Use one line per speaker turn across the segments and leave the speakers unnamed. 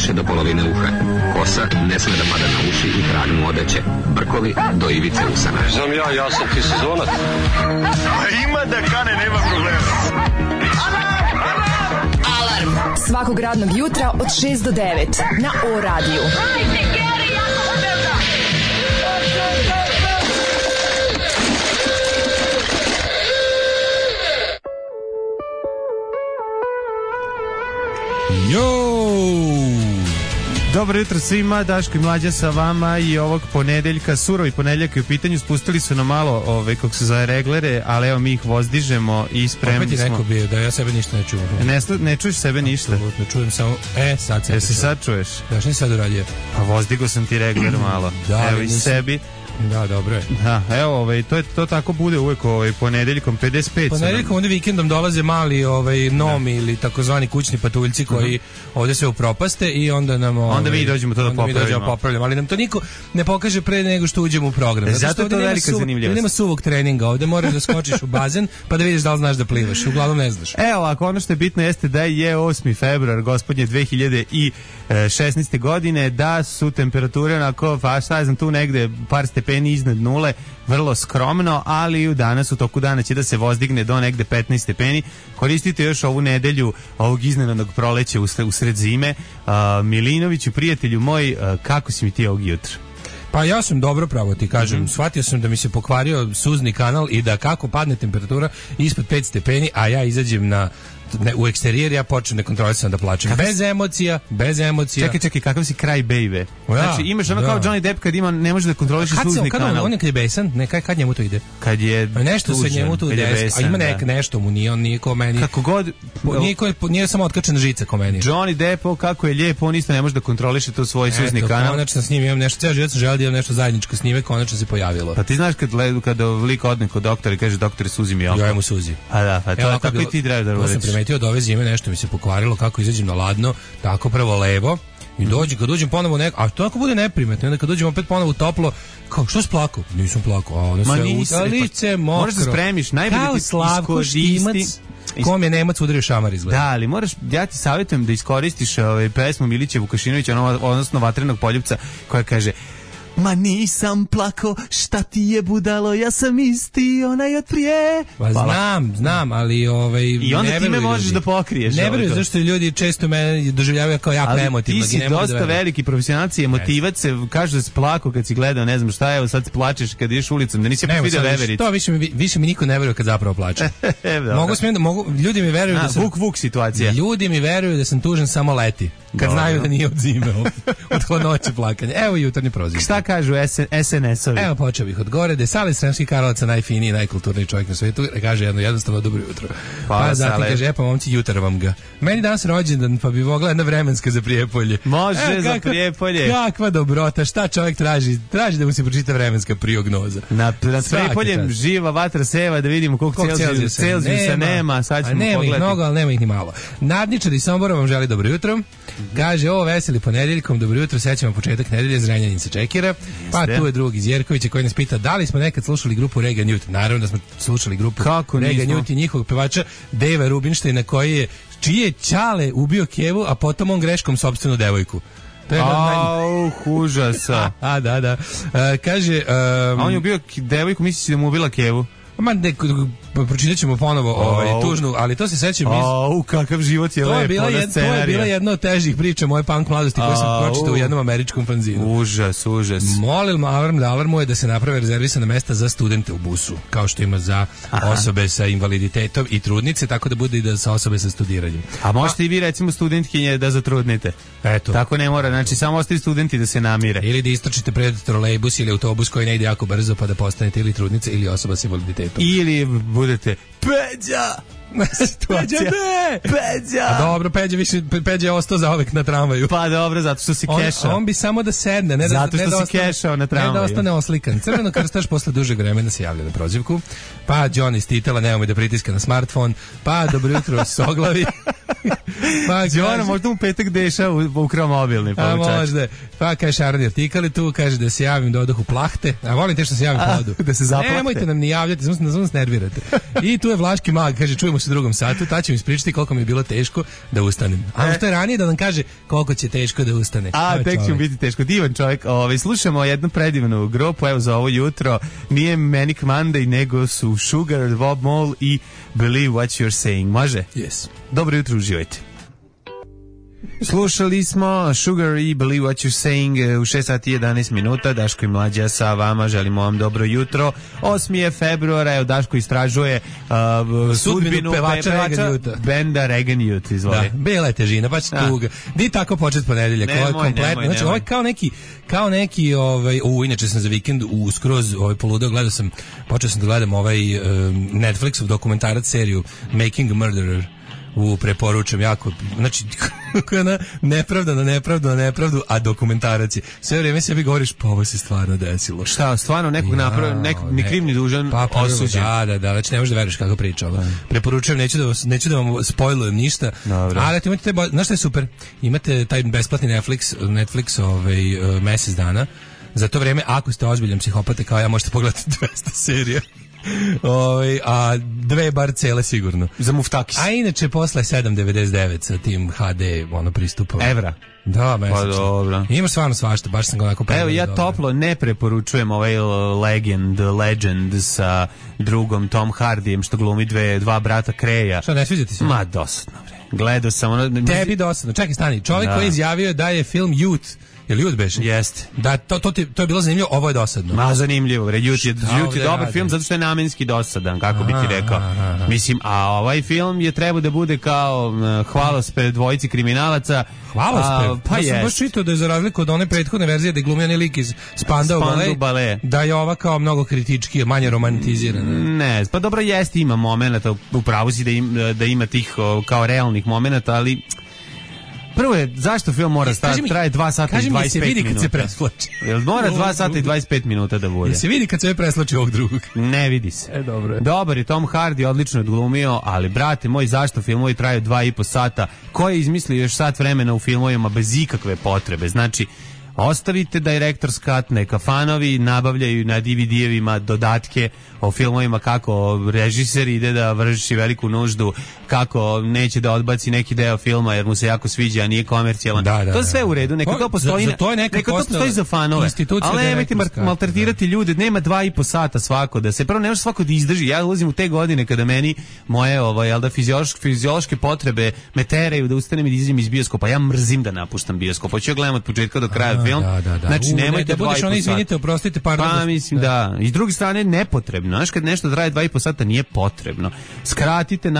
više do polovine uha. Kosa ne sme da pada na uši i kragnu odeće. Brkovi do ivice usana.
Znam ja sam ti sezonac.
Ima da kane, nema problema.
Alarm svakog radnog jutra od 6 do 9 na O-radiju.
Dobro jutro svima, Daško i Mlađa sa vama i ovog ponedeljka, surovi ponedeljak je u pitanju, spustili su nam malo, kako se zove, reglere, ali evo mi ih vozdižemo i spremni smo.
Opet je neko bio da ja sebe ništa ne čujem.
Ne čuješ sebe ništa?
Apsolutno, čujem samo, sad se.
Jesi sad čuješ?
Da, što ni sad uradio?
Pa vozdigo sam ti regler malo,
da,
evo i sebi.
Da, dobro je.
Da, evo, to tako bude uvek ponedeljkom 55.
Ponedeljkom onda vikendom dolaze mali nomi ili takozvani kućni patuljci koji ovde sve upropaste i onda nam
onda mi dođemo to da popravimo.
Ali nam to niko ne pokaže pre nego što uđemo u program.
Zato je to velika zanimljivost.
Nema suvog treninga, ovde moraš da skočiš u bazen pa da vidiš da li znaš da plivaš. Uglavnom ne znaš.
Evo, ako ono što je bitno jeste da je 8. februar, gospodnje 2016. godine, da su temperature onako, pa šta znam, tu negde par stepeni iznad nule, vrlo skromno, ali danas u toku dana će da se vozdigne do negde 15 stepeni. Koristite još ovu nedelju ovog iznenadnog proleća usred zime. Milinoviću, prijatelju moj, kako si mi ti ovog jutra?
Pa ja sam dobro, pravo ti kažem. Shvatio sam da mi se pokvario suzni kanal i da kako padne temperatura ispod 5 stepeni, a ja izađem u eksterijer, ja počnem nekontrolisano da plačem. Bez emocija.
Čekaj, kakav si kraj baby? Znači, imaš ono kao Johnny Depp kad ne može da kontroliše suzni kanal.
On je kad je besan, kad njemu to ide?
Kad je
nešto
tužan,
se njemu tu ide, a ima nešto mu nije, on nije ko meni.
Kako god,
nije samo otkačena žica ko meni.
Johnny Depp, kako je lijep, on isto ne može da kontroliše to svoj suzni kanal.
Konačno s njim imam nešto, ceo život sam želeo da imam nešto zajedničko s njime, konačno se pojavilo.
Pa ti znaš kad lik odne kod doktora i kaže doktore suzi mi oko.
Ja mu suzi.
A da, pa to tako i ti treba da uradiš.
To sam primetio od ove zime, nešto mi se pokvarilo, kako izađem na ladno, tako prvo levo i kad dođem ponovo a to ako bude neprimetno, onda kad dođem opet ponovo toplo, kao što si plakao? Nisam plakao, a onda sve lice mokro.
Možeš da spremiš, najbolje ti iskoristi.
Kom je Nemac udario šamar izgleda.
Da, ali ja ti savjetujem da iskoristiš pesmu Milića Vukašinovića, odnosno Vatrenog poljupca, koja kaže: ma nisam plako, šta ti je budalo, ja sam isti onaj od prije.
Pa znam, ali
i onda ti me možeš da pokriješ.
Ne veruju, zašto ljudi često mene doživljavaju kao jako emotivno.
Ali ti si dosta veliki profesionalci, emotivac se, kažu da si plako kad si gledao, ne znam šta je, evo sad se plačeš kad ideš ulicom, da nisi opet vidio vevericu.
To više mi niko ne veruje kad zapravo plače. Ljudi mi veruju da sam...
Vuk situacija.
Ljudi mi veruju da sam tužan samo leti. Kad znaju da nije od zime, od hladnoće plakanja. Evo jutarnji proziv.
Šta kažu SNS-ovi?
Evo počeo bih od gore, da je Sale Sremski Karlovac najfiniji, najkulturniji čovjek na svijetu, kaže jednostavno dobro jutro. Pa zatim kaže, pa momci, jutar vam ga. Meni danas rođendan, pa bi mogla jedna vremenska za Prijepolje.
Može za Prijepolje.
Kakva dobrota, šta čovjek traži? Traži da mu se pročita vremenska prijognoza.
Nad Prijepoljem živa vatra seva, da vidimo koliko Celzijusa nema. Sad ćemo
nema
pogledati.
Ih mnogo, ali nema ih ni malo. Nadničar iz Sombora vam želi dobro jutro. Kaže, ovo veseli ponedeljkom, dobro jutro, sećamo početak nedelje, Zrenjanin se čekira. Pa tu je drug iz Jerkovića koji nas pita da li smo nekad slušali grupu Regan Youth. Naravno da smo slušali grupu Regan Youth i njihovog pevača Dejva Rubinštajna čiji je ćale ubio Kevu, a potom on greškom sopstvenu devojku.
Užasa.
Da. Kaže...
A on je ubio devojku, misliš da mu ubila Kevu?
Pročitat ćemo ponovo tužnu, ali to se sećam
kakav život je lep.
To je bila jedna od težih priča moje punk mladosti koju sam pročitao u jednom američkom fanzinu.
Užas.
Molim alarmuje da se naprave rezervisana mesta za studente u busu, kao što ima za osobe sa invaliditetom i trudnice, tako da bude i da sa osobe sa studiranjem.
A možete i vi recimo studentkinje da zatrudnite.
Eto.
Tako ne mora, znači samo ostali studenti da se namire.
Ili da istrčite pred trolejbus ili autobus koji ne ide jako brzo pa da postanete ili trudnice ili osoba sa invaliditetom.
Ili budete Peđa! Peđa!
A dobro, Peđa je ostao zauvek na tramvaju.
Pa dobro, zato što si kešao.
On bi samo da sedne,
zato što si kešao na tramvaju.
Ne da ostane oslikan. Crveno krstaš posle dužeg vremena se javlja na prozivku. Pa John iz Titela, nemoj da pritiska na smartfon. Pa dobro jutro Soglavi. Pa
Đona možda mu petak deša ukrao mobilni.
A možda. Pa kaže Šarni artikali tu, kaže da se javim da odah u plahte. A volim te što se javim podu.
Da se zaplahte.
Nemojte nam ni javljati, samo nas nervirate. I tu je Vlaški mag, kaže čujemo se u drugom satu, ta će mi ispričati koliko mi je bilo teško da ustanem. A što je ranije da nam kaže koliko će teško da ustane.
A tek će mu biti teško. Divan čovjek. Slušamo jednu predivnu grupu, evo za ovo jutro. Nije Manic Monday, nego su Sugar, Bob Mole i Believe What You're Saying. Može?
Yes.
Dobro jutro, uživajte. Slušali smo Sugar i Believe What You're Saying u 6 sati 11 minuta. Daško i Mlađa sa vama, želimo vam dobro jutro. 8. je februara, evo Daško istražuje sudbinu pevača benda Reagan Youth, izvoli.
Da, bela je težina, baš tuga. Di tako počet ponedeljak, ovo je kompletno. Znači, ovo je kao neki inače sam za vikend skroz poludeo, počeo sam da gledam Netflixov dokumentarac seriju Making a Murderer. Preporučam jako, znači nepravda na nepravdu, a dokumentarac je. Sve vrijeme sebi govoriš, pa ovo se stvarno desilo.
Šta, stvarno nekog ni kriv ni dužan osuđen.
Da, već ne možeš da veruješ kako priča ovo. Preporučujem, neću da vam spojlujem ništa.
Dobro.
Ali imate znaš šta je super? Imate taj besplatni Netflix mesec dana. Za to vrijeme, ako ste ozbiljan psihopata kao ja, možete pogledati 200 serija. A dve bar cele sigurno.
Za muftakis.
A inače posle 7.99 sa tim HD pristupom.
Evra.
Da, mesečno.
Pa dobro.
Ima stvarno svašta, baš sam ga onako
Evo, ja toplo ne preporučujem ovaj Legend sa drugom Tom Hardyjem što glumi dva brata Kreja.
Šta, ne sviđa ti se?
Ma, dosadno, bre. Gledao sam
Tebi dosadno. Čekaj, stani. Čovjek koji je izjavio da je film Youth. Je li Youth beše?
Jeste.
Da, to je bilo zanimljivo, ovo je dosadno.
Ma, zanimljivo, bre. Youth je dobar film zato što je namenski dosadan, kako bi ti rekao. Mislim, a ovaj film je trebao da bude kao hvalospred dvojici kriminalaca.
Hvalospred?
Pa
ja sam baš čitao da je za razliku od one prethodne verzije da je glumio lik iz Spandau Ballet, da je ova kao mnogo kritički, manje romantizirana.
Ne, pa dobro jeste, ima momenata, upravo si da ima tih kao realnih momenata, ali prvo je, zašto film mora traje 2 sata i 25 minuta? Kaži mi, se vidi kad se preslači. Jel mora 2 sata i 25 minuta da bude?
Se vidi kad se preslači ovog drugog?
Ne vidi se.
Dobro je.
Dobar je Tom Hardy, odlično je odglumio, ali brate moj, zašto filmovi traju 2,5 sata? Ko je izmislio još sat vremena u filmovima bez ikakve potrebe? Znači, ostavite Director's Cut, neka fanovi nabavljaju na DVD-evima dodatke o filmovima kako režiser ide da vrši veliku nuždu, kako neće da odbaci neki deo filma jer mu se jako sviđa, a nije komercijalan. To sve u redu, neka to postoji, neka to postoji za fanove. Ali nemojte maltretirati ljude, nema 2,5 sata svako, da se prvo ne može svako da izdrži. Ja ulazim u te godine kada meni moje fiziološke potrebe me teraju da ustanem i da izađem iz bioskopa. Ja mrzim da napuštam bioskop. Hoću gledam od početka do kraja film. Znači nemojte 2,5 sata.
Izvinite, oprostite, pardon.
Pa mislim da. I s druge strane nepotrebno. Znaš, kad nešto traje 2,5 sata nije potrebno. Skratite,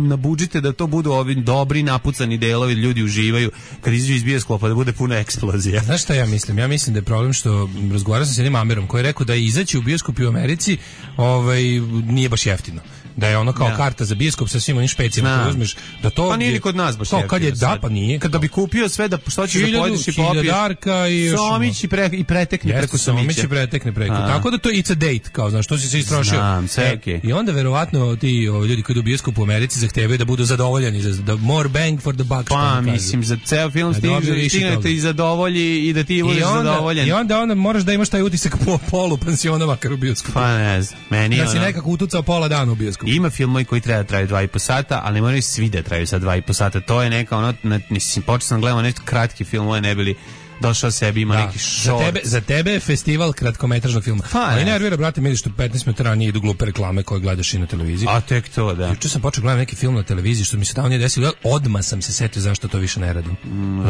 nabuđite da to budu ovi dobri napucani delovi, ljudi uživaju kad izađu iz bioskopa da bude puno eksplozija.
Znaš šta ja mislim? Ja mislim da je problem što razgovarao sam s jednim Amerom koji je rekao da izaći u bioskop u Americi nije baš jeftino. Da je ono kao karta za bioskop sa svim onim špecijama koje uzmeš, da to
pa nije ni kod nas baš jeftino.
Kad je da, pa nije.
Kada bi kupio sve da što ćeš da pojedeš i popiješ. Somić i pretekne preko Somića.
Tako da to it's a date, kao znaš, što si se istrošio.
Znam, sve okej.
I onda verovatno ti ljudi koji idu u bioskop u Americi zahtevaju da budu zadovoljeni, za more bang for the buck.
Pa mislim, za ceo film stignete i zadovolji i da ti budeš zadovoljen.
I onda moraš da imaš taj utisak po polu pensiona makar u bioskopu.
Pa ne znam, meni
da si nekako utucao pola dana u bioskopu.
Ima filmovi koji treba da traju 2,5 sata, ali ne moraju svi da traju sad 2,5 sata. To je neka mislim, počeo sam gledao nešto kratki film, ne bili došao sebi, ima neki short.
Za tebe je festival kratkometražnog filma. Ali nervira, brate, mi što 15 minuta ranije idu glupe reklame koje gledaš i na televiziji.
A tek to, da.
Juče sam počeo gledati neki film na televiziji što mi se tamo nije desilo, odmah sam se setio zašto to više ne radim.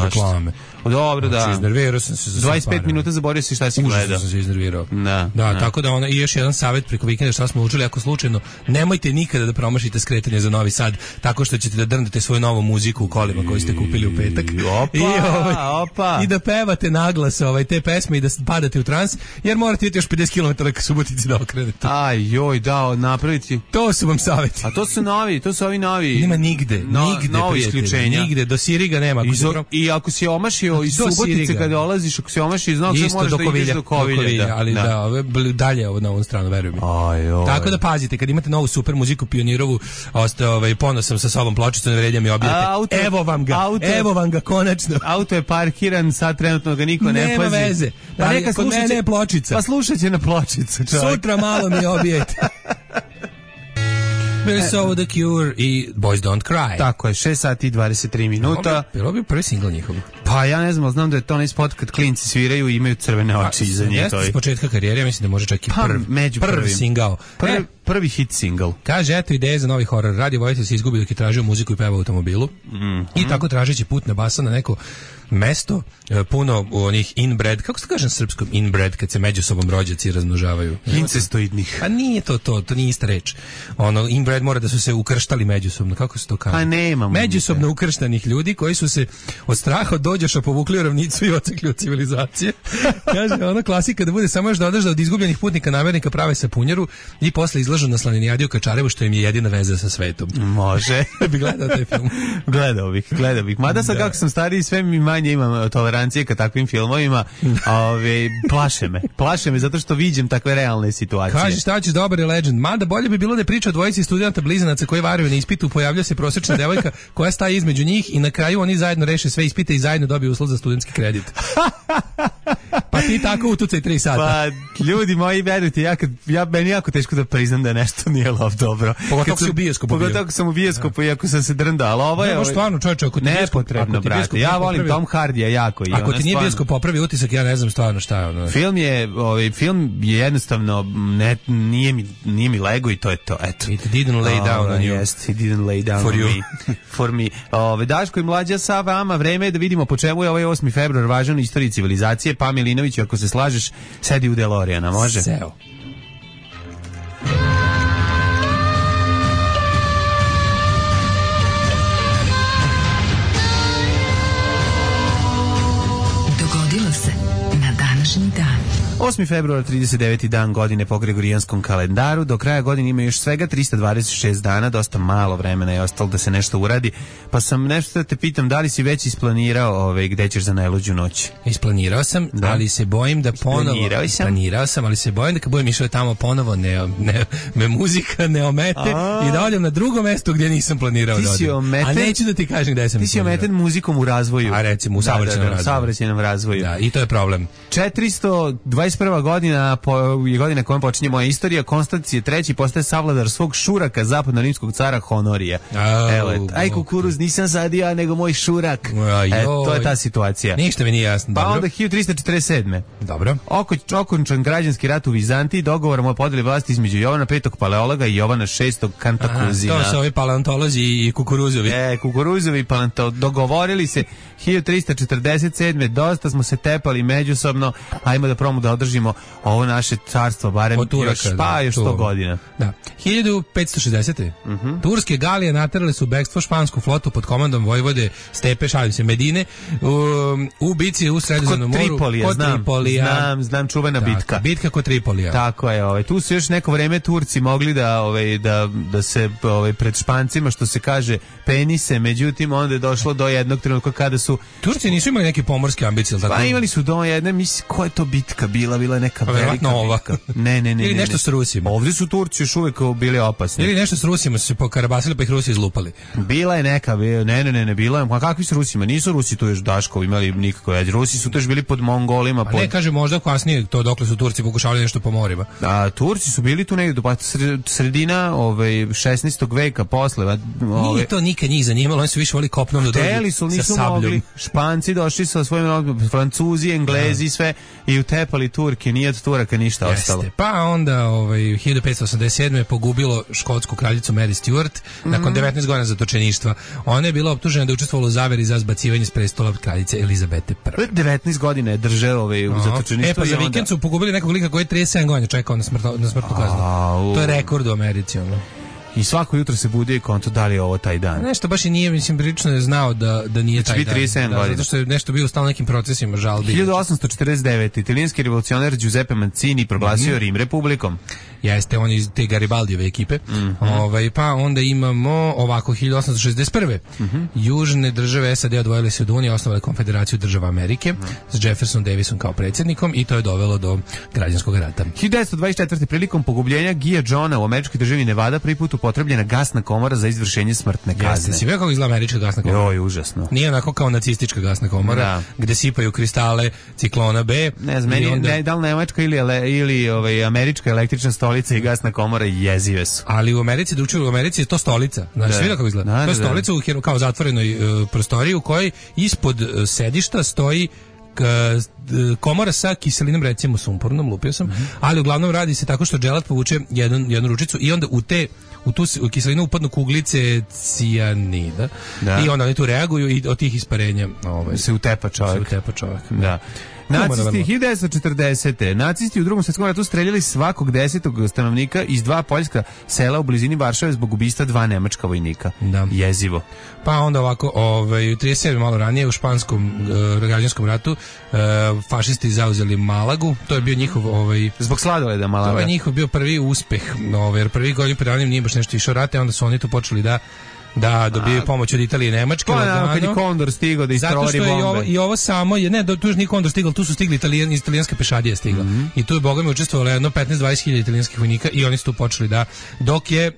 Reklame.
Dobro, da.
Iznervirao sam se za
25 minuta zaboravio si šta si gledao.
Užasno sam se iznervirao. Da, tako da i još jedan savjet preko vikenda šta smo učili, ako slučajno nemojte nikada da promašite skretanje za Novi Sad tako što ćete da drndete svoju novu muziku u kolima koju ste kupili u petak.
I da
pevate naglas te pesme i da padate u trans, jer morate ideti još 50 km ka Subotici da okrenete.
Aj, joj, da, napraviti.
To su vam savjeti.
A to su ovi novi.
Nema nigde,
novo isključenja.
Nigde, do Siriga nema.
I ako si omašio iz Subotice kad dolaziš, ako si omašio iz Novog Sada, možeš da ideš do Kovilja.
Ali dalje na ovu stranu, verujem mi. Tako da pazite, kad imate novu super muziku Pionirovu, ponosom sa sobom pločicu, ne vređam i objavite. Evo vam ga, konačno.
Auto je parkiran, sad trenutno ga niko ne pazi.
Nema veze. Pa neka kod mene je pločica.
Pa slušat će na pločicu, čovjek.
Sutra malo mi obijete. Bili su ovo The Cure i Boys Don't Cry.
Tako je, 6 sati i 23 minuta.
Bilo bi prvi singl njihov.
Pa ja ne znam, ali znam da je to onaj spot kad klinci sviraju i imaju crvene oči iza njih.
Jeste s početka karijere, ja mislim da može čak i prvi singl.
Prvi hit single.
Kaže, eto ideje za novi horor. Radio Vojitelj se izgubi dok je tražio muziku i peva u automobilu. I tako tražeći put na basa na neko mesto puno onih inbred, kako se kaže na srpskom inbred, kad se među sobom rođaci razmnožavaju.
Incestoidnih.
A nije to nije ista reč. Ono, inbred mora da su se ukrštali međusobno, kako se to kaže?
A nemamo.
Međusobno ukrštanih ljudi koji su se od straha od dođoša povukli u ravnicu i ocekli od civilizacije. Kaže, ona klasika da bude samo još dodaš da od izgubljenih putnika namernika prave sapunjaru i posle izlažu na Slaninijadi u Kačarevu, što im je jedina veza sa svetom.
Može.
Bi gledao taj film.
Gledao bih. Mada sad kako sam stariji, sve mi manje imam tolerancije ka takvim filmovima. Plaše me zato što viđem takve realne situacije.
Kaže, šta ćeš, dobar je Legend. Mada bolje bi bilo da priča o dvojici studenta blizanaca koji varaju na ispitu, pojavlja se prosječna devojka koja staje između njih i na kraju oni zajedno reše sve ispite i zajedno dobiju uslov za studentski kredit. Pa ti tako utucaj 3 sata.
Pa ljudi moji, verujte, meni jako teško da priznam da nešto nije lov dobro.
Pogotovo si u bioskopu.
Pogotovo sam u bioskopu, iako sam se drndao, ali ovo je
stvarno, čoveče, ako ti
nepotrebno, brate. Ja volim Tom Hardija jako.
Ako ti nije bioskop popravi utisak, ja ne znam stvarno šta je ono.
Film je jednostavno nije mi lego i to je to. Eto.
It didn't lay down on you.
Yes, it didn't lay down for me. Daško i Mlađa sa vama, vreme je da vidimo po čemu je ovaj 8. februar važan u istoriji civilizacije. Pa Milinović, ako se slažeš, sedi u DeLoreana, može?
Seo.
Dogodilo se na današnji dan.
8. februar, 39. dan godine po gregorijanskom kalendaru. Do kraja godine ima još svega 326 dana, dosta malo vremena je ostalo da se nešto uradi. Pa sam nešto da te pitam, da li si već isplanirao gde ćeš za najluđu noć?
Isplanirao sam, da. Ali se bojim da ponovo... Planirao sam, ali se bojim da kad budem išao tamo ponovo me muzika ne omete i da odem na drugo mesto gdje nisam planirao da odem. A neću da ti kažem gde sam.
Ti si ometen muzikom u razvoju.
A recimo u saobraćajnom
razvoju.
Da, i to je problem.
421. godina je godina kojom počinje moja istorija. Konstancije III postaje savladar svog šuraka, zapadno-rimskog cara Honorija. Aj kukuruz, nisam sadio, nego moj šurak. To je ta situacija.
Ništa mi nije jasno.
Pa onda 1347.
Dobro.
Okončan građanski rat u Vizantiji, dogovorom o podeli vlasti između Jovana V. Paleologa i Jovana VI. Kantakuzina.
To su ovi paleontolozi i kukuruzovi.
Kukuruzovi dogovorili se 1347. Dosta smo se tepali međusobno. Ajmo da promu da održimo ovo naše carstvo, barem još 100 godina.
Da. 1560. Turske galije naterale su bekstvo špansku flotu pod komandom vojvode Stepe, Medine, u bici u Sredozemnom moru.
Tripolija. Znam čuvena bitka.
Bitka kod Tripolija.
Tako je. Tu su još neko vreme Turci mogli da se pred Špancima, što se kaže, penise, međutim onda je došlo do jednog trenutka kada su...
Turci nisu imali neke pomorske ambicije, tako?
Pa imali su do jedne, mislim, koja je to bitka bila je neka velika bitka. Ne.
Ili nešto s Rusima.
Ovdje su Turci još uvijek bili opasni.
Ili nešto s Rusima su se pokarabasili pa ih Rusi izlupali.
Bila je neka, ne, bila je. A kakvi su Rusima? Nisu Rusi tu još Daško imali nikako veze. Rusi su tu još bili pod Mongolima.
A ne, kaže možda kasnije to dokle su Turci pokušavali nešto po morima.
A Turci su bili tu negdje do sredina 16. veka posle.
Nije to nikad njih zanimalo, oni su više voli kopnom da dođu sa sabljom.
Španci došli sa svojim Francuzi, Englezi, sve i utepali Turke, nije od Turaka ništa ostalo.
Pa onda 1587. je pogubilo škotsku kraljicu Mary Stuart nakon 19 godina zatočeništva. Ona je bila optužena da je učestvovala u zaveri za zbacivanje s prestola kraljice Elizabete I.
19 godina je držao u zatočeništvu.
Pa za vikend su pogubili nekog lika koji je 37 godina čekao na smrtnu kaznu. To je rekord u Americi.
I svako jutro se bude i konto da li je ovo taj dan.
Nešto baš i nije, mislim, prilično je znao da nije taj dan.
37 godina.
Zato što je nešto bio u stalno nekim procesima žalbi.
1849. Italijanski revolucionar Giuseppe Mazzini proglasio Rim republikom.
Jeste, on iz te Garibaldijeve ekipe. Pa onda imamo ovako 1861. Južne države SAD odvojile se od Unije, osnovale Konfederaciju država Amerike s Jefferson Davisom kao predsjednikom i to je dovelo do građanskog rata.
1924. prilikom pogubljenja Gia Johna u američkoj državi Nevada prvi put upotrebljena gasna komora za izvršenje smrtne kazne.
Jeste, si vidio kako izgleda američka gasna komora?
Joj, užasno.
Nije onako kao nacistička gasna komora, gde sipaju kristale ciklona B.
Ne znam, meni onda... da li nemačka ili američka električna stolica i gasna komora jezive su.
Ali u Americi, u Americi je to stolica. Znači, vidio kako izgleda? To je stolica u kao zatvorenoj prostoriji u kojoj ispod sedišta stoji komora sa kiselinom, recimo sumpornom, lupio sam, ali uglavnom radi se tako što dželat povuče jednu ručicu i onda u tu kiselinu upadnu kuglice cijanida i onda oni tu reaguju i od tih isparenja
se utepa čovjek. Da. Nacisti 1940. Nacisti u Drugom svjetskom ratu streljali svakog 10. stanovnika iz 2 poljska sela u blizini Varšave zbog ubistva 2 nemačka vojnika. Da. Jezivo.
Pa onda ovako, 37. malo ranije u španskom građanskom ratu fašisti zauzeli Malagu. To je bio njihov
zbog sladoleda Malaga.
To je njihov bio prvi uspeh, jer prvi godin predanim nije baš nešto išao rate, onda su oni tu počeli da dobiju pomoć od Italije i Nemačke.
Pa kad je Kondor stigao da istrovari bombe.
Zato što je i ovo samo, tu je nije Kondor stigao, tu su stigli italijanska pešadija stigla. I tu je bogami učestvovalo jedno 15-20 hiljada italijanskih vojnika i oni su tu počeli dok je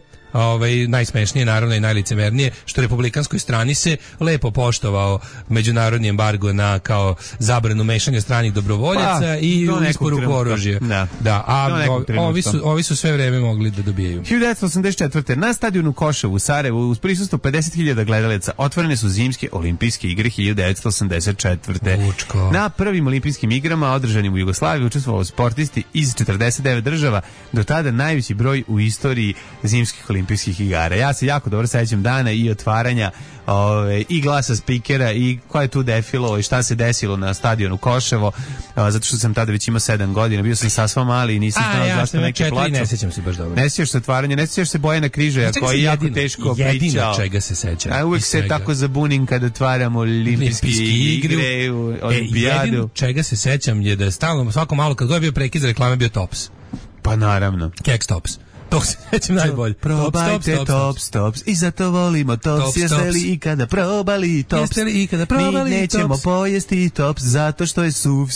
najsmešnije naravno i najlicemernije što republikanskoj strani se lepo poštovao međunarodni embargo na kao zabranu mešanja stranih dobrovoljaca i isporuku oružja. Ovi su sve vreme mogli da dobijaju.
1984. na stadionu Koševu u Sarajevu uz prisustvo 50.000 gledalaca otvorene su zimske olimpijske igre 1984.
Lučko.
Na prvim olimpijskim igrama održanim u Jugoslaviji učestvovali sportisti iz 49 država, do tada najveći broj u istoriji zimskih olimpijskih igara. Ja se jako dobro sećam dana i otvaranja i glasa spikera i ko je tu defilo i šta se desilo na stadionu Koševo, zato što sam tada već imao 7 godina, bio sam sasva mali i nisam znao zašto neki plaču.
Ne sjećam se baš dobro.
Ne sjećaš se otvaranja, ne sjećaš se Bojana Križaja koji je jako teško pričao.
Jedino čega se sećam.
Uvijek se tako zabunim kada otvaramo olimpijske igre, olimpijadu.
Jedino čega se sećam je da je stalno, svako malo kad god je bio prekid za reklame bio Tops.
Pa naravno.
Keks Tops. To se nećem najbolje.
Probajte Tops i zato volimo Tops. Jeste li ikada probali Tops? Mi nećemo pojesti Tops zato što je suv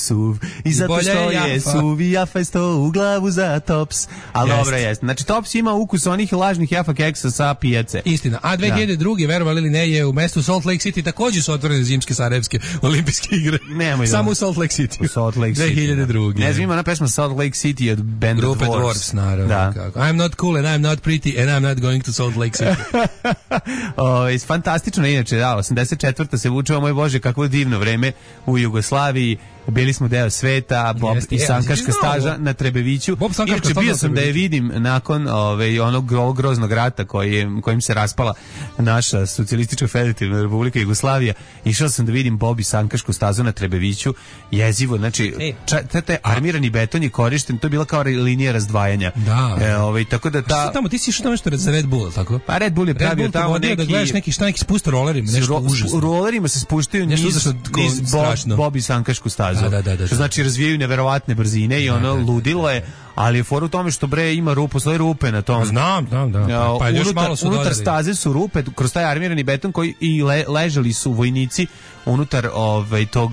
i zato što je suv i jafa je sto u glavu za Tops. Ali dobro jeste. Znači Tops ima ukus onih lažnih jafa keksa sa pijace.
Istina. A 2002. verovali ili ne, je u mestu Salt Lake City također su otvorene zimske sarajevske olimpijske igre. Samo u Salt Lake City. 2002.
Ne znam, ima ona pesma Salt Lake City od benda
Grupe Dwarfs, naravno. I'm not cool and I'm not pretty and I'm not going to Salt Lake City.
Fantastično, inače, 84. se vučeva, moj Bože, kakvo divno vreme u Jugoslaviji. Bili smo deo sveta, Bob i sankaška staža na Trebeviću. Inače, bio sam da je vidim nakon onog groznog rata kojim se raspala naša socijalistička federativna republika Jugoslavija. Išao sam da vidim Bob i sankašku stazu na Trebeviću. Jezivo, znači, taj armirani beton je korišten, to je bila kao linija razdvajanja.
Da.
Tako da ta...
Tamo, ti si išao tamo nešto za Red Bull, tako?
Pa Red Bull je pravio tamo neki...
da gledaš neki spust rolerima, nešto užasno.
Rolerima se spuštaju niz Bob i sankašku stazu.
Da.
Što znači razvijaju neverovatne brzine i ono ludilo je, ali je for u tome što ima postoje rupe na tom.
Znam. Pa još malo su
unutar staze su rupe, kroz taj armirani beton koji i ležali su vojnici unutar tog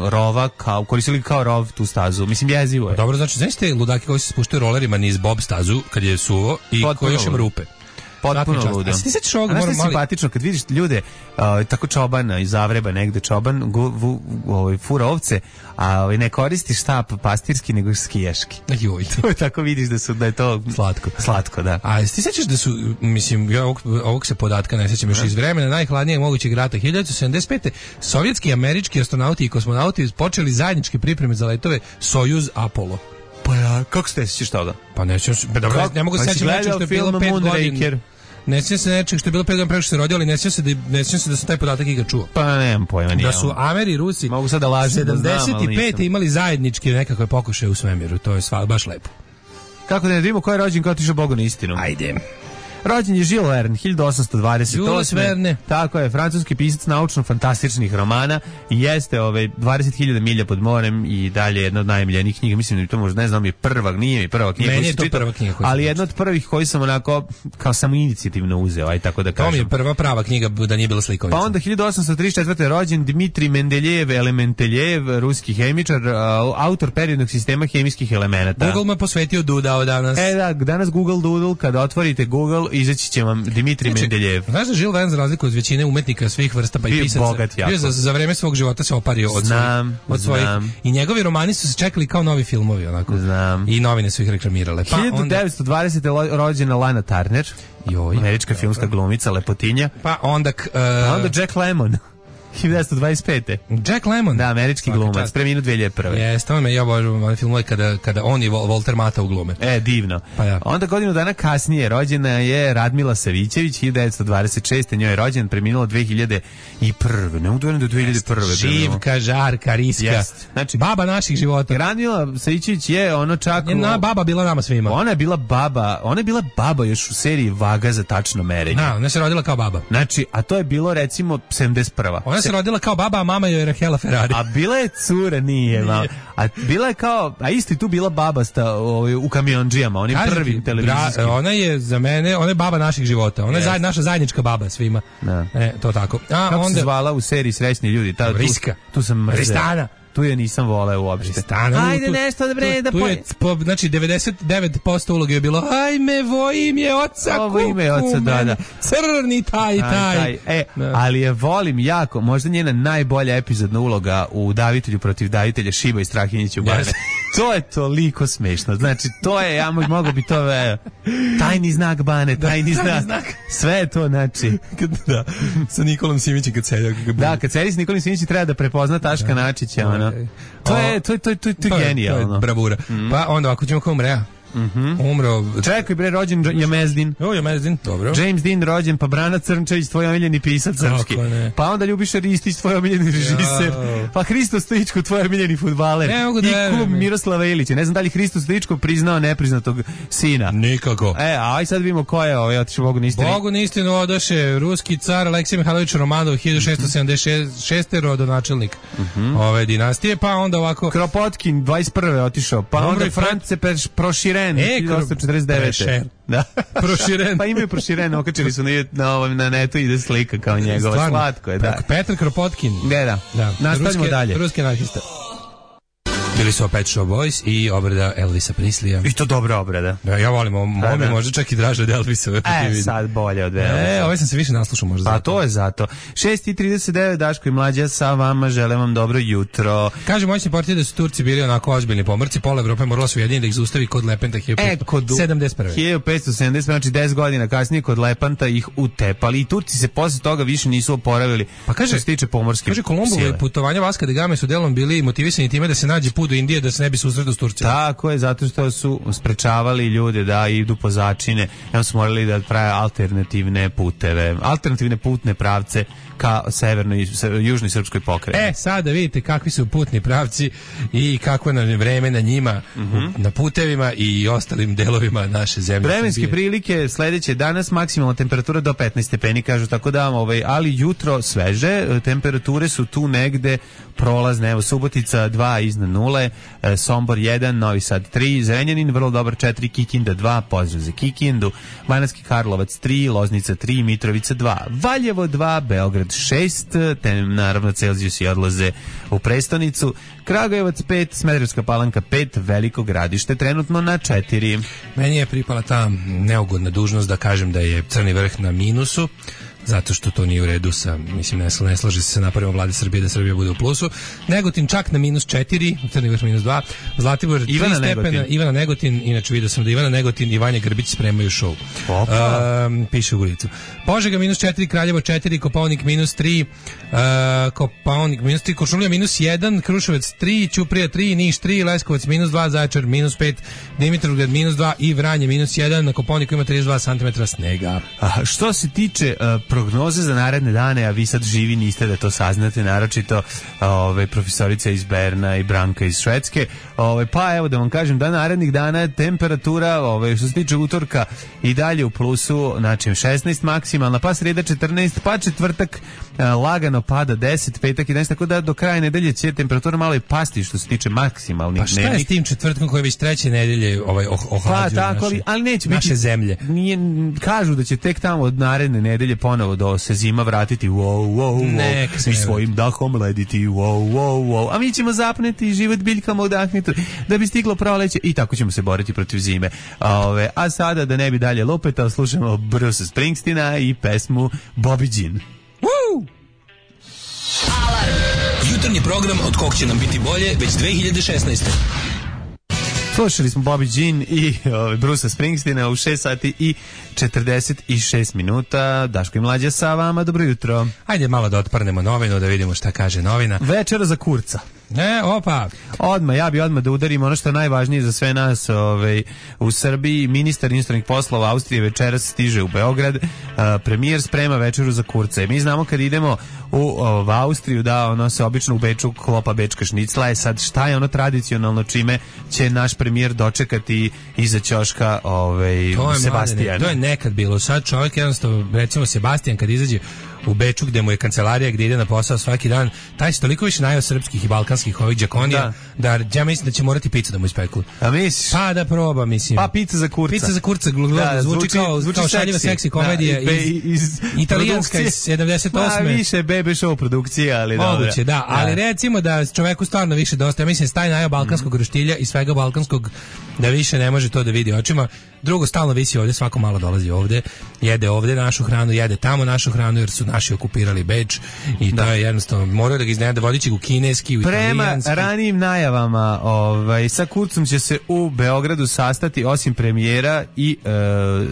rova, koristili kao rov tu stazu. Mislim, jezivo je.
Dobro, znači, znaš te ludaki koji se spuštaju rolerima niz Bob stazu kad je suvo i koji još ima rupe?
Potpuno ludo.
A ti sećaš ovoga?
Znaš što je simpatično kad vidiš ljude, tako čobana iz Zavreba negde, čoban fura ovce, a ne koristi štap pastirski nego skijaški.
Joj.
Tako vidiš da je to slatko, da.
A ti sećaš da su, mislim, ja ovog se podatka ne sećam još iz vremena najhladnijeg mogućeg rata 1975. Sovjetski i američki astronauti i kosmonauti počeli zajedničke pripreme za letove Sojuz Apollo.
Pa ja, kako ste sećaš toga?
Pa ne mogu se sećati nečeg što je bilo 5 godina. Ne sjećam se nečeg što je bilo 5 godina preko što se rodio, ali ne sjećam se da sam taj podatak ikad čuo.
Pa nemam pojma.
Da su Ameri i Rusi
mogu sad da lažem,
75. imali zajedničke nekakve pokušaje u svemiru. To je baš lepo.
Kako da ne vidimo ko je rođen, kao tiša Bogu na istinu.
Ajde.
Rođen je Jules Verne, 1828.
Jules Verne.
Tako je, francuski pisac naučno-fantastičnih romana i jeste 20.000 milja pod morem i dalje jedna od najmiljenijih knjiga. Mislim da mi to možda, ne znam, nije mi prva knjiga.
Meni je to prva knjiga.
Ali jedna od prvih koji sam onako kao samo inicijativno uzeo, aj tako da kažem.
To mi je prva prava knjiga da nije bila slikovica.
Pa onda 1834. rođen Dmitrij Mendeljev Elementeljev, ruski hemičar, autor periodnog sistema hemijskih elemenata.
Google me posvetio Dudao danas.
Da, danas Google Doodle, kada otvorite Google, izaći će vam Dmitrij Mendeljev.
Znaš da Jules Verne, za razliku od većine umetnika svih vrsta pa i pisaca, bio za vreme svog života se opario od svojih. I njegovi romani su se čekali kao novi filmovi, onako.
Znam.
I novine su ih reklamirale. Pa
1920. rođena Lana Turner, američka filmska glumica, lepotinja.
Pa onda
Jack Lemmon. 1925.
Jack Lemmon.
Da, američki glumac, preminuo 2001.
Jeste, ja obožavam one filmove kada on i Walter Matthau glume.
Divno.
Pa ja.
Onda godinu dana kasnije rođena je Radmila Savićević, 1926. Njoj je rođen, preminula 2001. Ne mogu do 2001.
Živka, žarka, riska.
Znači,
baba naših života.
Radmila Savićević je ono čak...
Baba bila nama svima.
Ona je bila baba još u seriji Vaga za tačno merenje.
Ona se rodila kao baba.
Znači, a to je bilo recimo 71.
Ona se rodila kao baba, a mama joj je Rahela Ferrari.
A bila je cura, nije. A bila je kao, a isto i tu bila babasta u Kamiondžijama, onim prvim televizijskim.
Ona je za mene, ona je baba naših života. Ona je naša zajednička baba svima. To tako.
Kako onda se zvala u seriji Srećni ljudi?
Riska.
Tu sam mrzeo.
Ristana.
Tu je nisam voleo uopšte.
Ajde nešto da znači 99% uloge je bilo ajme, vo ime oca,
ovo ime oca, da.
Crni taj.
Ali je volim jako, možda njena najbolja epizodna uloga u Davitelju protiv Davitelja, Šiba i Strahinjić u Bane. To je toliko smešno. Znači, to je, ja mogu bi to tajni znak Bane, tajni znak. Sve je to, znači.
Da, sa Nikolom Simićem kad sedi.
Da, kad sedi s Nikolom Simićem treba da prepozna Taška Načića, ono. To je genijalno.
To je bravura. Pa onda ako ćemo kao umreja. Umro.
Čekaj bre, rođen Jamezdin.
Jamezdin, dobro.
James Dean rođen, pa Brana Crnčević, tvoj omiljeni pisac srpski. Pa onda Ljubiša Ristić, tvoj omiljeni režiser. Pa Hristo Stojičko, tvoj omiljeni fudbaler. I kum Miroslava Ilića. Ne znam da li Hristo Stojičko priznao nepriznatog sina.
Nikako.
Aj sad vidimo ko je otišao Bogu na istinu.
Bogu na istinu odoše ruski car Aleksej Mihajlović Romanov, 1676. rodonačelnik ove dinastije, pa onda ovako
Kropotkin 21. otišao, pa onda France Proširen 1949. Da.
Proširen.
Pa imaju Proširen, okačili su na netu, ide slika kao njegova. Slatko je, da.
Petar Kropotkin.
Da. Nastavimo dalje.
Ruski anarhista. Bili su Pet Shop Boys i obrada Elvisa Presleya.
I to dobra obrada.
Ja volim, ovo mi možda čak i draže od Elvisove.
Sad bolje od Elvisa.
Ovaj sam se više naslušao možda.
Pa to je zato. 6:39, Daško i Mlađa sa vama, želim vam dobro jutro.
Kaže moćni portir da su Turci bili onako ozbiljni pomorci, pola Evrope morala su ujediniti da ih zaustavi kod Lepenta 1571.
1570, znači 10 godina kasnije kod Lepanta ih utepali i Turci se posle toga više nisu oporavili.
Pa kaže,
što se tiče pomorske
kaže Kolumbove putovanja Vaska da Game su delom bili motivisani time da se nađe put do Indije da se ne bi susretao s Turcima.
Tako je, zato što su sprečavali ljude da idu po začine, onda su morali da prave alternativne puteve, alternativne putne pravce ka severnoj i južnoj srpskoj pokrajini.
Sada vidite kakvi su putni pravci i kako je vreme na njima, na putevima i ostalim delovima naše zemlje.
Vremenske prilike sledeće danas, maksimalna temperatura do 15 stepeni, kažu, tako da, ali jutro sveže, temperature su tu negde prolazne, evo Subotica 2 iznad nule, Sombor 1, Novi Sad 3, Zrenjanin vrlo dobar 4, Kikinda 2, pozdrav za Kikindu, Banatski Karlovac 3, Loznica 3, Mitrovica 2, Valjevo 2, Beograd 6, te naravno Celzijusi odlaze u prestonicu, Kragujevac 5, Smederevska Palanka 5, Veliko Gradište trenutno na 4.
Meni je pripala ta neugodna dužnost da kažem da je Crni vrh na minusu, zato što to nije u redu sa, mislim, ne slaže se sa naporima vlade Srbije da Srbija bude u plusu. Negotin čak na -4, Crni vrh -2, Zlatibor 3 stepena, Ivana Negotin, inače vidio sam da Ivana Negotin i Vanja Grbić spremaju šou. Piše u Goricu. Požega -4, Kraljevo 4, Kopaonik -3, Kopaonik -3, Kočumlija -1, Kruševac 3, Ćuprija 3, Niš 3, Leskovac -2, Zaječar -5, Dimitrovgrad -2 i Vranje -1, na Kopaoniku ima 32 cm snega.
Što se tiče prognoze za naredne dane, a vi sad živi niste da to saznate, naročito profesorica iz Berna i Branka iz Švedske, Pa evo da vam kažem da narednih dana temperatura što se tiče utorka i dalje u plusu, znači 16 maksimalna, pa sreda 14, pa četvrtak lagano pada 10, petak 11, tako da do kraja nedelje će temperatura malo i pasti što se tiče maksimalnih.
Pa šta je s tim četvrtkom koji je već treće nedelje ohlađuju
ali neće
naše
biti,
zemlje?
Kažu da će tek tamo od naredne nedelje ponovo da se zima vratiti i svojim dahom lediti a mi ćemo zapneti život biljkama udahnuti da bi stiglo proleće i tako ćemo se boriti protiv zime. A sada da ne bi dalje lupetao, slušamo Bruce Springsteena i pesmu Bobby Jean.
Alarm! Jutarnji program od kog će nam biti bolje već 2016.
Slušali smo Bobby Jean i Bruce Springsteena u 6 sati i 46 minuta. Daško i Mlađa sa vama, dobro jutro.
Ajde malo da otprnemo novinu, da vidimo šta kaže novina.
Večera za Kurca.
Opa.
Ja bi odmah da udarim ono što je najvažnije za sve nas u Srbiji. Ministar inostranih poslova Austrije večeras stiže u Beograd. Premijer sprema večeru za Kurca. I mi znamo kad idemo u Austriju da ono se obično u Beču klopa bečka šnicla. Sad šta je ono tradicionalno čime će naš premijer dočekati iza ćoška Sebastijana?
To je nekad bilo. Sad čovjek jednostavno, recimo Sebastijan kad izađe u Beču gde mu je kancelarija gde ide na posao svaki dan, taj se toliko više najao srpskih i balkanskih ovih džakonija da ja mislim da će morati picu da mu ispeku.
A misliš?
Pa da proba, mislim.
Pa pizza za Kurca.
Pizza za Kurca zvuči kao šaljiva seksi komedija iz italijanska iz 78.
Više bebe show produkcija, ali dobro.
Moguće, da, ali recimo da čoveku stvarno više dosta, ja mislim staj najao balkanskog roštilja i svega balkanskog da više ne može to da vidi očima. Drugo, stalno visi ovdje, svako malo dolazi ovdje, jede ovdje našu hranu, jede tamo našu hranu jer su naši okupirali Beč i to je jednostavno, moraju da ga iznenade vodići u kineski, u italijanski.
Prema ranijim najavama, sa Kurcom će se u Beogradu sastati osim premijera i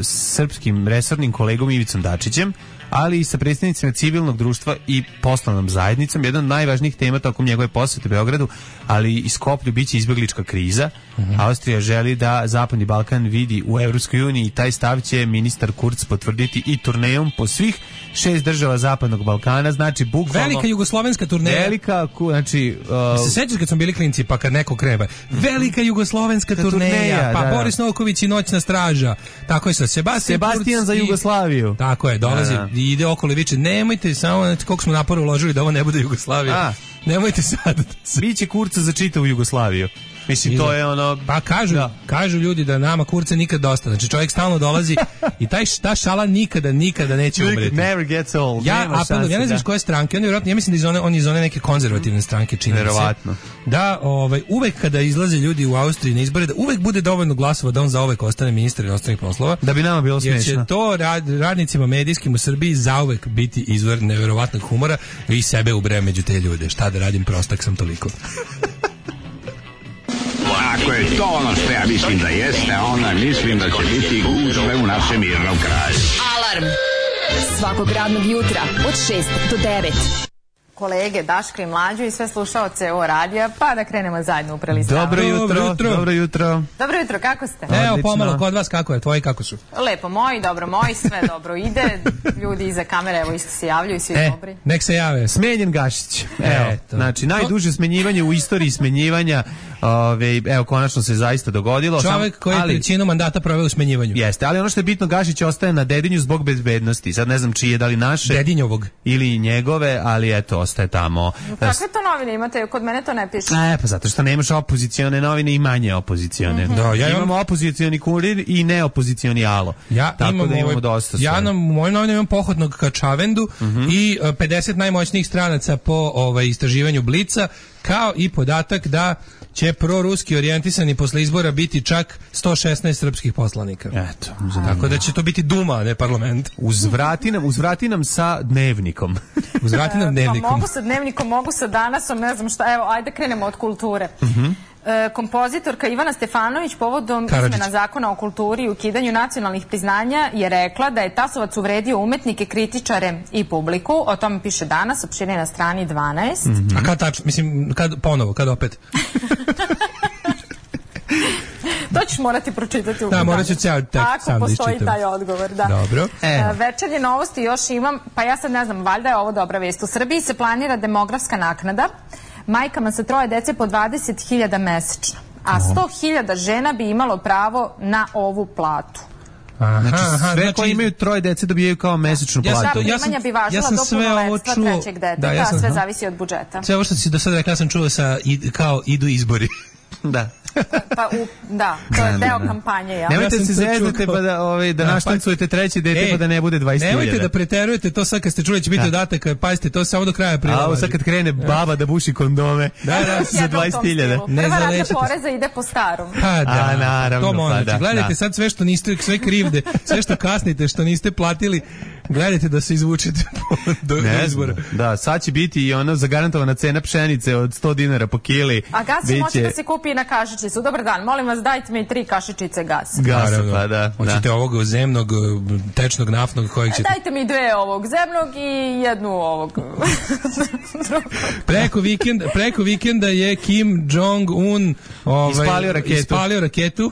srpskim resornim kolegom Ivicom Dačićem, ali i sa predstavnicima civilnog društva i poslovnom zajednicom. Jedna od najvažnijih tema tokom njegove posete Beogradu, ali i Skoplju, biće izbeglička kriza. Austrija želi da Zapadni Balkan vidi u Evropskoj uniji i taj stav će ministar Kurz potvrditi i turnejom po svih 6 država Zapadnog Balkana, znači bukvalno
velika jugoslovenska turneja.
Velika, znači
se sećaš kad smo bili klinci pa kad neko kreba velika jugoslovenska turneja, pa Boris Novković i noćna straža. Tako je sa
Sebastijan za Jugoslaviju.
Tako je, dolazi i ide okolo i viče nemojte samo koliko smo napora uložili da ovo ne bude Jugoslavija. Nemojte sad.
Biće Kurca za čitavu Jugoslaviju. Mislim, to je ono...
Pa kažu ljudi da nama Kurca nikad dosta. Znači čovjek stalno dolazi i ta šala nikada neće umreti.
Never gets old.
Ja ne znam koje stranke, ja mislim da on iz one neke konzervativne stranke čini.
Verovatno.
Da, uvek kada izlaze ljudi u Austriji na izbore, da uvek bude dovoljno glasova da on zauvek ostane ministar inostranih poslova.
Da bi nama bilo smešno.
Jer će to radnicima medijskim u Srbiji zauvek biti izvor neverovatnog humora i sebe ubre među te ljude. Šta da radim, prostak sam toliko.
Ako je to ono što ja mislim da jeste, onda mislim da će biti gužve u našem mirnom kraju.
Alarm svakog radnog jutra od 6 do 9.
Kolege Daška i Mlađu i sve slušaoce o radija, pa da krenemo zajedno u prelistavanje.
Dobro jutro.
Dobro jutro, kako ste?
Evo pomalo, kod vas kako je, tvoji kako su?
Lepo, moji, dobro moji, sve dobro ide. Ljudi iza kamere, evo isto se javljaju, svi dobri.
Nek se jave.
Smenjen Gašić. Evo, znači najduže smenjivanje u istoriji smenjivanja. Evo, konačno se zaista dogodilo.
Čovjek koji je trećinu mandata proveo u smenjivanju.
Jeste, ali ono što je bitno, Gašić ostaje na Dedinju zbog bezbednosti. Sad ne znam čije, da li naše
Dedinjovog
ili njegove, ali eto, ostaje tamo.
Kakve to novine imate? Kod mene to ne piše.
Pa zato što nemaš opozicione novine i manje opozicione. Imamo opozicioni Kurir i neopozicioni Alo. Tako da imamo dosta.
Ja u mojim novinama imam pohodnog ka Čavendu i 50 najmoćnijih stranaca po istraživanju Blica, kao i podatak da će proruski orijentisani posle izbora biti čak 116 srpskih poslanika.
Eto.
Tako da će to biti Duma, a ne parlament.
Uzvrati nam sa Dnevnikom.
Uzvrati nam Dnevnikom.
Pa mogu sa Dnevnikom, mogu sa Danasom, ne znam šta. Evo, ajde krenemo od kulture. Kompozitorka Ivana Stefanović povodom izmena zakona o kulturi i ukidanju nacionalnih priznanja je rekla da je Tasovac uvredio umetnike, kritičare i publiku. O tome piše Danas, opširnije na strani 12.
A kad tačno, mislim, kad opet?
To ćeš morati pročitati u
da, morat ću ceo tekst sam da
postoji taj odgovor, da.
Dobro.
Večernje novosti još imam, pa ja sad ne znam, valjda je ovo dobra vest. U Srbiji se planira demografska naknada majkama sa 3 dece po 20.000 mesečno. a 100.000 žena bi imalo pravo na ovu platu.
Sve koji imaju 3 dece dobijaju kao mesečnu platu.
Primanja bi važila do punoletstva 3. deteta, a sve zavisi od budžeta.
Sve ovo što si do sada rekla sam čuo kao idu izbori.
Da.
To je deo kampanje. Ja.
Nemojte se zeznete pa da naštancujete 3. dete pa da ne bude 20.000.
Nemojte da preterujete to sad kad ste čuli će biti dodatak, pazite, to samo do kraja aprila.
A ovo sad kad krene baba da buši kondome za 20.000.
Prva rata poreza ide po starom.
Naravno. To možete. Gledajte sad sve što niste, sve krivde, sve što kasnite, što niste platili, gledajte da se izvučete do izbora.
Da, sad će biti i ono zagarantovana cena pšenice od 100 dinara po kili.
A gas će moći da se kupi na kašičicu. Dobar dan, molim vas dajte mi 3 kašičice gasa.
Gasa, pa da.
Hoćete ovog zemnog, tečnog, naftnog, kojeg ćete?
Dajte mi 2 ovog zemnog i 1 ovog.
Preko vikenda je Kim Jong-un ispalio raketu.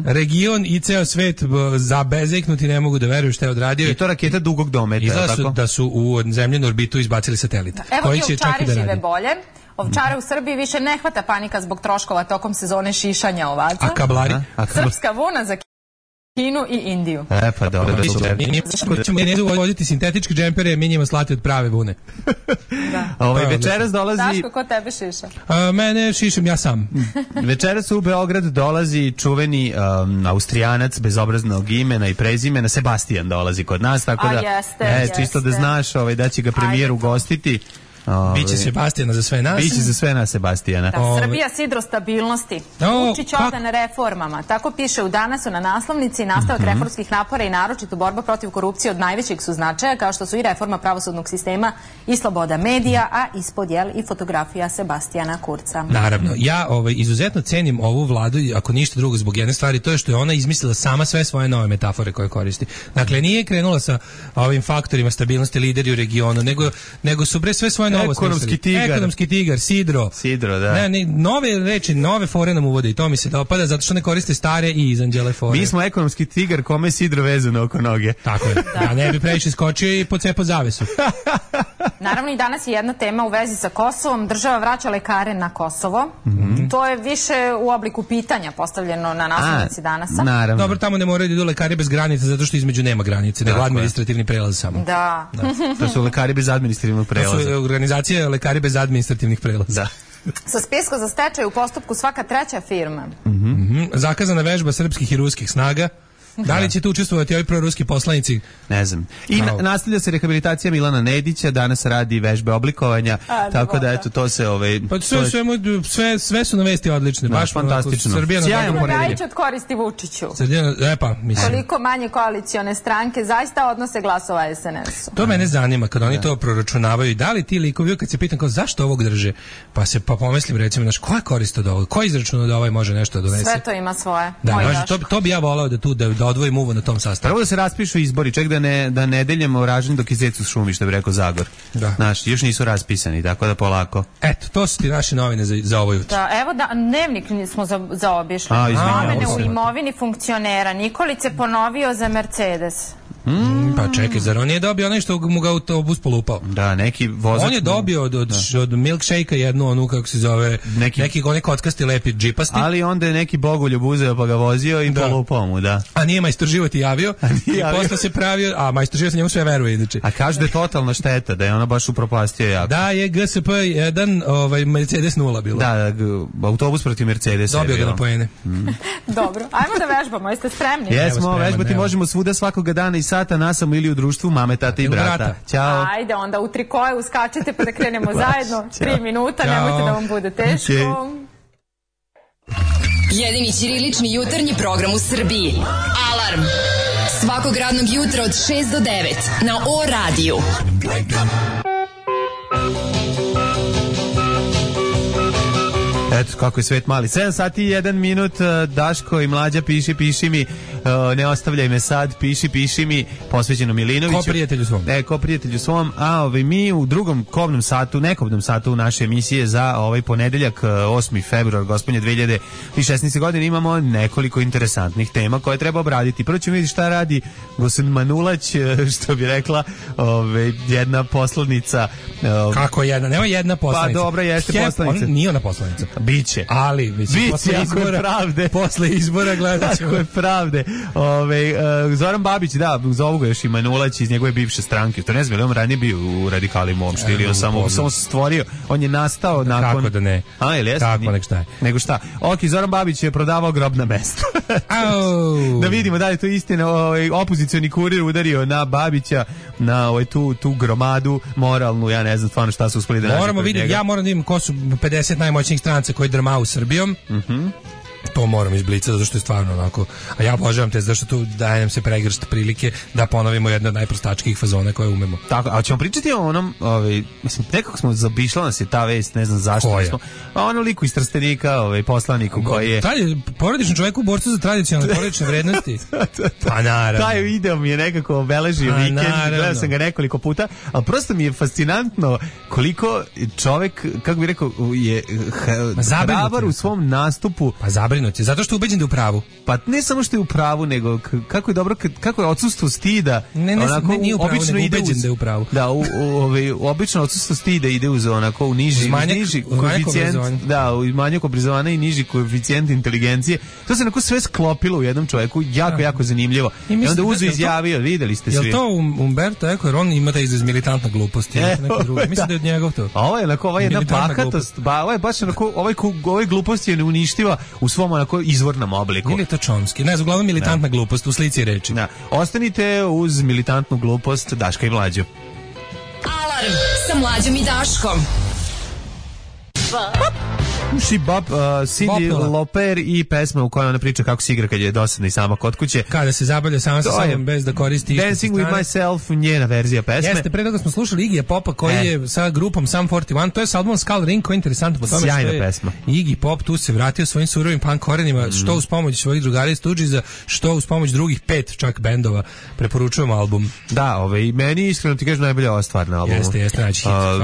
Region i ceo svet zabezeknuti, ne mogu da veruju šta je odradio.
I to raketa dugog dometa.
Izgleda da su u zemljenu orbitu izbacili satelita.
Evo ti ovčari žive bolje. Ovčare u Srbiji više ne hvata panika zbog troškova tokom sezone šišanja ovaca.
A kablari?
Srpska vuna za Kinu i Indiju.
Pa dobro.
Mi ćemo voditi sintetičke džempere, mi njima slati od prave vune.
Večeras dolazi...
Daško, ko tebe šiša?
Mene šišam ja sam.
Večeras u Beograd dolazi čuveni Austrijanac bezobraznog imena i prezimena, Sebastian dolazi kod nas, tako da čisto da znaš da će ga premijer ugostiti.
Biće Sebastijana za sve nas.
Biće za sve nas Sebastijana.
Srbija sidro stabilnosti. Vučić odan reformama. Tako piše u Danasu na naslovnici. Nastavak reformskih napora i naročito borba protiv korupcije od najvećeg su značaja, kao što su i reforma pravosudnog sistema i sloboda medija, a ispod i fotografija Sebastijana Kurca.
Naravno. Ja izuzetno cenim ovu vladu, ako ništa drugo zbog jedne stvari, to je što je ona izmislila sama sve svoje nove metafore koje koristi. Dakle, nije krenula sa ovim faktorima stabilnosti, lideri u regionu, nego su sve svoje Ekonomski tigar, sidro, da. Nove reči, nove fore nam uvode i to mi se dopada zato što ne koriste stare i izanđele fore.
Mi smo ekonomski tigar kome je sidro vezano oko noge.
Tako je. Ja ne bi previše skočio i pocepao zavesu.
Naravno i danas je jedna tema u vezi sa Kosovom. Država vraća lekare na Kosovo. To je više u obliku pitanja postavljeno na naslovnici Danasa.
Naravno.
Dobro, tamo ne moraju da idu lekari bez granice zato što između nema granice, nego administrativni prelaz samo.
Da.
To su lekari bez administrativnog prelaza.
To su organizacije lekari bez administrativnih prelaza.
Sa spiska za stečaj u postupku svaka 3. firma.
Zakazana vežba srpskih i ruskih snaga. Da li će tu učestvovati ovi proruski poslanici?
Ne znam. I nastavlja se rehabilitacija Milana Nedića, danas radi vežbe oblikovanja, tako da eto to se sve
su na vesti odlične, baš
fantastično.
Srbija Gajić od koristi Vučiću. Koliko manje koalicione stranke zaista odnose glasova SNS-u.
To mene zanima kad oni to proračunavaju. Da li ti likovi, kad se pitam kao zašto ovog drže, pa pomislim recimo, koja korist od ovog, ko izračuna da ovaj može nešto donese?
Sve to ima svoje.
To bi ja volao da odvojim uvo na tom sastanku.
Prvo da se raspišu izbori, ček da nedeljamo ražnje dok je zec u šumi, što bi rekao Zagor. Znaš, još nisu raspisani, tako da polako.
Eto, to su ti naše novine za ovo jutro.
Da, evo dnevnik smo zaobišli. Promene u imovini funkcionera. Nikolić je ponovio za Mercedes.
Pa čekaj, zar on nije dobio onaj što mu ga autobus polupao?
Da, neki vozač.
On je dobio od milkshake-a jednu onu, kako se zove, neki onaj kockasti lepi džipasti.
Ali onda je neki bogoljub uzeo pa ga vozio i polupao mu, da.
A nije majstor život i javio. I posle se pravio, a majstor život njemu sve veruje inače.
A kaže da je totalna šteta, da je ona baš upropastio jako.
Da, je GSP 1, Mercedes 0 bilo.
Da, autobus protiv Mercedesa je bilo.
Dobio ga na poene.
Dobro, ajmo da vežbamo, jeste spremni?
Jesmo, vežbati možemo svuda svakoga dana i sata nasamo ili u društvu mame, tate i brata. Ćao.
Ajde, onda u trikoje uskačite pa da krenemo zajedno. 3 minuta, nemojte da vam bude teško.
Jedini ćirilični jutarnji program u Srbiji. Alarm. Svakog radnog jutra od 6 do 9 na O radiju.
Eto kako je svet mali. 7 sati i 1 minut. Daško i Mlađa, piši mi, ne ostavljaj me sad, piši mi, posvećeno Milinoviću.
Ko prijatelju svom.
A mi u drugom nekobnom satu naše emisije za ovaj ponedeljak 8. februar gospodnje 2016. godine imamo nekoliko interesantnih tema koje treba obraditi. Prvo ćemo vidjeti šta radi gospodin Manulać, što bi rekla jedna poslanica.
Kako jedna? Nema jedna poslanica.
Pa dobra, jeste poslanica.
Nije ona poslanica.
Biće.
Ali, mislim, posle izbora gledat ćemo.
Tako je pravde. Zoran Babić, da, zovu ga još i Manulać iz njegove bivše stranke. To ne znam, on ranije bio u Radikalima uopšte, ili on samo se stvorio. On je nastao nakon...
Kako da ne?
A, ili jeste?
Kako, nek šta je.
Nego šta? Ok, Zoran Babić je prodavao grobna mesta. Da vidimo da li je to istina. Opozicioni kurir udario na Babića, na tu gromadu moralnu, ja ne znam stvarno šta su uspeli da nađe.
Moramo vidjeti, ja moram da vidim ko su 50 najmoćnijih stranca koji drmaju Srbijom. To moram izblica, zato što je stvarno onako, a ja obožavam te, zato što tu daje nam se pregršt prilike da ponovimo jedno od najprostačkih fazona koje umemo.
Tako, a ćemo pričati o onom, mislim, nekako smo zabišla nas je ta vest, ne znam zašto. Smo, a ono liku iz Trstenika, poslaniku koji je...
Taj porodični čovjek u borcu za tradicionalne porodične vrednosti. Pa naravno. Taj
video mi je nekako obeležio vikend, gledao sam ga nekoliko puta, ali prosto mi je fascinantno koliko čovjek, kako bih rekao, je hrabar u svom nastupu.
Pa zabrinut je, zato što je ubeđen da je u pravu.
Pa ne samo što je u pravu, nego kako je dobro, kako je odsustvo stida.
Nije u pravu, nego ubeđen da je u pravu.
Da, obično odsustvo stida ide uz onako u niži koeficijent, da, u manjak obrazovanja i niži koeficijent inteligencije. To se onako sve sklopilo u jednom čovjeku, jako zanimljivo. I onda uzu izjavio, videli ste svi.
Je to Umberto Eco, jer on ima taj izraz militantna glupost. Mislim da je od njegov to.
A ovo je onako, ova jedna bahatost, ovo je baš onako, ovaj glupost je neuništiva u svom onako izvornom obliku.
Ili je to Chomsky? Ne znam, uglavnom militantna glupost u slici reči.
Da. Ostanite uz militantnu glupost Daška i Mlađu.
Alarm sa Mlađom i Daškom.
Bob, Cyndi Lauper i pesma u kojoj ona priča kako se igra kad je dosadna i sama kod kuće.
Kada se zabavlja sama sa sobom bez da koristi
Dancing with Myself, njena verzija pesme.
Jeste, pre toga smo slušali Iggyja Popa koji je sa grupom Sum 41, to je sa albumom Skull Ring, koji je interesantno po tome
sjajna
što je
pesma.
Iggy Pop tu se vratio svojim surovim punk korenima, što uz pomoć svojih drugara iz Stooges'a, što uz pomoć drugih 5 čak bendova. Preporučujemo album.
Da, meni iskreno ti kažem najbolja ova stvar na albumu.
Jeste,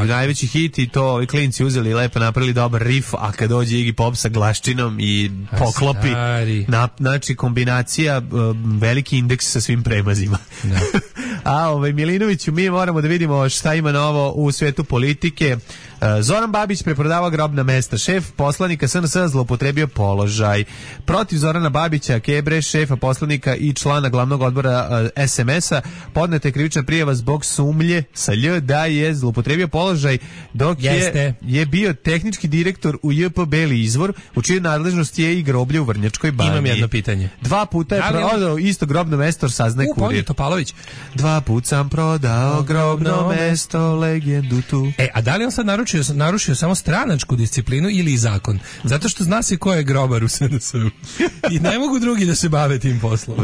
najveći hit i to ovi klinci uzeli lepo napravili dobar riff, a kad dođe Iggy Pop sa glaščinom i poklopi, znači kombinacija, veliki indeks sa svim premazima.
Da.
A Milinoviću, mi moramo da vidimo šta ima novo u svetu politike. Zoran Babić preprodavao grobna mesta. Šef poslanika SNS zloupotrebio položaj. Protiv Zorana Babića, Kebre, šefa poslanika i člana glavnog odbora SMS-a, podneta je krivična prijava zbog sumnje sa Lj da je zloupotrebio položaj dok je bio tehnički direktor u JP Beli Izvor, u čijoj nadležnosti je i groblje u Vrnjačkoj banji.
Imam jedno pitanje.
2 puta je prodao isto grobno mesto, saznaje kurir.
Topalović.
2 puta sam prodao grobno mesto, legendu tu.
A da li on sad narušio samo stranačku disciplinu ili zakon? Zato što zna se ko je grobar u SNS-u. I ne mogu drugi da se bave tim poslom.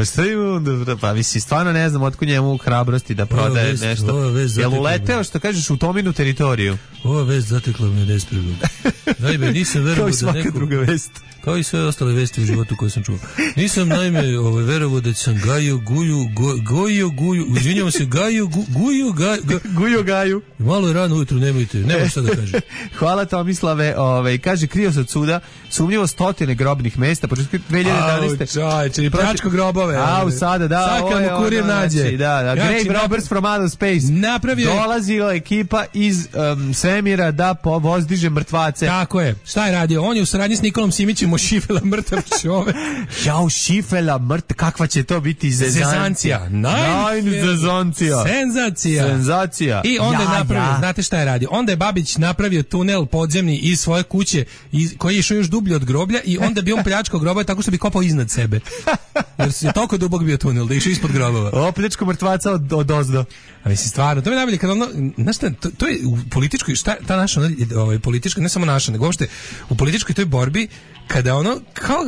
Pa mislim, stvarno ne znam otkud njemu hrabrosti da prodaje nešto. Jel uleteo, što kažeš, u Tominu teritoriju?
Ova vest zatekla me nespremno. Naime, nisam verovao da
svaka druga vest.
Kao i sve ostale vesti u životu koje sam čuo. Nisam naime verovao da sam izvinjavam se,
Guju Gaju.
Malo je rano ujutru, nema šta da kažem.
Hvala Tomislave, kaže, krio se od suda, sumnjivo 100 grobnih mesta, početku 2011.
Čajče, i pljačko grobove.
Sada, da.
Sad kad mu kurir nađe.
Grave Robbers from Outer Space. Dolazila ekipa iz svemira da povozdiže mrtvace.
Tako je. Šta je radio? On je u saradnji s Nikolom Simićem Šifela mrtav čovek.
Jao, Šifela mrtav, kakva će to biti zezancija. Senzacija.
I onda je napravio, znate šta je radio? Onda je Babić napravio tunel podzemni iz svoje kuće, koji je išao još dublje od groblja, i onda bi on pljačkao grobove tako što bi kopao iznad sebe. Jer je toliko dubok bio tunel da je išao ispod grobova.
Pljačko mrtvaca od ozdo.
A mislim, stvarno, to mi je najbolje kad ono, znaš šta, to je u političkoj, šta ta naša politička, ne samo naša, nego uopšte u političkoj toj borbi, kada ono, kao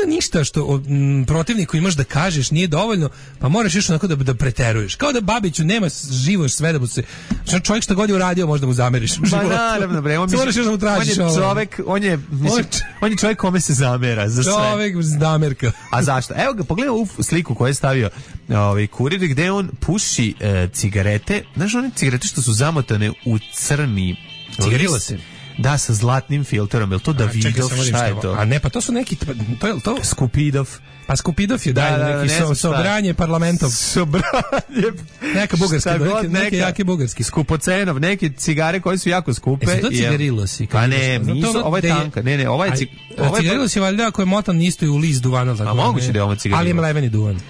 da ništa što protivniku imaš da kažeš nije dovoljno, pa moraš još onako da preteruješ. Kao da Babiću nema živo sve da mu se... Čovjek što god je uradio možda mu zameriš u životu.
Naravno, bre.
Moraš još da mu tražiš.
On je čovjek kome se zamera za sve.
Čovjek zamerka.
A zašto? Evo ga, pogledaj ovu sliku koju je stavio kurir, gde on puši cigarete. Znaš, one cigarete što su zamotane u crni
cigarila se.
Da, sa zlatnim filterom. Je li to Davidov? Šta je to?
A ne, pa to su neki... To je to?
Skupidov.
Pa Skupidov je neki sobranje parlamentom.
Sobranje.
Neka bugarska, neke jake bugarski.
Skupocenov, neke cigare koje su jako skupe.
Su to cigarilosi?
Pa ne, nisu, ovo je tanka. Ne, ovo je
cigarilos je valjda ako je motan isto i u list duvana.
A moguće da je ovo cigarilos.
Ali ima leveni duvan.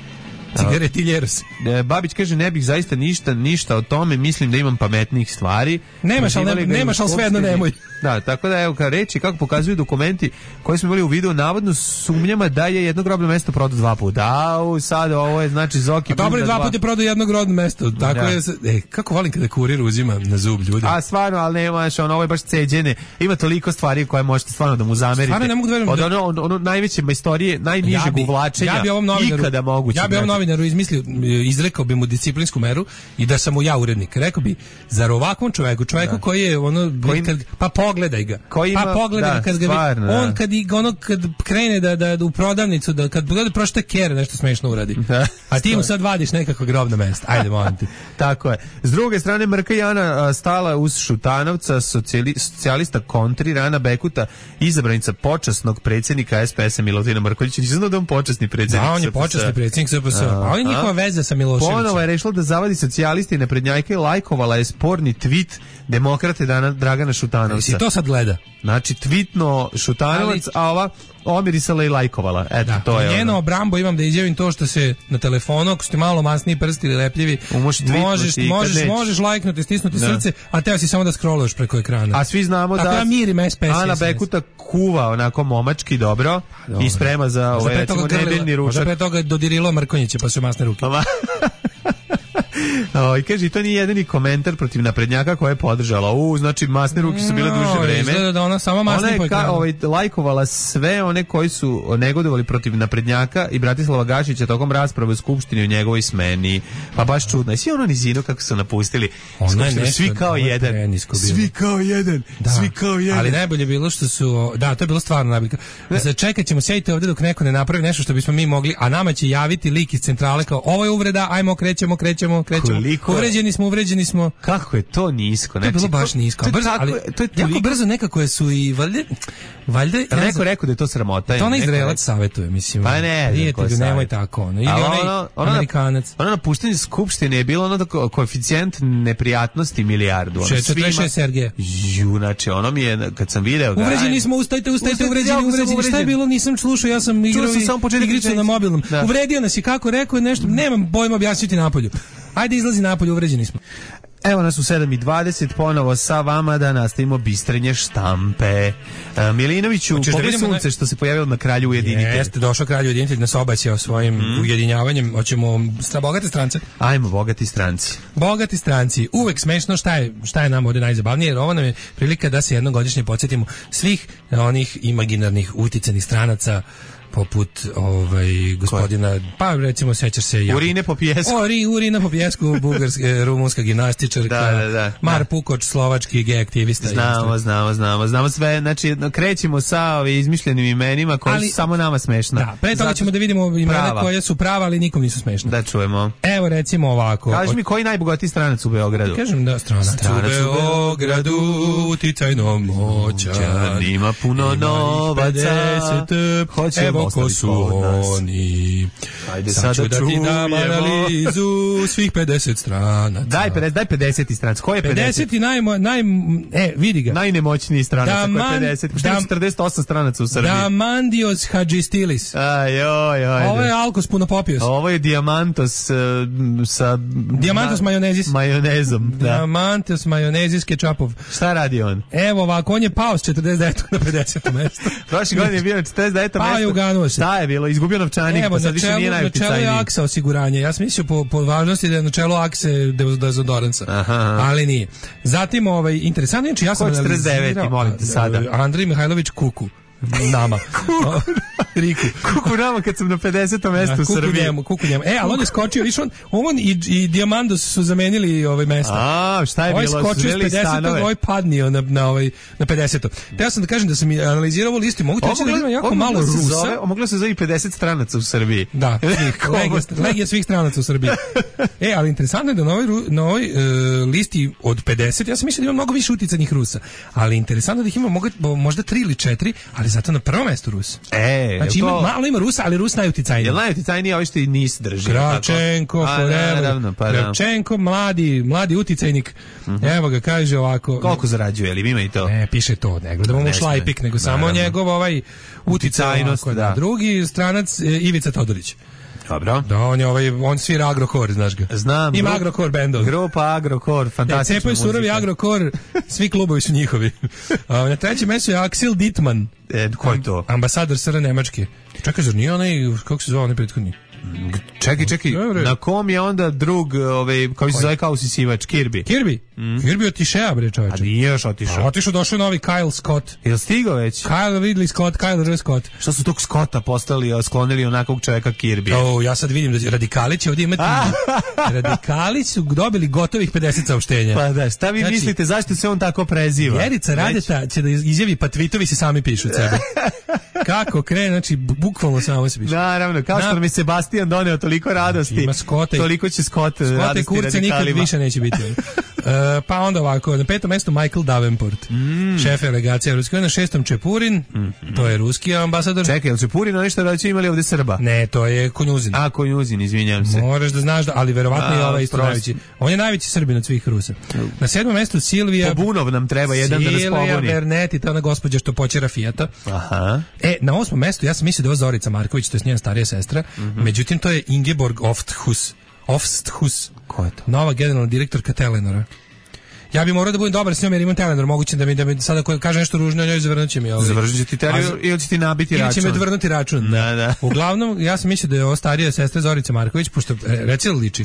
Cigaretiljeros.
Babić kaže, ne bih zaista ništa o tome, mislim da imam pametnijih stvari.
Nemaš, ali svejedno nemoj.
Da, tako da evo, reći kako pokazuju dokumenti koji smo imali u videu, navodno sumnjama da je jedno grobno mesto prodao 2 puta. Sad ovo je znači Zoki.
Dobro, 2 puta je prodao jedno grobno mesto. Tako je. Kako volim kada kurir uzima na zub ljudi.
A stvarno, ali nemaš, ovo je baš ceđene. Ima toliko stvari koje možete stvarno da mu zamerite.
Stvarno ne mogu da verujem.
Od ono najveće majstorije, najnižeg uvlačenja ikada moguće.
Ja bi ovom novinaru izrekao bi mu disciplinsku meru i da sam mu ja urednik. Rekao bi, zar ovakvom čoveku koji je pa pogledaj ga. Pa pogledaj ga kad ga on kad krene da u prodavnicu, da kad pogleda prošta kere nešto smešno uradi. A ti mu sad vadiš nekako grobno mesto. Ajde, molim ti.
Tako je. S druge strane, Mrka Jana stala uz Šutanovca, socijalista kontri, Rana Bekuta, izabranica počasnog predsjednika SPS-a Milutina Mrkonjića. Nisam znao da on počasni predsjednik.
Da, on je počasni predsjednik SPS-a. Ali njihova veza sa Miloševićem.
Ponovo je rešila da zavadi socijalisti i naprednjake i lajkovala je sporni tweet demokrate Dragana Šutanovca.
I to sad gleda.
Znači, tweetno Šutanovac, a ova omirisala i lajkovala. Eto, to je
njeno obrambo imam da izjavim to što se na telefonu, ako ste malo masniji prsti ili lepljivi, možeš lajknuti, stisnuti srce, a teo si samo da scrolluješ preko ekrana.
A svi znamo
tako
da
mirim SPS,
Ana Bekuta kuva onako momački dobro i sprema za recimo nedeljni ručak.
Možda pre toga dodirilo Mrkonjića pa su masne ruke.
I kaže, to nije jedini komentar protiv naprednjaka koja je podržala. Znači, masne ruke su bile duže vreme.
Izgleda da ona sama masne po ekranu.
Ona je lajkovala sve one koji su negodovali protiv naprednjaka i Bratislava Gašića tokom rasprave u Skupštini o njegovoj smeni. Pa baš čudno. I svi ono nizino kako su napustili Skupštinu, svi kao jedan. Svi kao jedan. Svi kao jedan.
Ali najbolje bilo što su, da, to je bilo stvarno najbolje. Sad čekat ćemo, sjedite ovdje dok neko ne napravi nešto što bismo mi mogli, a nama će javiti lik iz centrale kao, ovo je uvreda, ajmo, krećemo. Uvređeni smo.
Kako je to nisko?
To je bilo baš nisko. To je jako brzo nekako su i valjda
neko rekao da je to sramota.
To ona Izraelac savjetuje, mislim.
Pa ne,
prijatelju, nemoj tako. Ili Amerikanac.
Ono napuštanje Skupštine je bilo ono koeficijent neprijatnosti milijardu.
46 Sergeja.
Znači, ono mi je, kad sam video...
Uvređeni smo, ustajte, uvređeni. Šta je bilo? Nisam slušao, ja sam igrao igricu na mobilnom. Uvredio nas je, kako rekao nešto, nemam pojma objasniti napolju. Ajde, izlazi napolje, uvređeni smo.
Evo nas u 7:20, ponovo sa vama da nastavimo bistrenje štampe. Milinoviću, pogledaj sunce što se pojavilo na Kralju ujedinitelj.
Jeste, došao Kralju ujedinitelj, nas obaćao svojim ujedinjavanjem. Hoćemo bogate strance?
Ajmo, bogati stranci.
Bogati stranci. Uvek smešno šta je nam ovdje najzabavnije, jer ovo nam je prilika da se jednogodišnje podsjetimo svih onih imaginarnih uticanih stranaca poput gospodina, pa recimo sećaš se
Urine po pjesku.
Urina po pjesku, rumunska gimnastičarka, Mar Pukoč, slovački gej aktivista.
Znamo sve, znači krećemo sa izmišljenim imenima koji su samo nama smešna.
Da, pre toga ćemo da vidimo imena koja su prava, ali nikom nisu smešna.
Da čujemo.
Evo recimo ovako.
Kaži mi koji najbogatiji stranac u Beogradu?
Kažem da stranac u Beogradu, uticajno moćan,
ima puno novaca,
hoćemo ko su oni.
Ajde sad ću
da ti dam analizu svih 50 stranaca.
Daj 50 stranac. Ko je
50? Vidi ga.
Najnemoćniji stranac ko je 50. Što je 48 stranaca u Srbiji?
Damandios Hadžistilis. Ovo je Alkos Punopopios.
Ovo je Diamantos sa...
Diamantos majonezis.
Majonezom, da.
Diamantos majonezis kečapov.
Šta radi on?
Evo ovako, on je pao s 49 na 50 mjesto.
Prošle godine je bio 49 mjesto.
Pao je uganuo se.
Šta je bilo? Izgubio novčanik, pa sad više nije najuticajniji.
Na čelu je Aksa osiguranje. Ja sam mislio po važnosti da je na čelu Akse dezodoransa. Ali nije. Zatim, interesantno je, ja sam
analizirao... 49, molim te sada.
Andrej Mihajlović Kuku. nama. Riku.
Kuku nama kad sam na 50. mestu u Srbiji.
Kuku njemu. Ali on je skočio, viš on i Diamandos su zamenili mesta.
Šta je bilo?
Skočio s 50. Padnio na 50. Te ja sam da kažem da sam analizirao ovu listu, mogu ti reći da ima jako malo Rusa.
Moglo se zove 50 stranaca u Srbiji.
Da, legija svih stranaca u Srbiji. Ali interesantno je da na ovoj listi od 50, ja sam mislio da ima mnogo više uticajnih Rusa, ali interesantno da ih ima možda 3 ili 4, ali zato na prvom mestu Rus. Znači malo ima Rusa, ali Rus najuticajniji.
Jel najuticajniji ovi što i NIS drži?
Kravčenko, Forever. Kravčenko, mladi uticajnik. Evo ga, kaže ovako.
Koliko zarađuje, ali ima i to?
Ne, piše to, ne gledamo mu šlajpik, nego samo njegov uticajnost. Drugi stranac Ivica Todorić.
Dobro.
Da, on svira Agrokor, znaš ga.
Znam.
Ima Agrokor bendov.
Grupa Agrokor, fantastična
muzika. Cepoj surovi Agrokor, svi klubovi su njihovi. Na trećem mjestu je Axel Dittmann.
Ko je to?
Ambasador SR Nemačke. Čekaj, zar nije onaj, kako se zvao onaj prethodni?
Čekaj, na kom je onda drug, koji se zove kao usisivač, Kirby?
Kirby otišao, bre, čoveče.
A nije još otišao.
Otišao, došao novi Kyle Scott.
Jel stigao već?
Kyle Ridley Scott, Kyle R. Scott.
Što su tog Scotta postali, sklonili onakvog čovjeka Kirby?
Ja sad vidim da radikali će ovdje imati... Radikali su dobili gotovih 50 saopštenja.
Pa da, šta vi mislite, zašto se on tako preziva?
Vjerica Radeta će da izjavi, pa tweetovi se sami pišu od sebe. Kako krene, znači, bukvalno samo se piše.
Naravno, kao što nam je Sebastian doneo toliko radosti, toliko će Scott radosti
kurce
radikalima.
Nikad više neće biti. Pa onda ovako, na 5. mjestu Michael Davenport, šef delegacije Ruske, na 6. Čepurin, to je ruski ambasador.
Čekaj, je li Čepurin ono što da imali ovdje Srba?
Ne, to je Konjuzin.
Konjuzin, izvinjam se.
Moraš da znaš, ali verovatno je ovaj isto najveći. On je najveći Srbin od svih Rusa. Na 7. mjestu Silvija...
Pobunov nam treba jedan da nas pobuni.
Silvija Berneti, ta ona gospođa što počera Fijata.
Aha.
Na 8. mjestu, ja sam mislio da je ovo Zorica Marković, to je njena starija sestra, međutim to je Ingeborg Ofsthus.
Ko je to?
Nova generalna direktorka Telenora. Ja bi morao da budem dobar s njom jer imam Telenor, moguće da mi sada ako kaže nešto ružno o njoj zavrnuće mi.
Završit će ti Telenor ili će ti nabiti račun.
Ili će me odvrnuti račun.
Da.
Uglavnom, ja sam mislio da je ovo starija sestra Zorica Marković, pošto reci li liči?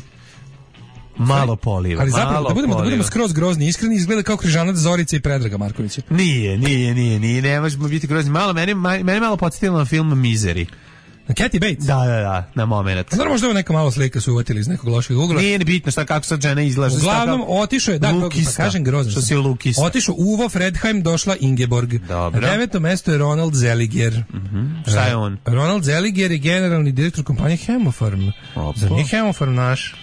Malo poliva.
Ali zapravo, da budemo skroz grozni, iskreni, izgleda kao križanac Zorice i Predraga Markovića.
Nije, ne možemo biti grozni. Mene malo podsjetilo na film Misery.
Na Kathy Bates?
Da, na moment.
Znači možda je neka malo slika su uvatili iz nekog lošeg ugla.
Nije bitno šta kako sad žena izlaže.
Uglavnom otišao je, pa kažem grozno.
Što si Lukista.
Otišao Uvo Fredheim, došla Ingeborg.
Dobro.
Na 9. mjestu je Ronald Zeliger.
Šta je on?
Ronald Zeliger je generalni direktor kompanije Hemofarm. Za nije Hemofarm naš?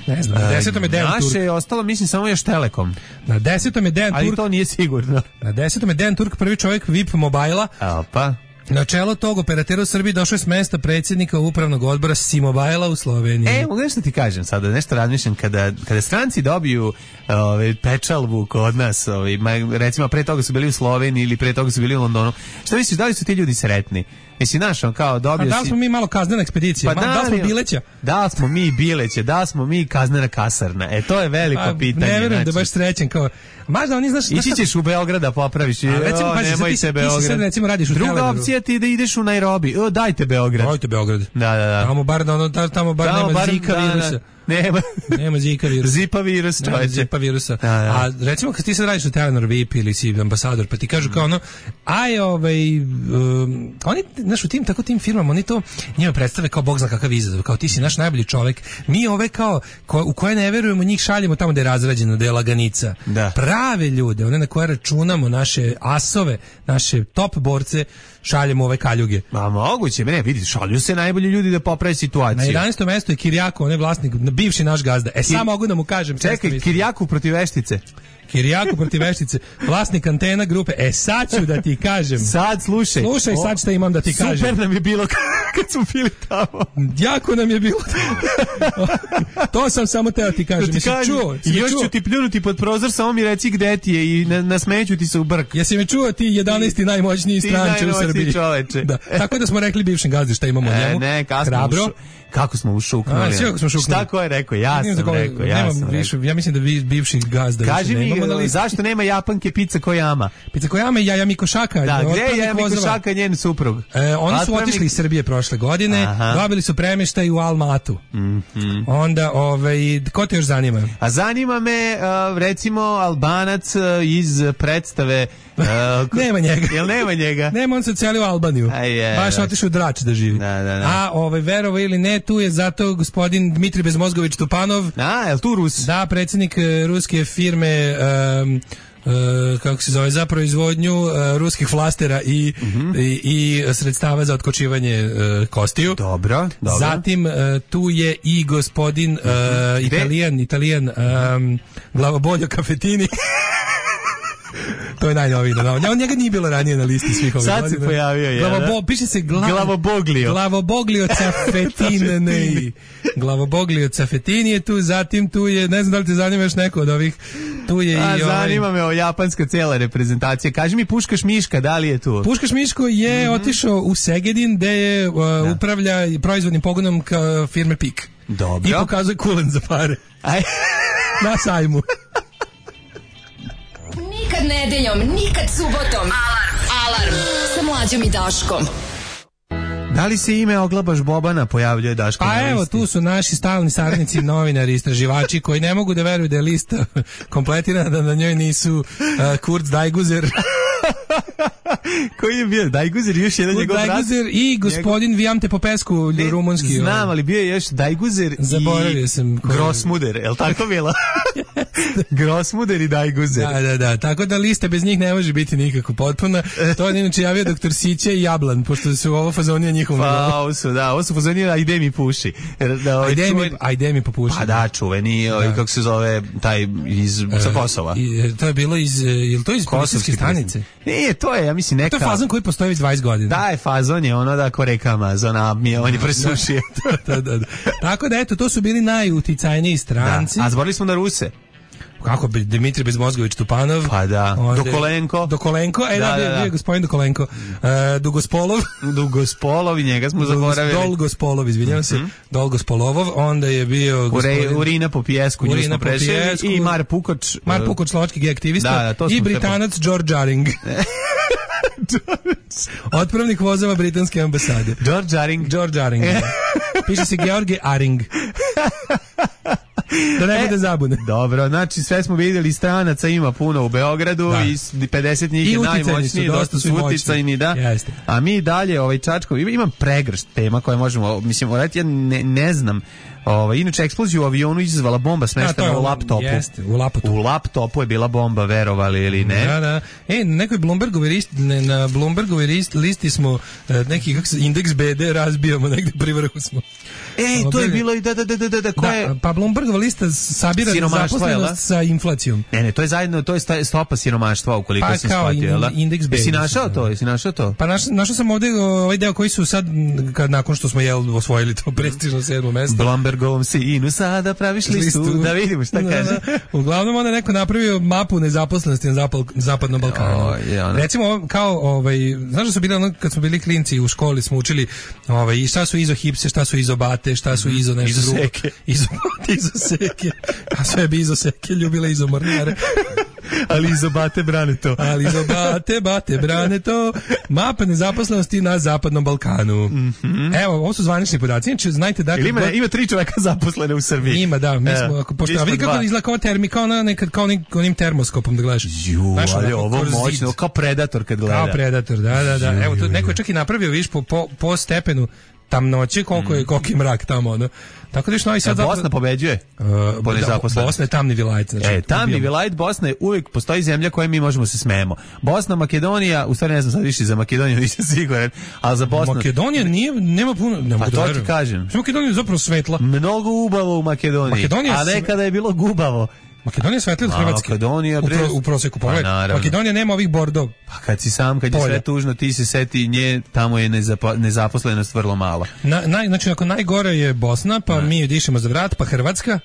Ne znam, na 10. je Dejan Turk.
Naše je ostalo, mislim, samo još Telekom.
Na 10. je Dejan Turk.
Ali to nije sigurno.
Na 10. je Dejan Turk, prvi čovjek VIP Mobile-a.
Pa.
Na čelo tog operatera u Srbiji došao je s mesta predsjednika upravnog odbora Simobajla u Sloveniji.
Mogu nešto ti kažem sada, nešto razmišljam, kada stranci dobiju pečalbu kod nas, recimo pre toga su bili u Sloveniji ili pre toga su bili u Londonu, šta misliš, da li su ti ljudi sretni? Mislim, znaš, on kao dobio si...
Da li smo mi malo kaznena ekspedicija? Da li smo Bileća?
Da li smo mi Bileće? Da li smo mi kaznena kasarna? To je veliko pitanje.
Ne verujem da baš srećen kao... Možda oni, znaš...
Ići ćeš u Beograd da popraviš. Nemojte Beograd.
Ti sad recimo radiš u
Druga opcija ti da ideš u Nairobi. Dajte Beograd.
Dajte Beograd.
Da.
Tamo bar nema Zika virusa. Nema Zika virusa.
Zipa virus, čovječe.
Zipa virusa. A recimo kad ti sad radiš u Telenor VIP ili si ambasador, pa ti kažu kao ono, oni, znaš, u tim firmama, oni to njima predstave kao bog zna kakav izazov, kao ti si naš najbolji čovjek, mi ove kao, u koje ne verujemo, njih šaljemo tamo da je razrađeno, da je laganica.
Da.
Prave ljude, one na koje računamo, naše asove, naše top borce, šaljemo ove kaljuge.
Moguće, vidite, šalju se najbolji ljudi da poprave situaciju.
Na 11. mjestu je Kirjako, on je vlasnik, bivši naš gazda. Samo mogu da mu kažem.
Čekaj, Kirjaku protiv Veštice.
Kirjaku protiv Veštice, vlasnik Antena grupe. Sad ću da ti kažem.
Sad slušaj.
Slušaj, sad šta imam da ti kažem.
Super nam je bilo kad smo bili tamo.
Jako nam je bilo tamo. To sam samo teo ti kažem.
Da ti kažem, još ću ti pljunuti pod prozor, samo mi reci gde ti je i nasmeću ti se u brk.
Jesi me čuo ti 11. najmoćniji stranče u Srbiji?
Čoveče.
Da. Tako da smo rekli bivšem gazdi šta imamo o njemu.
Ne, Kako smo ušuknuli? Šta ko je rekao? Ja sam rekao.
Ja mislim da vi bivših gazda.
Kaži mi, zašto nema Japanke Pizza Koyama?
Pizza Koyama i Jaja Mikošaka.
Da, gde je Jaja Mikošaka i njen suprug?
Oni su otišli iz Srbije prošle godine, dobili su premeštaj u Almatu. Onda, ko te još zanima?
A zanima me, recimo, Albanac iz predstave...
nema njega.
Jel nema njega?
Nema, on se ocelio u Albaniju. Baš otišao u Drač da živi. A verovo ili ne, tu je zato gospodin Dmitri Bezmozgović Tupanov.
Je li tu Rus?
Da, predsjednik ruske firme kako se zove, za proizvodnju ruskih flastera i sredstava za otkočivanje kostiju.
Dobro.
Zatim tu je i gospodin Italijan Glavoboljo Cafetini. To je najnoviji. On njega nije bilo ranije na listi svih ovih godina.
Sad se pojavio je.
Piše se
Glavoboglio.
Glavoboglio Cafetini. Glavoboglio Cafetini je tu, zatim tu je, ne znam da li te zanima još neko od ovih, tu je i
zanima me o japanska cijela reprezentacija. Kaži mi Puškaš Miška, da li je tu?
Puškaš Miško je otišao u Segedin, gde je upravlja proizvodnim pogonom firme PIK.
Dobro.
I pokazuje kulen za pare. Na sajmu.
Nikad nedeljom, nikad subotom. Alarm sa Mlađom i Daškom.
Da li se ime Oglabaš Bobana pojavljuje Daško?
Pa evo, tu su naši stalni saradnici, novinari, istraživači koji ne mogu da veruju da je lista kompletirana, da na njoj nisu Kurt Dajguzer.
Koji je bio? Dajguzer, još jedan njegov brat?
Dajguzer i gospodin Vijamte Popescu, rumunski.
Znam, ali bio je još Dajguzer
zaboravio sam
Grosmuder, je li tako bilo? Grosmuder i Dajguzer.
Da, tako da lista bez njih ne može biti nikako potpuna. To je inače javio doktor Sića i Jablan, pošto su ovo fazonija njihovom.
Pa, ovo su fazonija Ajde mi puši.
Ajde mi popuši.
Pa da, čuveni, kako se zove, taj sa Kosova.
To je bilo je li to iz kosovske stanice?
Nije, to je, ja mislim, neka...
To je fazon koji postoji već 20 godina.
Da, je fazon je ono da ko reka Amazona, on je presušio.
Da. Tako da, eto, to su bili najuticajniji stranci.
A zborili smo na Ruse.
Kako bi Dmitri Bezmozgović Tupanov?
Pa da. Dokolenko.
Bio je gospodin Dokolenko.
Dugospolov i njega smo zaboravili.
Dolgospolov, izvinjavam se. Dolgospolovov, onda je bio
Urina po pijesku, nju smo prešli. I Mar Pukoč.
Mar Pukoč, slovački aktivista. I Britanac George Aring. Otpravnik vozova britanske ambasade. George Aring. Piše se George Aring. Da ne bude zabune.
Dobro, znači sve smo vidjeli, stranaca ima puno u Beogradu i 50 njih je najmoćniji, dosta su uticajni, da.
Jeste.
A mi dalje, Čačko, imam pregršt tema koje možemo, mislim, ja ne znam. Inače, eksploziju u avionu izazvala bomba smeštena u laptopu.
Jeste,
u laptopu je bila bomba, verovali ili ne.
Da. Na Bloombergovoj listi smo neki indeks BD razbijamo, negde pri vrhu smo.
To je bilo i da, ko je...
Pa Bloombergova lista sabira zaposlenost sa inflacijom.
Ne, to je zajedno, to je stopa siromaštva, ukoliko sam shvatio.
Pa kao indeks BD.
Jesi našao to?
Pa našao sam ovde ovaj deo koji su sad, nakon što smo osvojili to prestižno 7. mesto.
Bloombergovom sinu sada praviš listu, da vidimo šta kaže.
Uglavnom onda neko napravio mapu nezaposlenosti na zapadnom Balkanu. Recimo, kao, znaš da su bili kad smo bili klinci u školi, smo učili i šta su izohipse, šta su izobate, šta su izo nešto drugo. Izoseke. A sve bi izoseke ljubile izomornare.
Ali izobate
brane to. Mapa nezaposlenosti na zapadnom Balkanu. Evo, ovo su zvanični podaci. Znači, znajte da...
Ima 3 čoveka zaposlene u Srbiji.
Ima, da. Mi smo, a vidi kako izgleda kao kao onim termoskopom da gledaš.
Ali ovo moćno, kao Predator kad gleda.
Kao Predator, da. Evo, tu neko je čak i napravio, viš, po stepenu tamnoće, koliko je mrak tamo, Tako da Novi Sad...
Bosna pobeđuje po nezaposlenosti.
Bosna je tamni vilajt. Znači,
tamni vilajt Bosna je uvijek, postoji zemlja koje mi možemo se smejemo. Bosna, Makedonija, u stvari ne znam sad više za Makedoniju, nisam siguran, ali za Bosnu...
Makedonija nema puno...
Pa to ti kažem.
Makedonija je zapravo svetla.
Mnogo ubavo u Makedoniji, a nekada je bilo gubavo.
Makedonija je svetlija od Hrvatske.
Makedonija
u proseku pogled. Makedonija nema ovih Bordo.
Pa kad si sam, kad je sve tužno, ti se seti nje, tamo je nezaposlenost vrlo mala.
Znači, ako najgore je Bosna, pa mi dišemo za vrat, pa Hrvatska.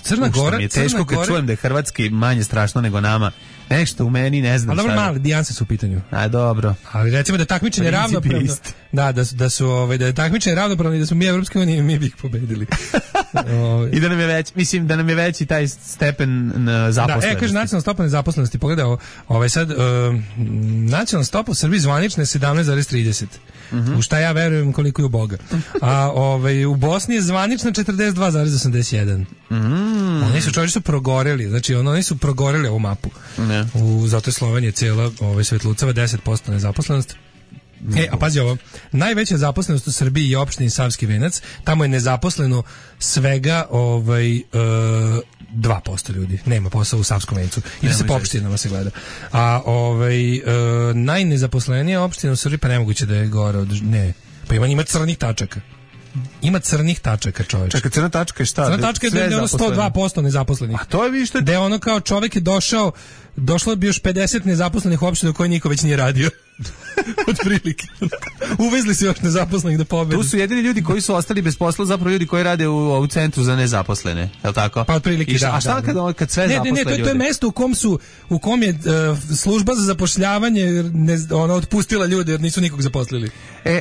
Crna Gora.
Mi je teško kad čujem da je Hrvatski manje strašno nego nama. Nešto u meni, ne znam.
Ali dobro, mali dijanse su u pitanju.
A dobro.
Ali recimo da je takmičenje ravnopravno. Da je takmičenje ravnopravno i da smo mi Evropske unije, mi bi ih pobedili.
I da nam je već, mislim da nam je veći taj stepen zaposlenosti.
Da, kaže nacionalna stopa nezaposlenosti. Pogledaj sad nacionalna stopa u Srbiji zvanična je 17,30. U šta ja verujem koliko je u Boga. A u Bosni je zvanična 42,81. Oni su čovječi progoreli, znači oni su progoreli ovu mapu. Zato je Slovenija cijela svetlucava 10% nezaposlenost. A pazi ovo, najveća zaposlenost u Srbiji je opštini Savski Venac, tamo je nezaposleno svega 2% ljudi, nema posao u Savskom Vencu, i da se po opštinama se gleda. A najnezaposlenija opština u Srbiji, pa nemoguće da je gore od... Ne, pa ima crnih tačaka. Ima crnih tačaka, čovječ.
Čekaj, crna tačka je šta?
Crna tačka je da je ono 102% nezaposlenih.
A to je više...
Da je ono kao čovjek je došlo bi još 50 nezaposlenih opština u kojoj niko već nije radio. Od prilike. Uvezli se još nezaposlenih da pobedi.
Tu su jedini ljudi koji su ostali bez posla, zapravo ljudi koji rade u centru za nezaposlene, je li tako?
Pa od prilike, da.
A šta kad sve zaposle ljudi?
To je mesto u kom je služba za zapošljavanje otpustila ljude jer nisu nikog zaposlili.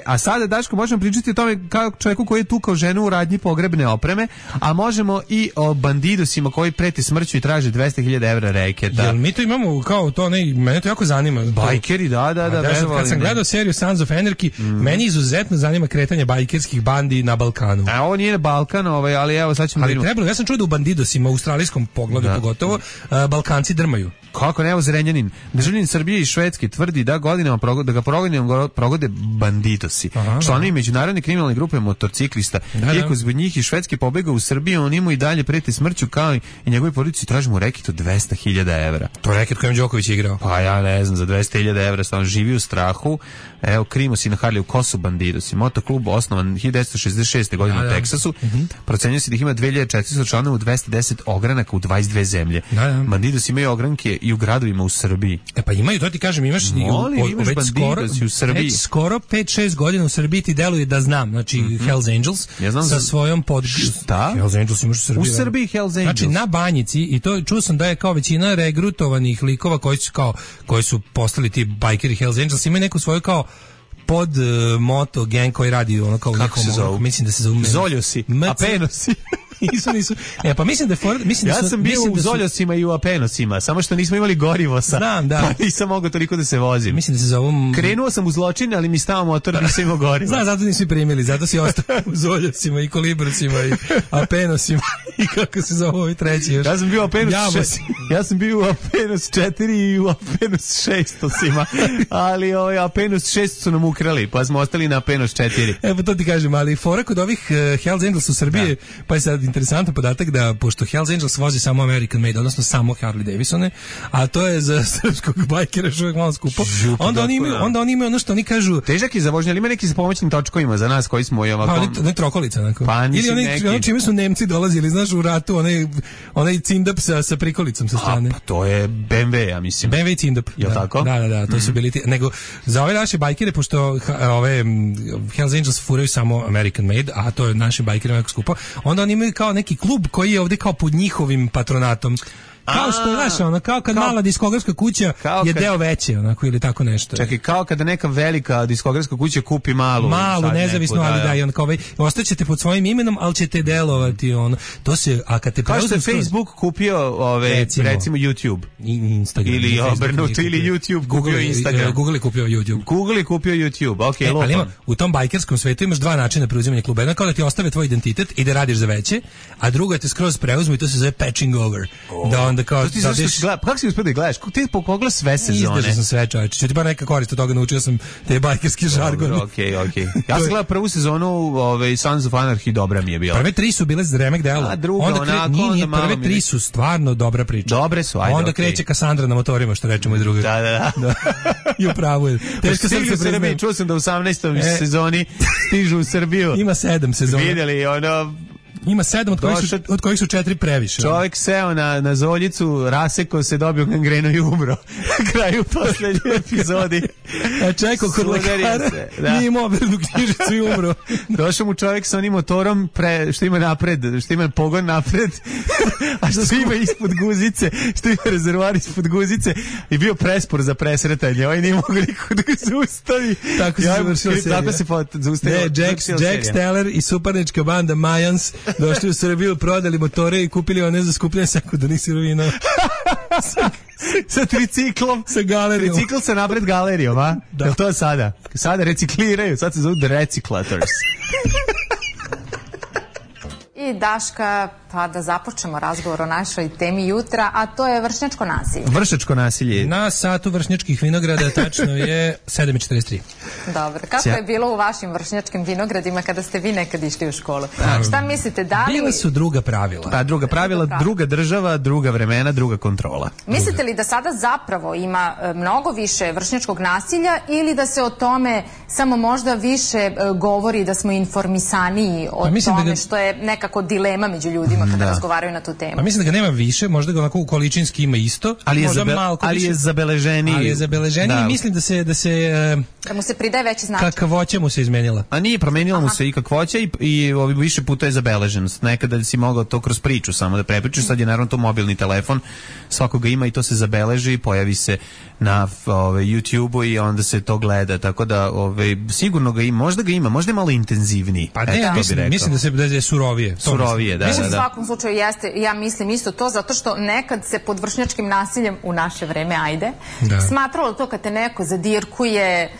A sada, Daško, možemo pričati o tome kao čovjeku koji je tukao ženu u radnji pogrebne opreme, a možemo i o bandidosima koji preti smrću i traže 200.000 evra reketa.
Jel mi to imamo kao to, mene to jako zanima.
Bajkeri, da.
Kad sam gledao seriju Sons of Anarchy, meni izuzetno zanima kretanje bajkerskih bandi na Balkanu.
A ovo nije na Balkan, ali evo sad ćemo...
Ali trebalo, ja sam čuo da u bandidosima, u australijskom pogledu pogotovo, Balkanci drmaju.
Kako ne, evo Zrenjanin. Državljanin Srbije i Švedske tvrdi da godinama ga progode bandidosi. Članovi međunarodne kriminalne grupe motociklista. Iako zbog njih i Švedske pobegao u Srbiju, on ima i dalje preti smrću kao i njegovi porodici tražimo reket od 200.000 evra.
To je reket kojem Đoković igrao.
Pa ja ne znam, za 200.000 evra on živi u strahu. Evo, Krimos i na Harliju, ko su bandidosi? Motoklub osnovan 1966. godine u Teksasu. Procenjuje se da ih ima 2400 članova u 210 ogranaka u 22 zemlje. Bandidosi imaju ogranke i u gradovima u Srbiji.
Pa imaju, to ti kažem, imaš
u Srbiji.
Već skoro 5-6 godina u Srbiji ti deluje da znam, znači Hells Angels sa svojom
Šta?
Hells Angels imaš u Srbiji.
U Srbiji Hells Angels.
Znači na Banjici, i to čuo sam da je kao većina regrutovanih likova koji su postali ti bajkeri Hells Angels, imaju neku svoju kao pod moto gang koji radi ono kao
kako se zove?
Mislim da se zove
Zoljosi, Apenosi.
Nisu. Pa mislim da
ja sam bio u Zoljosima i u Apenosima, samo što nismo imali gorivo pa nisam mogao toliko da se vozim.
Mislim da se zove...
Krenuo sam u zločine, ali mi stao motor, nisam imao gorivo.
Zato nisi primili, zato si ostao u Zoljosima i Kolibrcima i Apenosima i kako se zove ovaj treći još.
Ja sam bio u Apenos 4 i u Apenos 600-sima, ali Apenos 6 su nam ukrali, pa smo ostali na Apenos 4.
Pa to ti kažem, ali fora kod ovih Hells Angels u Srbiji, pa je sad interesantan podatak da pošto Hells Angels vozi samo American Made, odnosno samo Harley Davidsone, a to je za srpskog bajkera još uvijek malo skupo, onda oni imaju ono što oni kažu...
Težak je za vožnje, ali ima neki sa pomoćnim točkovima za nas koji smo i ovako...
Pa ne trokolica, onako. Ili oni čime su Nemci dolazili, znaš, u ratu, onaj cindap sa prikolicom sa strane.
Pa to je BMW, ja mislim.
BMW i cindap.
Je tako?
Da, to su bili ti... Nego, za ove naše bajkere, pošto Hells Angels furaju samo American Made, a to je našim bajkerima jako skupo, onda oni imaju kao neki klub koji je ovdje kao pod njihovim patronatom. Kao što je naša, kao kad mala diskografska kuća je deo veće, onako, ili tako nešto.
Čekaj, kao kada neka velika diskografska kuća kupi malu
nezavisno, ali da, i on kao ostaćete pod svojim imenom, ali ćete delovati, to se, a kad te
kao što je Facebook kupio recimo YouTube.
Instagram.
Ili obrnuto, ili YouTube kupio Instagram.
Google je kupio
YouTube, okej,
ali ima, u tom bajkerskom svetu imaš dva načina preuzimanja kluba. Jedno kao da ti ostave tvoj identitet i da radiš za veće, a drugo je te skroz preuzmu i to se zove patching over. Da onda kao
kako si uspio da gledaš? Ti pogledao sve sezone?
Izdržao sam sve, čovječe. Ću ti bar neka korist od toga, naučio sam te bajkerski žargon.
Okej. Ja sam gledao prvu sezonu Sons of Anarchy, dobra mi je bila.
Prve 3 su bile remek delo.
A druga onako...
Prve 3 su stvarno dobra priča.
Dobre su, ajde.
Onda kreće Kassandra na motorima, što rečemo i drugi.
Da.
I upravo je.
Teško srce priznajem. Čuo sam da u 18. sezoni stižu u Srbiju.
Ima 7 sezona.
Vidjeli,
Ima 7 od kojih su 4 previše.
Čovjek seo na zoljicu, rasekao se, dobio gangrenu i umro. Na kraju poslednje epizodi.
A čekao kod lekara, nije imao overnu knjižicu i umro.
Došao mu čovjek sa onim motorom što ima napred, što ima pogon napred, a što ima ispod guzice, što ima rezervoar ispod guzice i bio prespor za presretanje. Ovaj nije mogu niko da ga zaustavi.
Tako se završila serija.
Tako se zaustavio.
Jack Steller i suparnička banda Mayans došli u Srbiju, prodali motore i kupili one za skupljanje sekundarnih sirovina.
Sa triciklom.
Sa galerijom.
Tricikl sa napred galerijom, a? Da. Je li to sada? Sada recikliraju, sad se zovu The Recyclators.
I Daška, pa da započnemo razgovor o našoj temi jutra, a to je vršnjačko nasilje.
Vršnjačko nasilje.
Na satu vršnjačkih vinograda tačno je 7:43.
Dobro, kako je bilo u vašim vršnjačkim vinogradima kada ste vi nekad išli u školu? Šta mislite, da li...
Bila su druga pravila.
Pa, druga pravila, druga država, druga vremena, druga kontrola.
Mislite li da sada zapravo ima mnogo više vršnjačkog nasilja ili da se o tome samo možda više govori, da smo informisaniji o tome što je nekako dilema među ljudima kada razgovaraju na tu temu?
Pa mislim da ga nema više, možda ga onako količinski ima isto,
ali je
zabeleženiji. Ali je zabeleženiji i mislim da
mu se pridaje veći značaj.
Kakvoća mu se izmenila.
A nije, promenila mu se i kakvoća i više puta je zabeleženost. Nekada si mogao to kroz priču samo da prepričaš, sad je naravno to mobilni telefon, svakoga ima i to se zabeleži, pojavi se na YouTube-u i onda se to gleda, tako da sigurno ga ima, možda je malo intenzivniji.
Pa ne, mislim da je surovije.
Surovije, da.
U svakom slučaju jeste, ja mislim isto to, zato što nekad se pod vršnjačkim nasiljem u naše vreme, smatralo to kad te neko zadirkuje,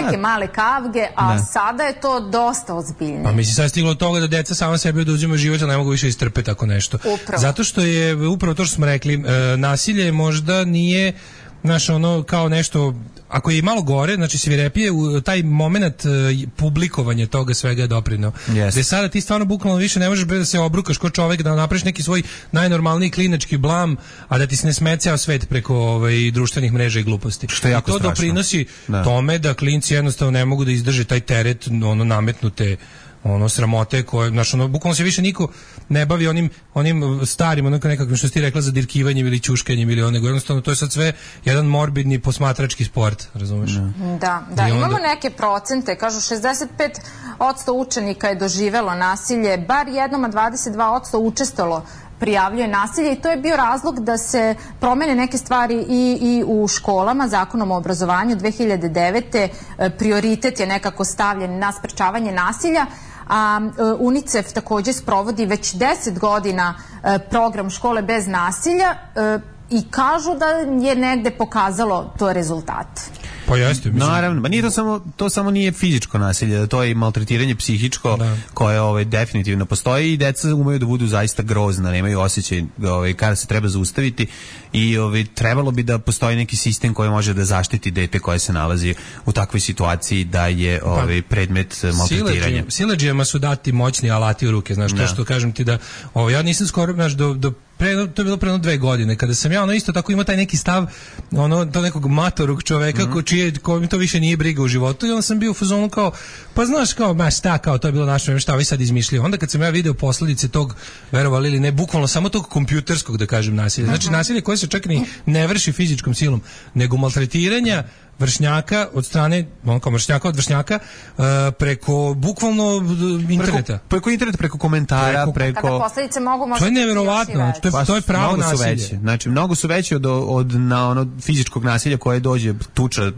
neke male kavge, a sada je to dosta ozbiljno.
Pa mislim, sad je stiglo od toga da deca sama sebi oduzimaju život, ali ne mogu više istrpeti tako nešto.
Upravo.
Zato što je upravo to što smo rekli, nasilje možda nije kao nešto, ako je malo gore, znači svirepije, taj moment publikovanja toga svega je doprineo. Gde sada ti stvarno bukvalno više ne možeš da se obrukaš ko čovek, da napraviš neki svoj najnormalniji klinački blam, a da ti se ne sme ceo svet preko društvenih mreža i gluposti.
Što je jako
strašno. To doprinosi tome da klinci jednostavno ne mogu da izdrže taj teret nametnute sramote koje, bukvalno se više niko ne bavi onim starim, nekakvim što si ti rekla, zadirkivanjem ili ćuškanjem ili nego jednostavno to je sad sve jedan morbidni posmatrački sport, razumeš?
Da, imamo neke procente, kažu 65% učenika je doživelo nasilje, bar jednom, a 22% učestvovalo prijavljuje nasilje i to je bio razlog da se promene neke stvari i u školama. Zakonom o obrazovanju 2009. prioritet je nekako stavljen na sprečavanje nasilja, a UNICEF također sprovodi već 10 godina program škole bez nasilja i kažu da je negde pokazalo to rezultat.
Pa jeste, mislim.
Naravno, nije to samo nije fizičko nasilje, to je i maltretiranje psihičko koje definitivno postoji i deca umeju da budu zaista grozna, nemaju osjećaj kada se treba zaustaviti i trebalo bi da postoji neki sistem koji može da zaštiti dete koje se nalazi u takvoj situaciji da je predmet maltretiranja.
Siledžijama su dati moćni alati u ruke, znaš, to što kažem ti da ja nisam skoro, znaš, to je bilo pre 2 godine, kada sam ja isto tako imao taj neki stav, to nekog matorog čoveka kojim to više nije briga u životu i onda sam bio u fazonu kao, pa znaš kao, to je bilo naše vreme, šta vi sad izmišljaju. Onda kad sam ja video posljedice tog, verovali ili ne, bukvalno samo tog kompjuterskog, da kažem, nasilja. Znači nasilje koje se čak ni ne vrši fizičkom silom, nego maltretiranja vršnjaka od strane, vršnjaka od vršnjaka, preko bukvalno interneta.
Preko interneta, preko komentara, preko...
Kada posljedice mogu možda...
To je neverovatno, to je pravo nasilje.
Znači, mnogo su veći od fizičkog nasilja koje dođe tuča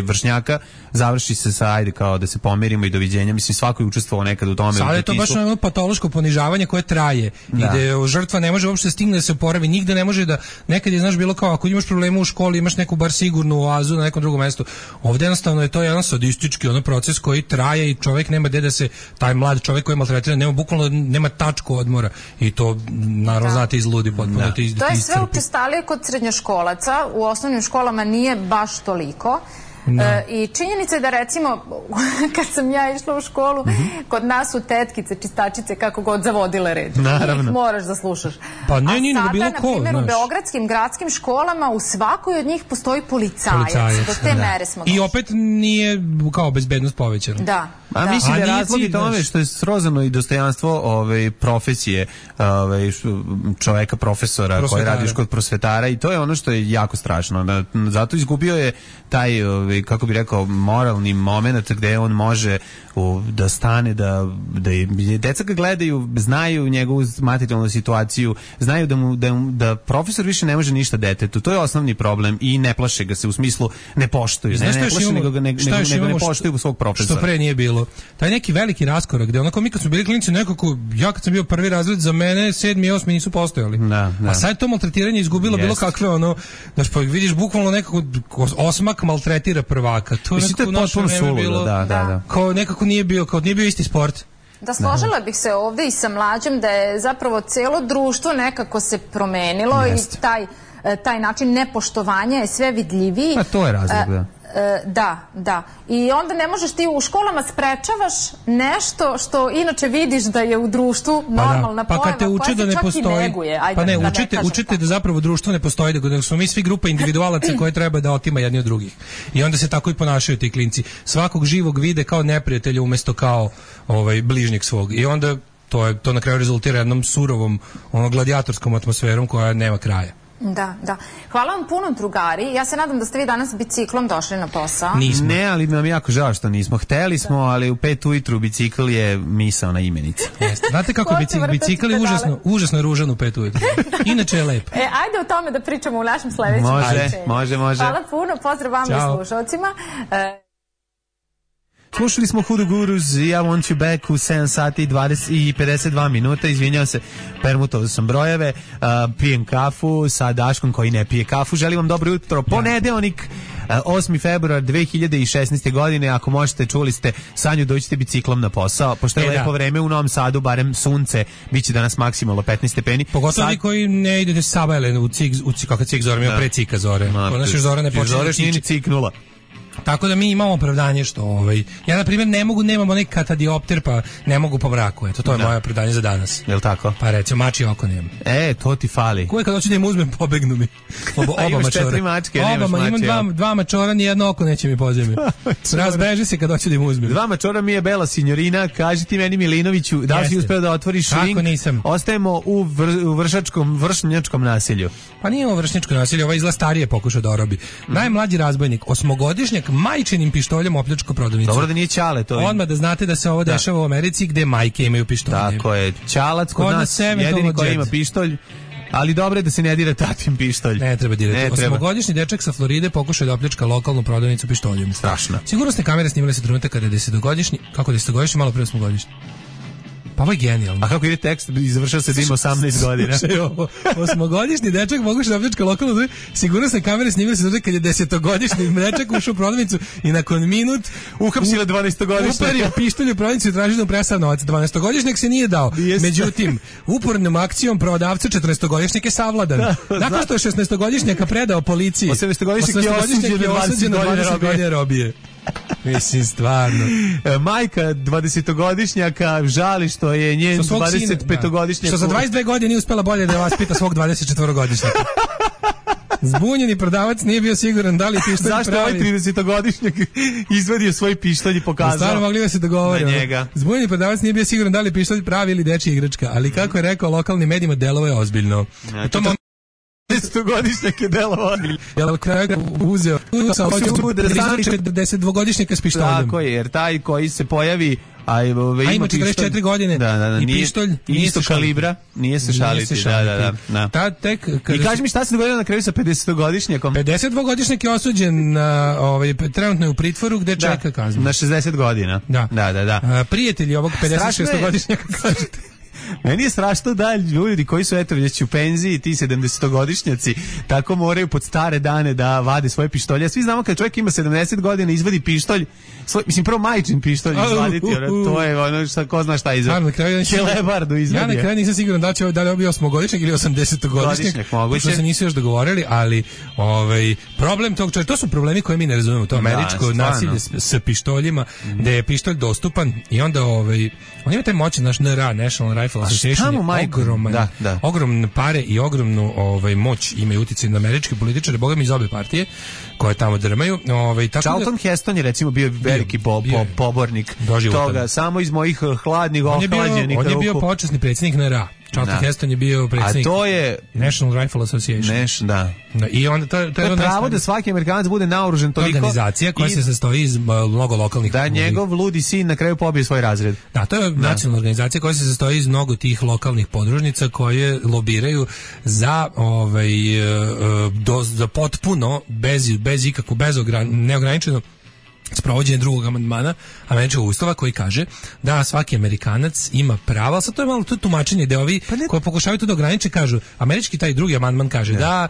vršnjaka, završi se sa, ajde kao da se pomirimo i doviđenja. Mislim, svako je učestvovao nekad u tome.
Sada je to baš patološko ponižavanje koje traje i da žrtva ne može uopšte stigne da se oporavi, nigde ne može da, nekad je, znaš, bilo kao, ako imaš problema u školi, imaš neku bar sigurnu oazu na nekom drugom mestu. Ovdje jednostavno je to jedan sadistički proces koji traje i čovjek nema gde da se, taj mlad čovjek koji je maltretiran, nema tačku odmora i to naravno znate izludi potpuno.
To je sve učestalije kod srednjoškolaca, u osnovnim školama nije baš toliko. I činjenica je da recimo kad sam ja išla u školu, kod nas su tetkice, čistačice, kako god zavodile red.
Naravno.
Moraš da slušaš.
Pa ne, nije
sada,
bilo ko,
na primjer, u beogradskim gradskim školama u svakoj od njih postoji policajac. Do te mere smo došli.
I opet nije kao bezbednost povećana.
Da.
A mislim da je razlog i tome što je srozano i dostojanstvo profesije čoveka, profesora koji radiš kod prosvetara i to je ono što je jako strašno. Zato izgubio je taj kako bi rekao, moralni moment gde on može da stane, da deca ga gledaju, znaju njegovu materijalnu situaciju, znaju da profesor više ne može ništa detetu. To je osnovni problem i ne plaše ga se, u smislu ne poštuju. Ne plaše, nego ne poštuju svog profesora.
Što pre nije bilo. Taj neki veliki raskorak gde onako mi kad smo bili klinici nekako, ja kad sam bio prvi razred, za mene 7. i 8. nisu postojali. A sad to maltretiranje izgubilo bilo kakve znaš, pa vidiš bukvalno nekako osmak maltretira prvaka. To je nekako u naše vreme bilo. Kao nekako nije bio isti sport.
Da, složila bih se ovde i sa Mlađom da je zapravo celo društvo nekako se promenilo i taj način nepoštovanja je sve vidljiviji.
A to je razlog,
da. I onda ne možeš ti u školama sprečavaš nešto što inače vidiš da je u društvu normalna pojava,
kad te uče da ne postoji. Učite da zapravo društvo ne postoji, da smo mi svi grupa individualaca koje treba da otima jedni od drugih. I onda se tako i ponašaju ti klinci. Svakog živog vide kao neprijatelja umesto kao bližnjeg svog. I onda to na kraju rezultira jednom surovom gladijatorskom atmosferom koja nema kraja.
Da. Hvala vam puno, drugari. Ja se nadam da ste vi danas biciklom došli na posao.
Nismo. Ne, ali nam jako žao što nismo. Hteli smo, ali u 5 ujutru bicikl je misaona imenica.
Znate kako bicikl je užasno ružan u 5 ujutru. Inače je lep.
Ajde o tome da pričamo u našem sledećem.
Može.
Hvala puno, pozdrav vama i slušalcima.
Slušali smo Hoodoo Gurus i I Want You Back u 7 sati i 52 minuta. Izvinjam se, permutovao sam brojeve. Pijem kafu sa Daškom koji ne pije kafu. Želim vam dobro jutro. Ponedeljnik, 8. februar 2016. godine. Ako možete, čuli ste Sanju, dođite biciklom na posao. Pošto je lepo vreme u Novom Sadu, barem sunce, bit će danas maksimalno 15 stepeni.
Pogotovo vi koji ne idete sabajle u kakav cik zore, ima pre cika zore. Naša Zora ne počne da
nije ciknula.
Tako da mi imamo opravdanje što ja na primjer nemam onaj katadiopter pa ne mogu po mraku. Eto, to je moje opravdanje za danas.
Jel tako?
Pa recimo mačje oko nemam.
To ti fali.
Koje kad hoću da im uzmem pobegnu mi. Oba mačora. 4
mačke, nemaš mačke.
Imam dva mačora, ni jedno oko neće mi pozemlju. Razbeži se kad hoću da im uzmem.
2 mačora mi je bela sinjorina. Kaži ti meni Milinoviću, da li si uspeo da otvoriš link?
Nisam.
Ostajemo u vršnjačkom nasilju.
Pa nije ovo vršnjačko nasilje, izgleda starije pokušao da orobi. Najmlađi razbojnik, 8-godišnjak, majčinim pištoljem opljačko prodavnicu.
Dobro da nije Ćale to.
Odmah da znate da se ovo dešava u Americi gde majke imaju pištolje.
Tako je. Ćalac kod nas jedini koji ima pištolj. Ali dobro je da se ne dira tatin pištolj.
Ne treba dirati. 8-godišnji dečak sa Floride pokušao da opljačka lokalnu prodavnicu pištoljem.
Strašno.
Sigurnosne kamere snimale se trenutak kada je 10-godišnji, kako 10-godišnji, malo pre 8-godišnji. Pa ovo je genijalno.
A kako ide tekst, završao se dim 18 godina.
8-godišnji dečak pokušao da opljačka lokalnu, sigurnosne kamere snimile se trenutak kad je 10-godišnji dečak ušao u prodavnicu i nakon minut
uhapsila 12-godišnjaka.
Uperio pištolj u prodavnicu i tražio da mu presav novac. 12-godišnjak se nije dao. Međutim, upornom akcijom prodavca 14-godišnjak je savladan. Nakon što je 16-godišnjaka predao policiji,
18-godišnjak je osuđen na 20 godina robije.
Mislim, stvarno.
Majka 20-godišnjaka žali što je njen 25-godišnjak...
Što za 22 godine nije uspela bolje da vaspita svog 24-godišnjaka. Zbunjeni prodavac nije bio siguran da li pištolj pravi.
Zašto ovaj 30-godišnjak izvadio svoj pištolj i pokazao?
Stvarno mogli da se dogovore.
Na njega.
Zbunjeni prodavac nije bio siguran da li pištolj pravi ili dečija igračka, ali kako je rekao lokalnim medijima, delovo je ozbiljno. U tom
10-godišnjak je delovao.
Jel kraj uzeo 42-godišnjaka s pištoljem.
Tako je, jer taj koji se pojavi
a ima 44 godine i pištolj
isto kalibra, nije se šaliti. Da. I kaži mi šta se dogodilo na kraju sa 50-godišnjakom?
52-godišnjak je osuđen, trenutno je u pritvoru gde čeka kaznu.
Na 60 godina.
Da. Prijatelji ovog 56-godišnjaka kažete.
Meni je strašno da ljudi koji su već u penziji, ti 70-godišnjaci, tako moraju pod stare dane da vade svoje pištolje. Svi znamo kad čovjek ima 70 godina izvadi pištolj, prvo majčin pištolj izvaditi, to je ono što ko zna šta izvadi. Kelebardu izvadi.
Ja na kraju nisam siguran da li je bio 8-godišnjak ili 80-godišnjak, pošto se nisu još dogovorili, ali problem tog čovjeka, to su problemi koje mi ne razumemo, to američko nasilje s pištoljima, gde je pištolj dostupan i onda on ima taj moćan naš NRA, National Rifle Association, ogromne pare i ogromnu moć imaju uticaj na američke političare, bogami iz obe partije koje tamo drmaju.
Charlton Heston je recimo bio veliki pobornik toga, samo iz mojih hladnih ohlađenih ruku.
On je bio počasni predsjednik NRA. Charlton Heston je bio predsjednik.
A to je
National Rifle Association.
Da.
I onda to je
pravo da svaki Amerikanac bude naoružan toliko.
Organizacija koja se sastoji iz mnogo lokalnih.
Da njegov ludi sin na kraju pobije svoj razred.
Da, to je nacionalna organizacija koja se sastoji iz mnogo tih lokalnih podružnica koje lobiraju za za potpuno bez ikakvu neograničeno sprovođenje drugog amandmana američkog ustava koji kaže da svaki Amerikanac ima pravo, ali sad to je malo to tumačenje da ovi koji pokušavaju to da ograniče kažu, američki taj drugi amandman kaže da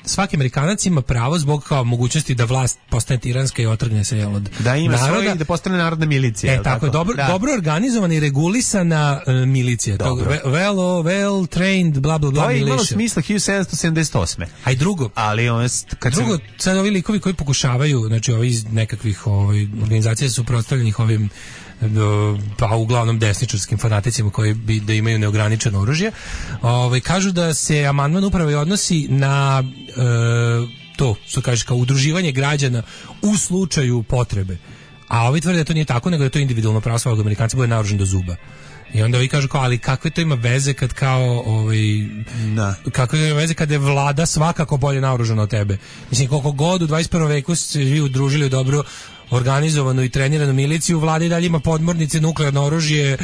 svaki Amerikanac ima pravo zbog kao mogućnosti da vlast postane tiranska i otrgne se od
da ima
naroda.
Svoje, da postane narodna milicija.
Tako je, dobro organizovana i regulisana milicija. Well trained, bla bla bla.
To je imalo smisla 1778.
A i drugo, sad ovi likovi koji pokušavaju, znači ovi iz nekakvih organizacija su prostavljenih ovim pa uglavnom desničarskim fanaticima koji bi da imaju neograničeno oružje, kažu da se amandman upravo i odnosi na to, što kažeš, kao udruživanje građana u slučaju potrebe. A ovi tvrde da to nije tako, nego da to individualno pravo svakog Amerikanca bude naoružan do zuba. I onda ovi kažu kao, ali kakve to ima veze kad kao kakve ima veze kad je vlada svakako bolje naoružana od tebe. Mislim, koliko god u 21. veku se vi udružili u dobro organizovanu i treniranu miliciju, vlada i dalje ima podmornice, nuklearno oružje,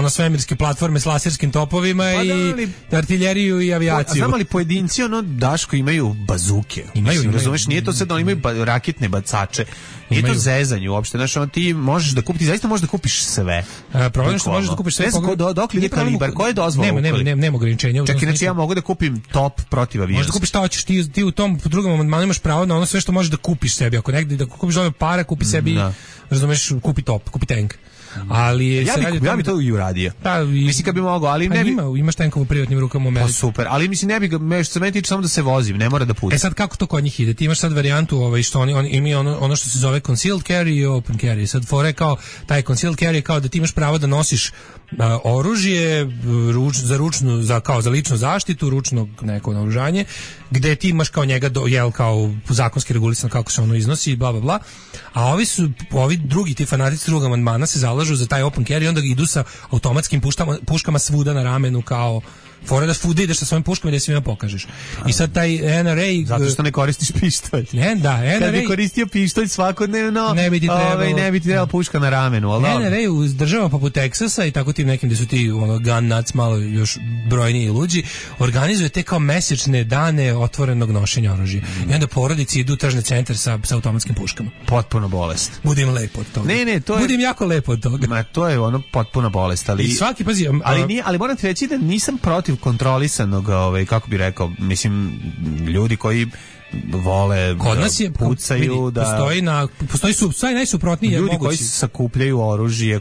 svemirske platforme s laserskim topovima i artiljeriju i avijaciju.
Znam li pojedinci Daško imaju bazuke.
Imaju.
Razumeš, nije to sad da imaju raketne bacače. Nije to zezanje uopšte. Znaš, ti možeš da kupiš, ti zaista možeš da kupiš sve.
Problem što možeš da kupiš sve.
Dok li je kalibar, koje je dozvola?
Nema ograničenja.
Čak inače ja mogu da kupim top protiv aviona.
Možeš da kupiš šta hoćeš, ti u tom drugom amandmanu imaš pravo na ono sve što možeš da kupiš sebi. Ako negde da kupiš ove para, kupi sebi, razumeš, kupi top, kupi tank. Ali
ja bi to i uradio. Mislim kad bi mogao, ali ne bi.
Imaš tenkov u privatnim rukama u Americi.
Pa super, ali mislim ne bi ga, što se meni tiče samo da se vozim, ne mora da putim.
Sad kako to kod njih ide? Ti imaš sad varijantu što oni imaju ono što se zove concealed carry i open carry. Sad fore kao taj concealed carry kao da ti imaš pravo da nosiš oružje za ličnu zaštitu, ručno neko naoružanje, gde ti imaš kao njega kao zakonski regulisan kako se ono iznosi, bla bla bla. A ovi drugi ti fanatici drugog amandmana se zalažu za taj open carry i onda idu sa automatskim puškama svuda na ramenu kao fora da svuda ideš sa svojim puškama i da svima pokažeš. I sad taj NRA...
Zato što ne koristiš pištolj.
NRA...
Kad bi koristio pištolj svakodnevno, ne bi ti trebala puška na ramenu.
NRA u državama poput Teksasa i tako tim nekim gde su ti gun nuts malo još brojniji i luđi, organizuje te kao mesečne dane otvorenog nošenja oružja. I onda porodici idu u tržni centar sa automatskim puškama.
Potpuno bolest.
Budim lepo od toga. Budim jako lepo od toga.
Ma to je potpuna bolest, ali...
I svaki, pazi...
Ali moram ti reći da nisam protiv kontrolisanog, kako bi rekao, mislim, ljudi koji vole
kod nas je
pucaju,
postoji najsuprotniji
ljudi
mogući.
Koji sakupljaju oružje,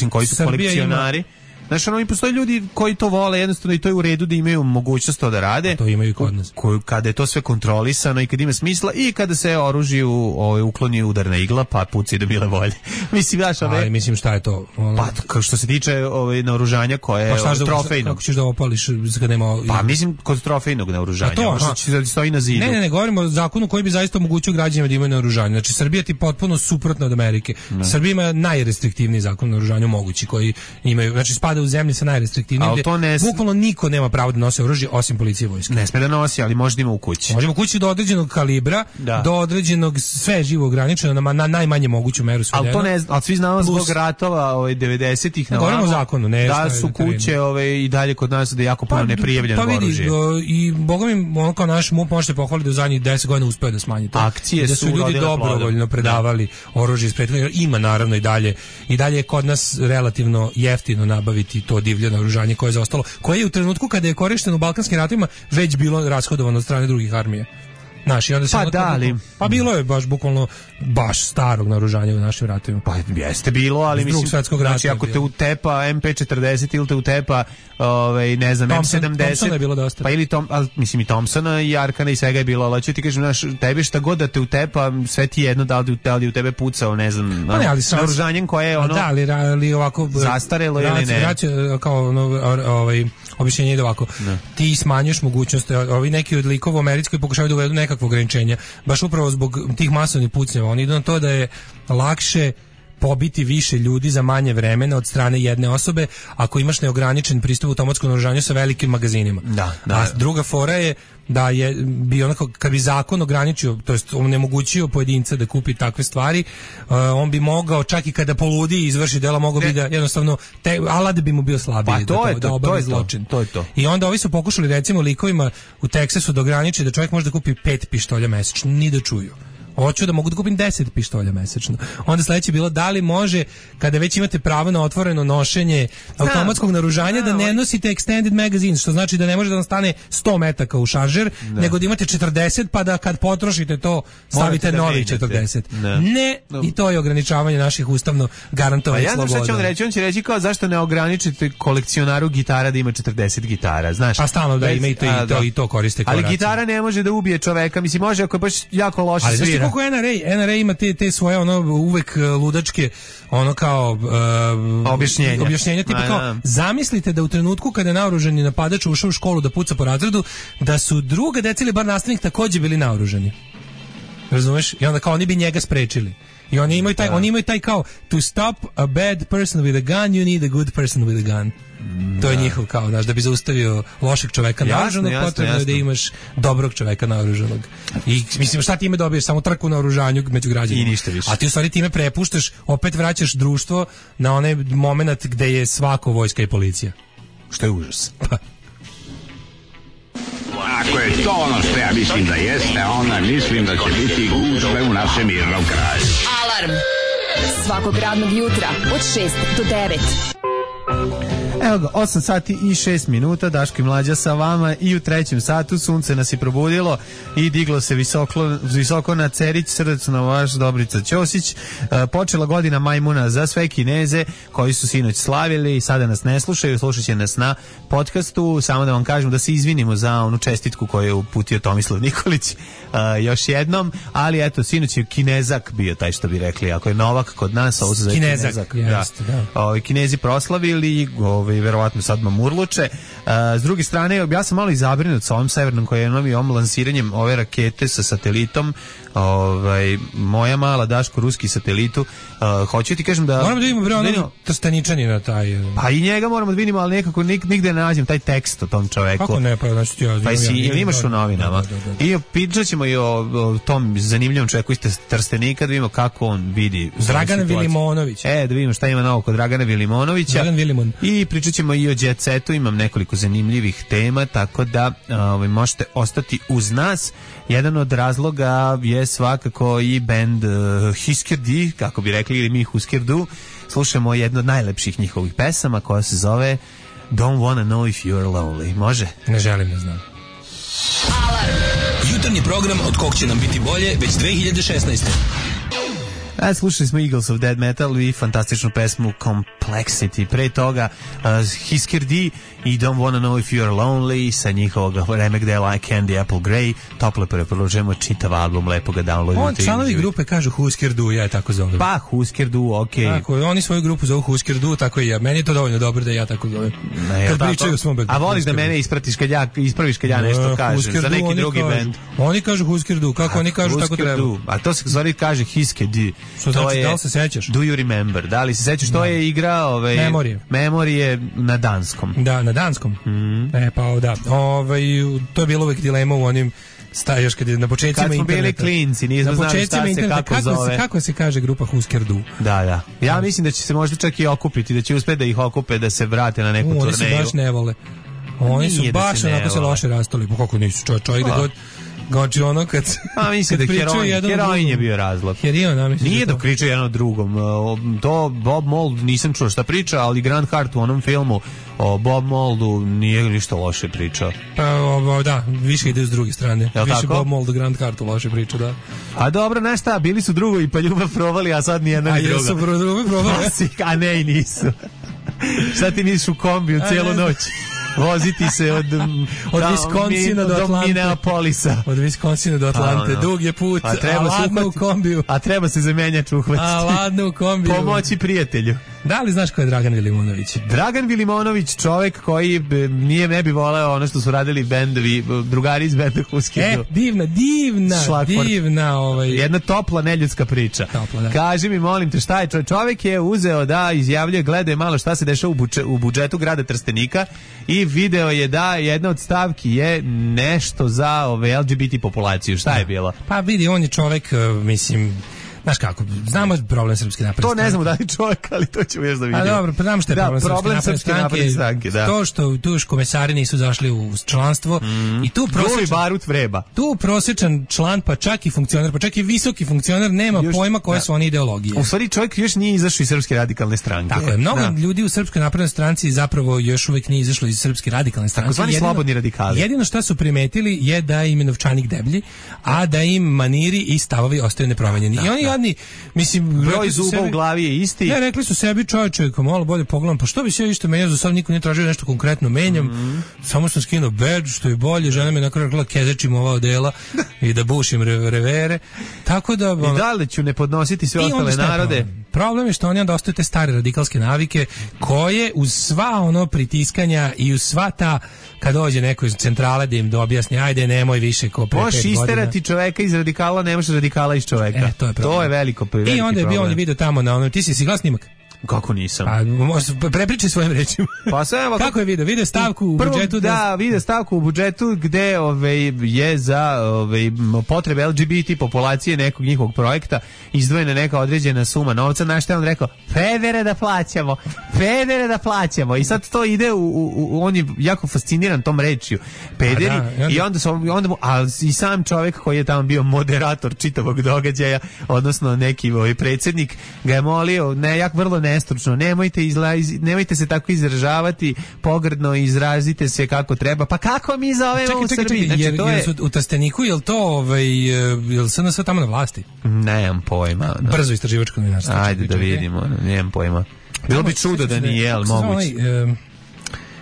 koji su kolekcionari. Znaš, i postoje ljudi koji to vole jednostavno i to je u redu da imaju mogućnost to da rade.
To imaju i kod nas.
Kada je to sve kontrolisano i kada ima smisla i kada se oružju ukloni udarna igla, pa puci do bile volje. Mislim,
mislim šta je to?
Pa, što se tiče naoružanja koje je trofejno.
Kako ćeš da opališ kad nema...
Pa, mislim, kod trofejnog naoružanja. Možda stoji na zidu.
Ne, govorimo o zakonu koji bi zaista omogućio građanima da imaju naoružanje. Znači, Srbija ti potpuno suprotna od Amerike. Srbija ima najrestriktivniji zakon o naoružanju mogući koji imaju, znači u zemlji sa najrestriktivnijim, bukvalno niko nema pravo da nosi oružje osim policije i vojske.
Ne sme da nosi, ali može da ima u kući.
Može u kući do određenog kalibra, do određenog sve živo ograničeno na najmanje moguću meru svedeno.
Ali svi znamo zbog ratova 90-ih na
govorimo o zakonu,
da su kuće i dalje kod nas da je jako puno neprijavljenog oružja.
I boga mi, ono kao naš MUP možete pohvaliti da u zadnjih 10 godina uspeo da smanji to.
Akcije
da su ljudi dobrovoljno predavali oružje iz prethodnog. Ima naravno i dalje je kod nas relativno jeftino nabaviti to divlje naoružanje koje je zaostalo, koje je u trenutku kada je korišteno u Balkanskim ratovima već bilo rashodovano od strane drugih armija. Naši, onda se pa bilo je bukvalno starog naoružanja u našim ratovima.
Pa jeste bilo, ali mislim, znači ako te utepa MP40 ili te utepa ne znam, M70,
Thompsona je bilo dosta.
Pa ili mislim i Thompsona i Arkana i svega je bilo, ali ću ti kažem, tebi šta god da te utepa, sve ti jedno da li u tebe pucao, ne znam, naoružanjem koje je ono
ali ovako
zastarelo ili ne.
Kao objašnjenje ide ovako. Ti smanjuješ mogućnost, ovi neki od likova u Americi koji pokušavaju da uvedu nekakvo ograničenja, baš upravo zbog tih masovnih pucnjeva. Oni idu na to da je lakše pobiti više ljudi za manje vremena od strane jedne osobe ako imaš neograničen pristup automatskom naoružanju sa velikim magazinima. A druga fora je da je bi onako, kad bi zakon ograničio, to jest onemogućio pojedinca da kupi takve stvari, on bi mogao čak i kada poludi i izvrši dela, mogao bi da jednostavno alat bi mu bio slabiji da obavi zločin.
To je to.
I onda ovi su pokušali recimo likovima u Teksasu da ograniče da čovjek može da kupi 5 pištolja mesečno, ni da čuju. Hoću da mogu da kupim 10 pištolja mesečno. Onda sledeće bilo da li može, kada već imate pravo na otvoreno nošenje automatskog naoružanja, da ne nosite extended magazine, što znači da ne može da vam stane 100 metaka u šaržer, nego da imate 40, pa da kad potrošite to stavite novih 40. Ne, i to je ograničavanje naših ustavno garantovanih sloboda.
Ja znam šta će on reći, on će reći kao zašto ne ograničite kolekcionaru gitara da ima 40 gitara, znaš.
Pa stalno da ima i to koriste kao
ali gitara ne može da ubije čoveka, mislim može ako je baš jako loše svira.
Kako NRA ima te svoje ono uvek ludačke ono kao objašnjenja tipa kao zamislite da u trenutku kada je naoružani napadač ušao u školu da puca po razredu, da su druga deca ili bar nastavnik takođe bili naoružani. Razumeš? I onda kao oni bi njega sprečili. I oni imaju taj kao to stop a bad person with a gun you need a good person with a gun. To je njihov kao, znaš, da bi zaustavio lošeg čoveka naoružanog, potrebno je da imaš dobrog čoveka naoružanog. I mislim, šta time dobiješ? Samo trku na oružanju među građanima.
I ništa više.
A ti u stvari time prepuštaš, opet vraćaš društvo na onaj moment gde je svako vojska i policija.
Što je užas.
Ako je to ono što ja mislim da jeste, onda mislim da će biti gužve u našem mirnom kraju.
Alarm svakog radnog jutra od 6 do 9.
Evo ga, 8 sati i 6 minuta, Daško i Mlađa sa vama i u trećem satu sunce nas je probudilo i diglo se visoko na Cerić, srdačno vaš Dobrica Ćosić. Počela godina majmuna za sve Kineze koji su sinoć slavili i sada nas ne slušaju, slušat će nas na podcastu. Samo da vam kažem da se izvinimo za onu čestitku koju je uputio Tomislav Nikolić još jednom, ali eto, sinoć je Kinezak bio taj što bi rekli, ako je Novak kod nas, ovo se zove Kinezak. Kinezi proslavili, verovatno sad mamurluče. S druge strane, ja sam malo i zabrinut sa ovim Severnom Korenom i ovim lansiranjem ove rakete sa satelitom. Moja mala Daško, ruski satelitu. Hoću ti kažem da...
Moramo da vidimo ono Trsteničani na taj...
Pa i njega moramo da vidimo, ali nekako nigde ne nađem taj tekst o tom čoveku.
Kako ne, pa znači ti...
Pa imaš u novinama. I pričat ćemo i o tom zanimljivom čoveku iz Trstenika, da vidimo kako on vidi
Dragan Vilimonović.
Da vidimo šta ima novo kod Dragana Vilimonovića.
Dragan Vilimon.
I pričat ćemo i o Jet Setu, imam nekoliko zanimljivih tema, tako da možete ostati uz nas. Jedan od razloga je svakako i band Husker D, kako bi rekli, ili mi Husker Du. Slušamo jednu od najlepših njihovih pesama koja se zove Don't Wanna Know If You're Lonely. Može?
Ne želim, ne znam.
Alarm! Jutarnji program od kog će nam biti bolje već 2016.
Slušali smo Eagles of Dead Metal i fantastičnu pesmu Complexity. Pre toga Husker D i Don't Wanna Know If You're Lonely sa njihovog remek dela Candy Apple Grey. Toplo preporučujemo čitav album, lepo ga downloadujte.
Članovi grupe kažu Husker Du, ja je tako zovem.
Pa Husker Du, okej.
Tako, oni svoju grupu zovu Husker Du, tako i ja. Meni je to dovoljno dobro da ja tako zovem. Kad pričaju o svom bendu.
A voliš da mene ispraviš kad ja nešto kažem za neki drugi bend.
Oni kažu Husker Du, kako oni kažu tako treba.
A to se zove kaže Husker D.
Što znači, da li se sećaš?
Do you remember? Da li se sećaš? To je igra Memorije na danskom.
Da, na danskom. Pa da. To je bilo uvek dilema u onim još kad je na početcima
interneta. Kad smo bili klinci, nismo znali šta se kako zove.
Kako se kaže grupa Husker Du?
Da. Ja mislim da će se možda čak i okupiti, da će uspeti da ih okupe, da se vrate na neku turneju.
Oni se baš ne vole. Oni su baš onako se loše rastali. Pa kako nisu, čovjek da god... Znači ono kad
mislim da heroin je bio razlog. Nije dok pričaju jedno drugom. To Bob Mould nisam čuo šta priča, ali Grant Hart u onom filmu o Bob Mouldu nije ništa loše pričao.
Pa da, više ide s druge strane. Više Bob Mould, Grant Hart loše priča, da.
A dobro, znaš šta, bili su drugovi pa ljubav provali, a sad nijedna ni druga.
A jesu ljubav provali?
A ne, i nisu. Šta ti nisiš u kombiju cijelu noć? Voziti se od
Wisconsina do Atlante.
Minneapolisa.
Od Wisconsina do Atlante. Dug je put, a ladno u kombiju.
A treba se za menjač uhvatiti.
A ladno u kombiju.
Pomoći prijatelju.
Da li znaš ko je Dragan Vilimonović?
Dragan Vilimonović, čovek koji ne bi voleo ono što su radili bendovi, drugari iz benda Huskidu.
Divna.
Jedna topla neljudska priča.
Topla, da.
Kaži mi, molim te, šta je čovek je uzeo da izjavljuje, gledaj malo šta se dešava u budžetu grada Trstenika i video je da jedna od stavki je nešto za LGBT populaciju. Šta je bilo?
Pa vidi, on je čovek, mislim, znaš kako, znamo problem Srpske napredne stranke.
To ne znamo da li čovjek, ali to ćemo još da vidimo.
A dobro, pa znamo što je problem Srpske napredne stranke.
Da.
To što tu komesari nisu zašli u članstvo i tu
barut vreba.
Tu prosječan član, pa čak i funkcioner, pa čak i visoki funkcioner nema pojma koje su one ideologije.
U stvari čovjek još nije izašao iz Srpske radikalne stranke.
Tako je, mnogo ljudi u Srpskoj naprednoj stranci zapravo još uvijek nije izašlo iz Srpske radikalne stranke.
Takozvani slobodni radikali.
Jedino što su primetili je da im je novčanik deblji, a da im maniri i stavovi ostaju nepromenjeni. I oni jadni, mislim,
broj zuba u glavi je isti.
Ne, rekli su sebi, čovječe, malo bolje pogledam, pa što bi se isto menjao, za sad niko nije tražio nešto konkretno menjam, samo sam skinuo badge, što je bolje, žena mi nakon rekla kezećim ova odela i da bušim revere, tako da...
I da li ću ne podnositi sve ostale narode?
Problem je što oni onda ostaju te stare radikalske navike koje uz sva ono pritiskanja i uz sva ta, kad dođe neko iz centrale da im objasni, ajde nemoj više ko pre 5 godina.
Možeš isterati čoveka iz radikala, ne možeš radikala iz čoveka. To je veliko problem.
I onda je bio on video tamo na onom, ti si gledao snimak?
Kako nisam?
Pa prepričaj svojim rečima.
Pa sve,
kako je video? Video stavku u budžetu?
Da, video stavku u budžetu gde je za potrebe LGBT populacije nekog njihovog projekta izdvojena neka određena suma novca, na što je on rekao, pedere da plaćamo. I sad to ide on je jako fasciniran tom rečju. Pederi. I onda i sam čovjek koji je tamo bio moderator čitavog događaja, odnosno neki predsjednik, ga je molio, vrlo nestručno, nemojte se tako izražavati, pogrdno izrazite se kako treba. Pa kako mi zovemo u Srbiji?
Znači, to je u Trsteniku, je li to jel se nas tamo na vlasti?
Nemam pojma.
Brzo istraživačko novinarstvo.
Ajde da vidimo, nemam pojma. Bilo bi čudo da nije, ali moguće.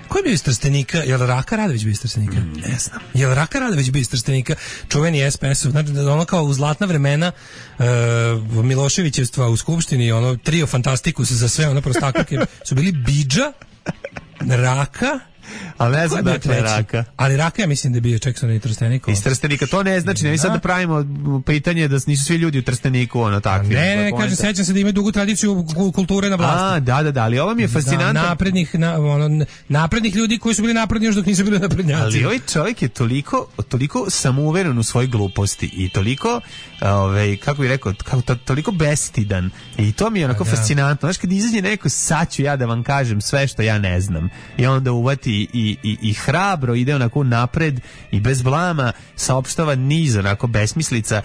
Ko je bio iz Trstenika? Je li Raka Radović bio iz Trstenika?
Ne znam.
Je li Raka Radović bio iz Trstenika? Čuveni SPS-ov. Znači, ono kao u zlatna vremena Miloševićevstva u Skupštini, ono trio fantastikus za sve, ono prostaklike su bili Bidža, Raka,
ali ne znam dakle Raka.
Ali Raka ja mislim da je bio Čekson i Trstenika.
Iz Trstenika, to ne znači, ne sad da pravimo pitanje da nisu svi ljudi u Trsteniku ono takvi.
Ne, kažem, sećam se da ima dugu tradiciju kulture na vlasti.
Da, ali ovo mi je fascinantno.
Naprednih ljudi koji su bili napredni još dok nisu bili naprednjaci.
Ali ovaj čovjek je toliko samouveren u svojoj gluposti i toliko, kako bih rekao, toliko bestidan. I to mi je onako fascinantno. Znaš, kad izađe neko, sad ću ja da vam kažem sve što ja ne znam. I onda uvati i hrabro ide onako napred i bez blama saopštava niz onako besmislica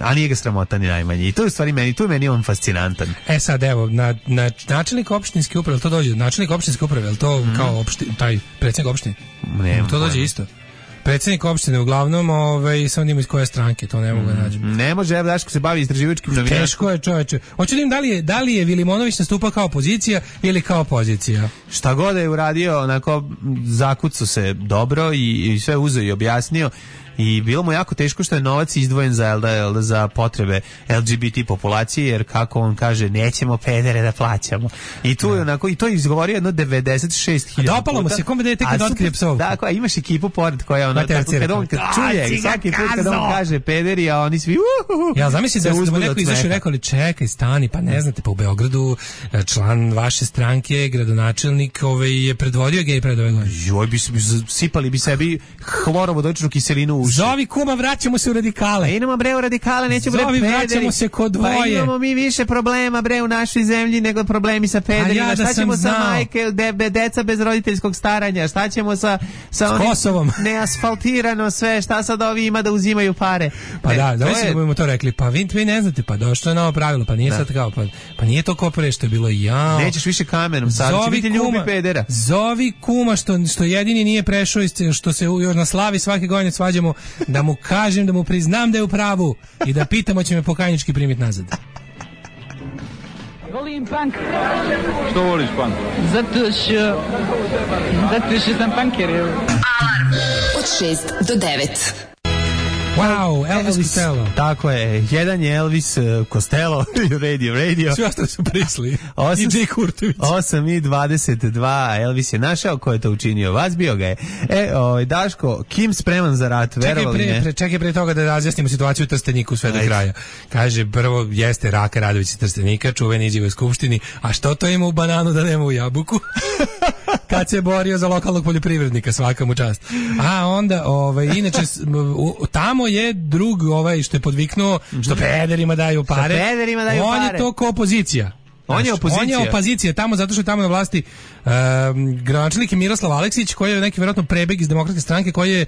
a nije ga sramota ni najmanje. I to je u stvari meni on fascinantan.
Sad evo, načelnik opštinske uprave, to dođe, načelnik opštinske uprave, je li to kao taj predsjednik opštine? To dođe isto. Predsjednik opštine uglavnom, samo nima iz koje stranke, to ne mogu da nađem.
Ne može, evo Daško se bavi istraživačkim novinarstvom.
Teško je, čoveče. Hoću da im da li je Vilimonović nastupao kao opozicija ili kao pozicija.
Šta god je uradio, onako zakucao se dobro i sve uzeo i objasnio. I bilo mu jako teško što je novac izdvojen za potrebe LGBT populacije, jer kako on kaže, nećemo pedere da plaćamo. I tu je onako, i to je izgovorio jedno 96.000 puta.
Dopalo mu se, kome dete kad otkrije psovku.
Tako, imaš ekipu pored koja ono, kad on čuje, svaki put kad on kaže pederi, a oni svi
ja zamislim da mu neko izašao i rekao, ali čekaj, stani, pa ne znate, pa u Beogradu član vaše stranke, gradonačelnik, je predvodio gej pred ove godine.
Joj, sipali bi sebi hlorovodoničnu kiselinu.
Zovi kuma, vraćamo se u radikale.
Idemo bre u radikale, nećemo bre pederi.
Vraćamo se kod dvoje.
Pa imamo mi više problema bre u našoj zemlji nego problemi sa pederima. Šta ćemo sa majke, deca bez roditeljskog staranja? Šta ćemo sa
Kosovom?
Neasfaltirano sve, šta sad ovi ima da uzimaju pare?
Pa da mislim da mu to rekli. Pa vi ne znate, pa došlo je novo pravilo, pa nije sad kao, pa nije to ko pre što je bilo jao.
Nećeš više kamenom, sad će biti ljubi pedera.
Zovi kuma što jedini nije prešao, što se još na slavi svake godine svađamo, da mu kažem, da mu priznam da je u pravu i da pitamo će me pokajnički primiti nazad.
Volim punk.
Što voliš punk?
Zato što sam punker.
Alarm od 6 do 9.
Wow, Elvis Costello.
Tako je, jedan je Elvis Costello, radio.
Svi ostali su prisli. I Jay Kurtović.
8:22, Elvis je našao ko je to učinio, vas bio ga je. Daško, Kim spreman za rat, verovali ne?
Čekaj pre toga da razjasnimo situaciju u Trsteniku sve do kraja. Kaže, prvo jeste Raka Radović iz Trstenika, čuveni izjava u Skupštini, a što to ima u bananu da nema u jabuku? Kad se borio za lokalnog poljoprivrednika, svaka mu čast. A onda, inače, tamo je drug što je podviknuo, što pederima daju pare. On je to ko opozicija.
On je
opozicija tamo zato što je tamo na vlasti gradonačelnik je Miroslav Aleksić, koji je neki vjerojatno prebeg iz Demokratske stranke, koji je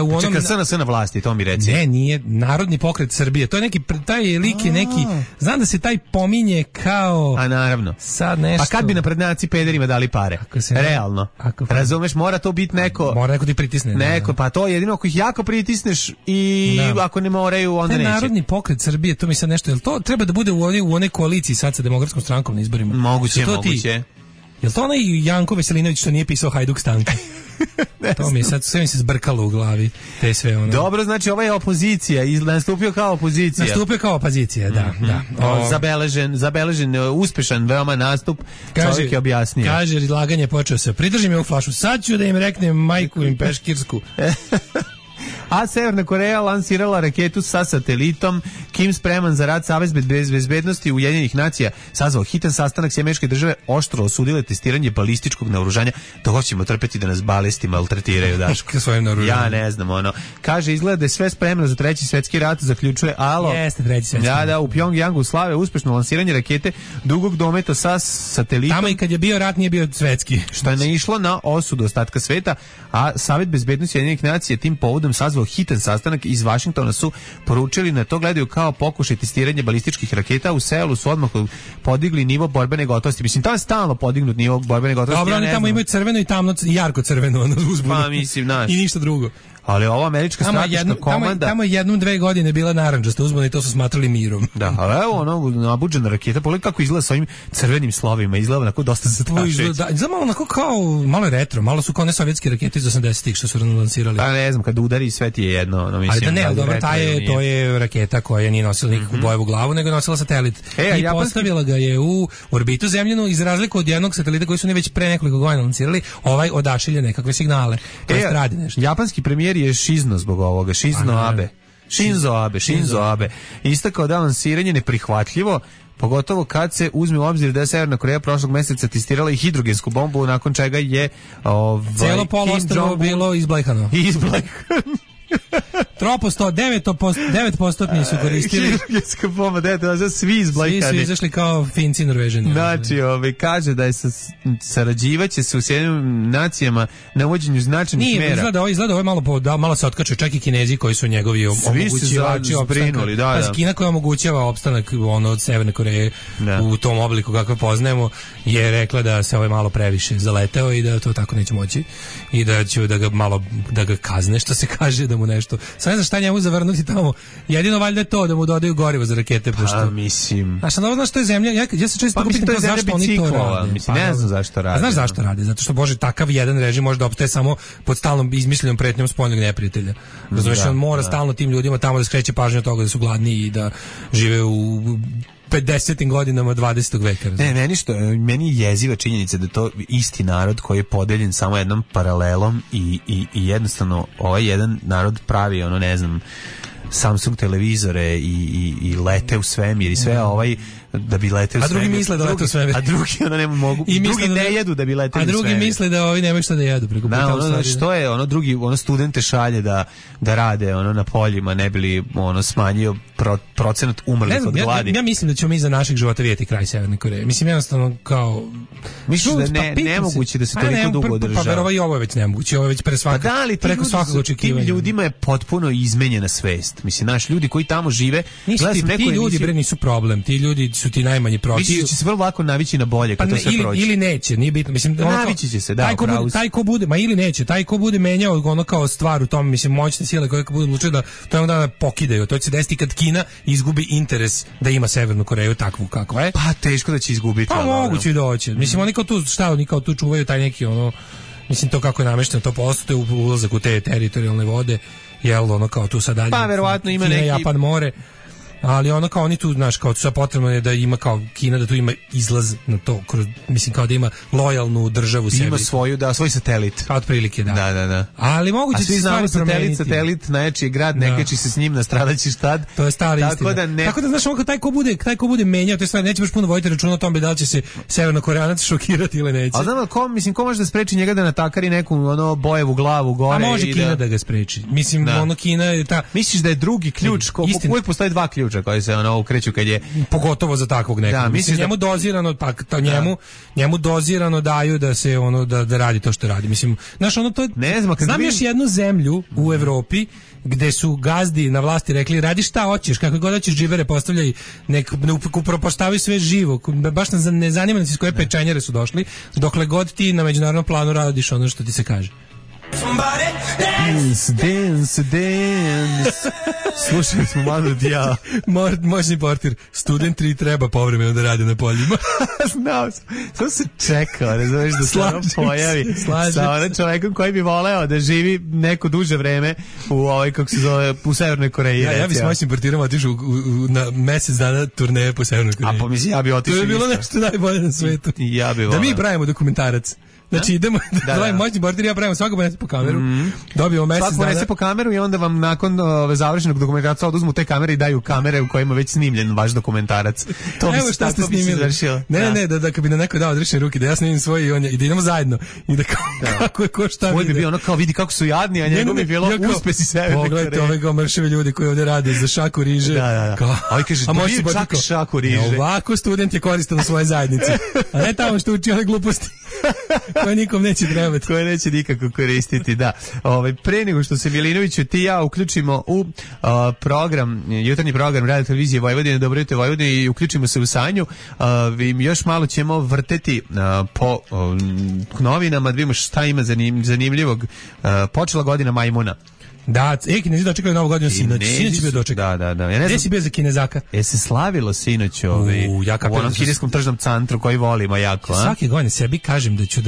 u onom...
Čekaj, SNS na vlasti, to mi reci.
Ne, nije Narodni pokret Srbije. To je neki, taj lik je neki, znam da se taj pominje kao...
A naravno.
Sad nešto...
Pa kad bi naprednjaci pederima dali pare? Realno. Razumeš, mora to biti neko...
Mora neko ti pritisne.
Neko, pa to jedino ako ih jako pritisneš i ako ne moraju, onda neće.
Narodni pokret Srbije, to mi sad nešto... Jel to treba da bude u onoj koaliciji sad sa Demokratskom strankom na izborima?
Moguće.
Jel to onaj Janko Veselinović što nije pisao Hajduk Stanka? To mi je sad, sve mi se zbrkalo u glavi, te sve ono.
Dobro, znači ova je opozicija, nastupio kao opozicija.
Da.
Zabeležen, uspešan, veoma nastup, čovjek je objasnio.
Kaže, izlaganje počeo se, pridržim je u flašu, sad ću da im reknem majku im peškirsku.
A Severna Koreja lansirala raketu sa satelitom. Kim spreman za rad, Savez bezbednosti Ujedinjenih nacija sazvao hitan sastanak. Američke države oštro osudile testiranje balističkog naoružanja. To ćemo trpeti da nas balesti maltretiraju, Daško. Ja ne znam, Kaže, izgleda da je sve spremno za treći svetski rat, zaključuje Alo.
Jeste treći svetski rat.
Da, u Pjongjangu slave uspešno lansiranje rakete dugog dometa sa satelitom.
Tamo i kad je bio rat nije bio svetski.
Što je naišlo na osudu ostatka sveta, a Savet bezbednosti Ujedinjenih nacija tim povodom sazvao hitan sastanak. Iz Vašingtona su poručili na to gledaju kao pokušaj testiranja balističkih raketa. U Seulu su odmah podigli nivo borbene gotovosti. Mislim, tamo je stalno podignut nivo borbene gotovosti.
Dobro, oni tamo imaju crveno i tamno i jarko crveno uzbunu.
Pa mislim, naš.
I ništa drugo.
Ali ova američka strateška komanda...
Tamo je 1-2 godine bila narandžasta uzbuna i to su smatrali mirom.
Da, ali evo nabuđena raketa, pogledaj kako izgleda sa ovim crvenim slovima, izgleda onako dosta zastrašujuće.
Znamo onako kao, malo je retro, malo su kao ne sovjetske rakete iz 80-ih što su lansirali.
Pa ne znam, kad udari sve ti je jedno, mislim.
Ali da ne, dobro, to je raketa koja nije nosila nikakvu bojevu glavu, nego je nosila satelit. I postavila ga je u orbitu zemljenu, iz razliku od jednog satelita koji su već pre nekoliko godina lansirali, ovaj odašilje nekakve signale. Radi nešto.
Japanski premijer je šizno zbog ovoga, Shinzo Abe. Istakao da lansiranje neprihvatljivo, pogotovo kad se uzme u obzir da je Severna Koreja prošlog meseca testirala i hidrogensku bombu, nakon čega je
celo poluostrvo bilo izblejhano. Troposto, 9% su koristili.
Hidrogenska bomba, svi izblajkani.
Svi su izašli kao Finci i Norvežani.
Znači, kaže da je sarađivaće se u Sjedinjenim nacijama na uvođenju značajnih mera.
Izgleda ovo malo se otkačuje, čak i Kinezi koji su njegovi omogućivači opstanka. Kina koja omogućava opstanak od Severne Koreje u tom obliku kako poznajemo, je rekla da se ovo malo previše zaleteo i da to tako neće moći i da će da ga kazne, što se kaže, da mu nešto. Sad ne znam šta njemu zavrnuti tamo. Jedino valjda je to da mu dodaju gorivo za rakete.
A mislim.
Znaš što je zemlja? Ja se često pitam zašto oni to rade.
Mislim, ne znam zašto rade.
A znaš zašto rade? Zato što, Bože, takav jedan režim može da opstaje samo pod stalnom izmišljenom pretnjom spoljnog neprijatelja. Razumeš, on mora stalno tim ljudima tamo da skreće pažnju od toga da su gladni i da žive u 50. godinama 20. veka.
Meni je jeziva činjenica da to isti narod koji je podeljen samo jednom paralelom i jednostavno ovaj jedan narod pravi Samsung televizore i lete u svemir i sve da bi leteo u svemir.
A drugi misle da lete u svemir.
A drugi ne mogu. Drugi ne jedu da bi leteli u svemir.
A drugi misle da ovi nemaju šta da jedu preko puta.
Što je drugi studente šalje da rade na poljima, ne bili smanjio procenat umrlih od gladi.
Ja mislim da ćemo mi za naših života vidjeti kraj Severne Koreje. Mislim, jednostavno kao...
Mislim da nemoguće da se toliko dugo održava.
Pa verovatno i ovo je već nemoguće, ovo je već preko svakog očekivanja.
Tim ljudima je potpuno izmenjena svest. Mislim, naši ljudi koji tamo žive...
Ti ljudi nisu problem, ti ljudi su ti najmanji protiv.
Misliš da će se vrlo lako navići na bolje kad to sve prođe?
Ili neće, nije bitno. Mislim,
navići će se,
taj ko bude, ili neće, taj ko bude menjao kao stvar u tom, mislim, moćne sile koje budu odlučili da to jednog dana pokidaju. To će se desiti kad Kina izgubi interes da ima Severnu Koreju takvu kakva je.
Pa teško da će izgubiti.
Pa moguće da hoće. Mislim, oni kao tu čuvaju taj neki mislim to kako je namešteno, to postoje ulazak u te teritorijalne vode, jel, ono kao tu sad dalje.
Pa verovatno ima
Kina,
neki
Japan, more. Ali ono kao oni tu, znaš, kao sad potrebno je da ima kao Kina, da tu ima izlaz na to, mislim kao da ima lojalnu državu sebi.
Ima svoju, svoj satelit.
Kao otprilike, da.
Da.
Ali moguće
se stvari promeniti. Satelit, najjači grad, nekači se s njim, nastradaći štad.
To je stara istina. Tako da, znaš, ovako, taj ko bude menjao te stvari, neće baš puno voditi računa o tome da li će se Severnokoreanac šokirati ili neće.
A znam, ko može da spreči njega da natakari neku bojevu glavu gore?
A može Kina da ga spreči. Mislim, ono Kina je ta...
Misliš da je drugi ključ, uvijek postoji dva ključa koji se ukreću kad je
pogotovo za takvog nekog. Da, mislim njemu dozirano njemu dozirano daju da se da radi to što radi. Mislim, znaš, ono to
ne znam,
znam još jednu zemlju u Evropi gde su gazdi na vlasti rekli radi šta hoćeš, kako god hoćeš, džibere postavljaj, nek upropaštavaju sve živo. Baš ne zanima nas iz koje pečenjare su došli, dokle god ti na međunarodnom planu radiš ono što ti se kaže.
Dance. Slušali smo Manu Dijao.
Moćni portir, student 3 treba povremeno da radi na poljima.
Znao sam. Samo se čekao, ne znaš da se ono pojavi sa onim čovekom koji bi voleo da živi neko duže vreme kako se zove, u Severnoj Koreji.
Ja bi s moćnim portirom otišao na mesec dana turneje po Severnoj Koreji.
A pomisli, ja bi otišao.
To je bilo nešto najbolje na svetu.
Ja bi voleo.
Da mi pravimo dokumentarac. Znači idemo da moćni portir, ja pravimo svako ponese po kameru. Dobijemo mesec dana.
Svako ponese po kameru i onda vam nakon završenog dokumentaraca oduzmu te kamere i daju kamere u kojima već snimljen vaš dokumentarac. To bi se tako završilo.
Ne, da kad bi na neko dao odrešene ruke, da ja snimim svoj i da idemo zajedno. I da kako je ko šta vidi.
Ovo bi bio ono kao vidi kako su jadni, a njegov bi bilo uspesi Severne Koreje.
Pogledajte ove kao mršave ljudi koji ovde rade za šaku riže.
Da. A kaže, dobije čak šaku riže.
Ovako student je koristan u svojoj zajednici. A ne tamo što uči one gluposti koje nikom neće trebati.
Koje neće nikako koristiti, da. Pre nego što se Milinoviću ti ja uključimo u jutarnji program Radio Televizije Vojvodine, Dobro jutro Vojvodine, i uključimo se u Sanju, još malo ćemo vrteti po novinama, da vidimo šta ima zanimljivog. Počela godina majmuna.
Da, Kinezi dočekali novu godinu sinoć. Sinoć je bio dočekao.
Da.
Gde si bio za Kinezaka?
Se slavilo sinoć u onom kineskom tržnom centru koji volimo jako.
Svake godine sebi kažem da ću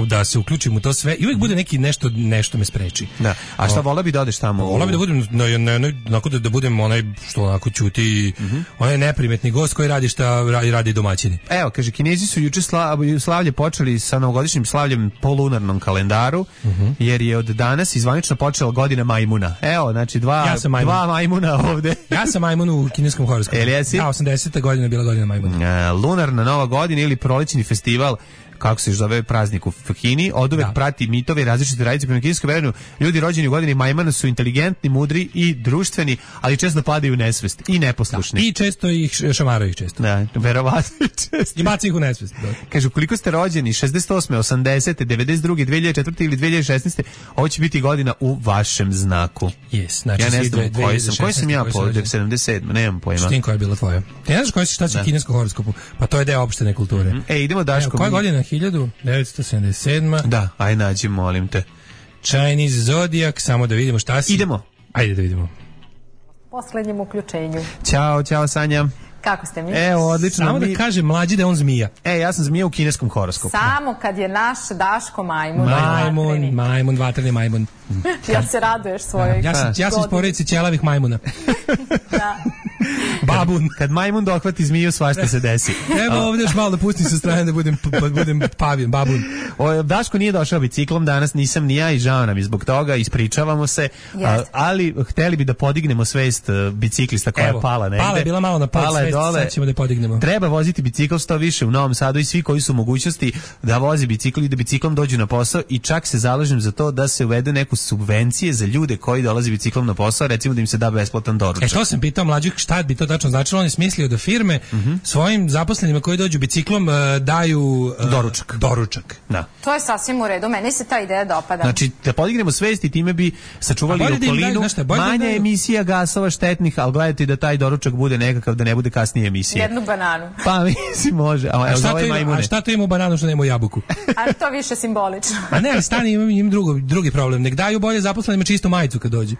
da se uključim u to sve i uvijek bude neki nešto me spreči.
Da. A šta vola bi da odeš tamo?
Vola bi da budem onako da budem onaj što onako ćuti, onaj neprimetni gost koji radi šta radi domaćini.
Evo, kaže, Kinezi su juče slavlje počeli sa novogodišnjim slavljem po lunarnom kalendaru, jer je od danas zvanično počela godina majmuna. Evo, znači dva majmuna ovde.
Ja sam majmun u kineskom horoskopu.
Ja,
80. godina bila godina majmuna.
Lunarna nova godina ili prolećni festival, kako se zove praznik u Kini, oduvek prati mitove i različite tradicije. Prema kineskom verenju, ljudi rođeni u godini majmuna su inteligentni, mudri i društveni, ali često padaju u nesvest i neposlušni.
I često ih šamaraju često.
Da, verovatno često.
I baci ih u nesvest.
Kaže, ukoliko ste rođeni 68. 80. 92. 2004. ili 2016. ovo će biti godina u vašem znaku.
Yes, znači
ja ne znam koji sam ja po 77. Nemam pojma.
Štin koja je bila tvoja. Ti ne znaš šta će u kineskom horoskopu? Pa to je deo opštene kulture.
Idemo Daško.
Koja godina? 1977.
Da, aj nađi, molim te.
Chinese Zodiac, samo da vidimo šta si.
Idemo.
Ajde da vidimo.
Posljednjem uključenju.
Ćao Sanja.
Kako ste mi?
Evo, odlično.
Samo da kaže mlađi da je on zmija.
Ja sam zmija u kineskom horoskopu.
Samo kad je naš Daško majmun.
Majmun, vatreni majmun.
Ja se raduješ svojoj.
Ja sam iz porodice ćelavih majmuna.
Da.
Babun.
Kad majmun dohvati zmiju, svašta se desi.
Evo ovdje još malo da pustim sa strane da budem pavijan, babun.
Daško nije došao biciklom danas, nisam ni ja i žao nam je zbog toga, ispričavamo se, ali hteli bi da podignemo svest biciklista koja je pala negde.
Pala je bila malo na pol svest, sad ćemo da je podignemo.
Treba voziti bicikl što više u Novom Sadu i svi koji su u mogućnosti da vozi bicikl i da biciklom dođu na posao, i čak se zalažem za to da se uvede neku subvencije za ljude koji dolaze biciklom na posao, recimo da im se da besplatan doručak.
To sam pitao mlađih šta bi to tačno značilo. On je smislio da firme svojim zaposlenima koji dođu biciklom daju doručak.
Da.
To je sasvim u redu, meni se ta ideja dopada.
Znači, da podignemo svest i time bi sačuvali okolinu, manja emisija gasova štetnih, ali gledajte da taj doručak bude nekakav, da ne bude kasnije emisija.
Jednu bananu.
Pa mislim može.
A šta to ima u bananu što nema u jabuku?
Ali to više simbolično.
A ne, ali stani, imam drugi problem. Nek daju bolje zaposlenima čistu majicu kad dođe.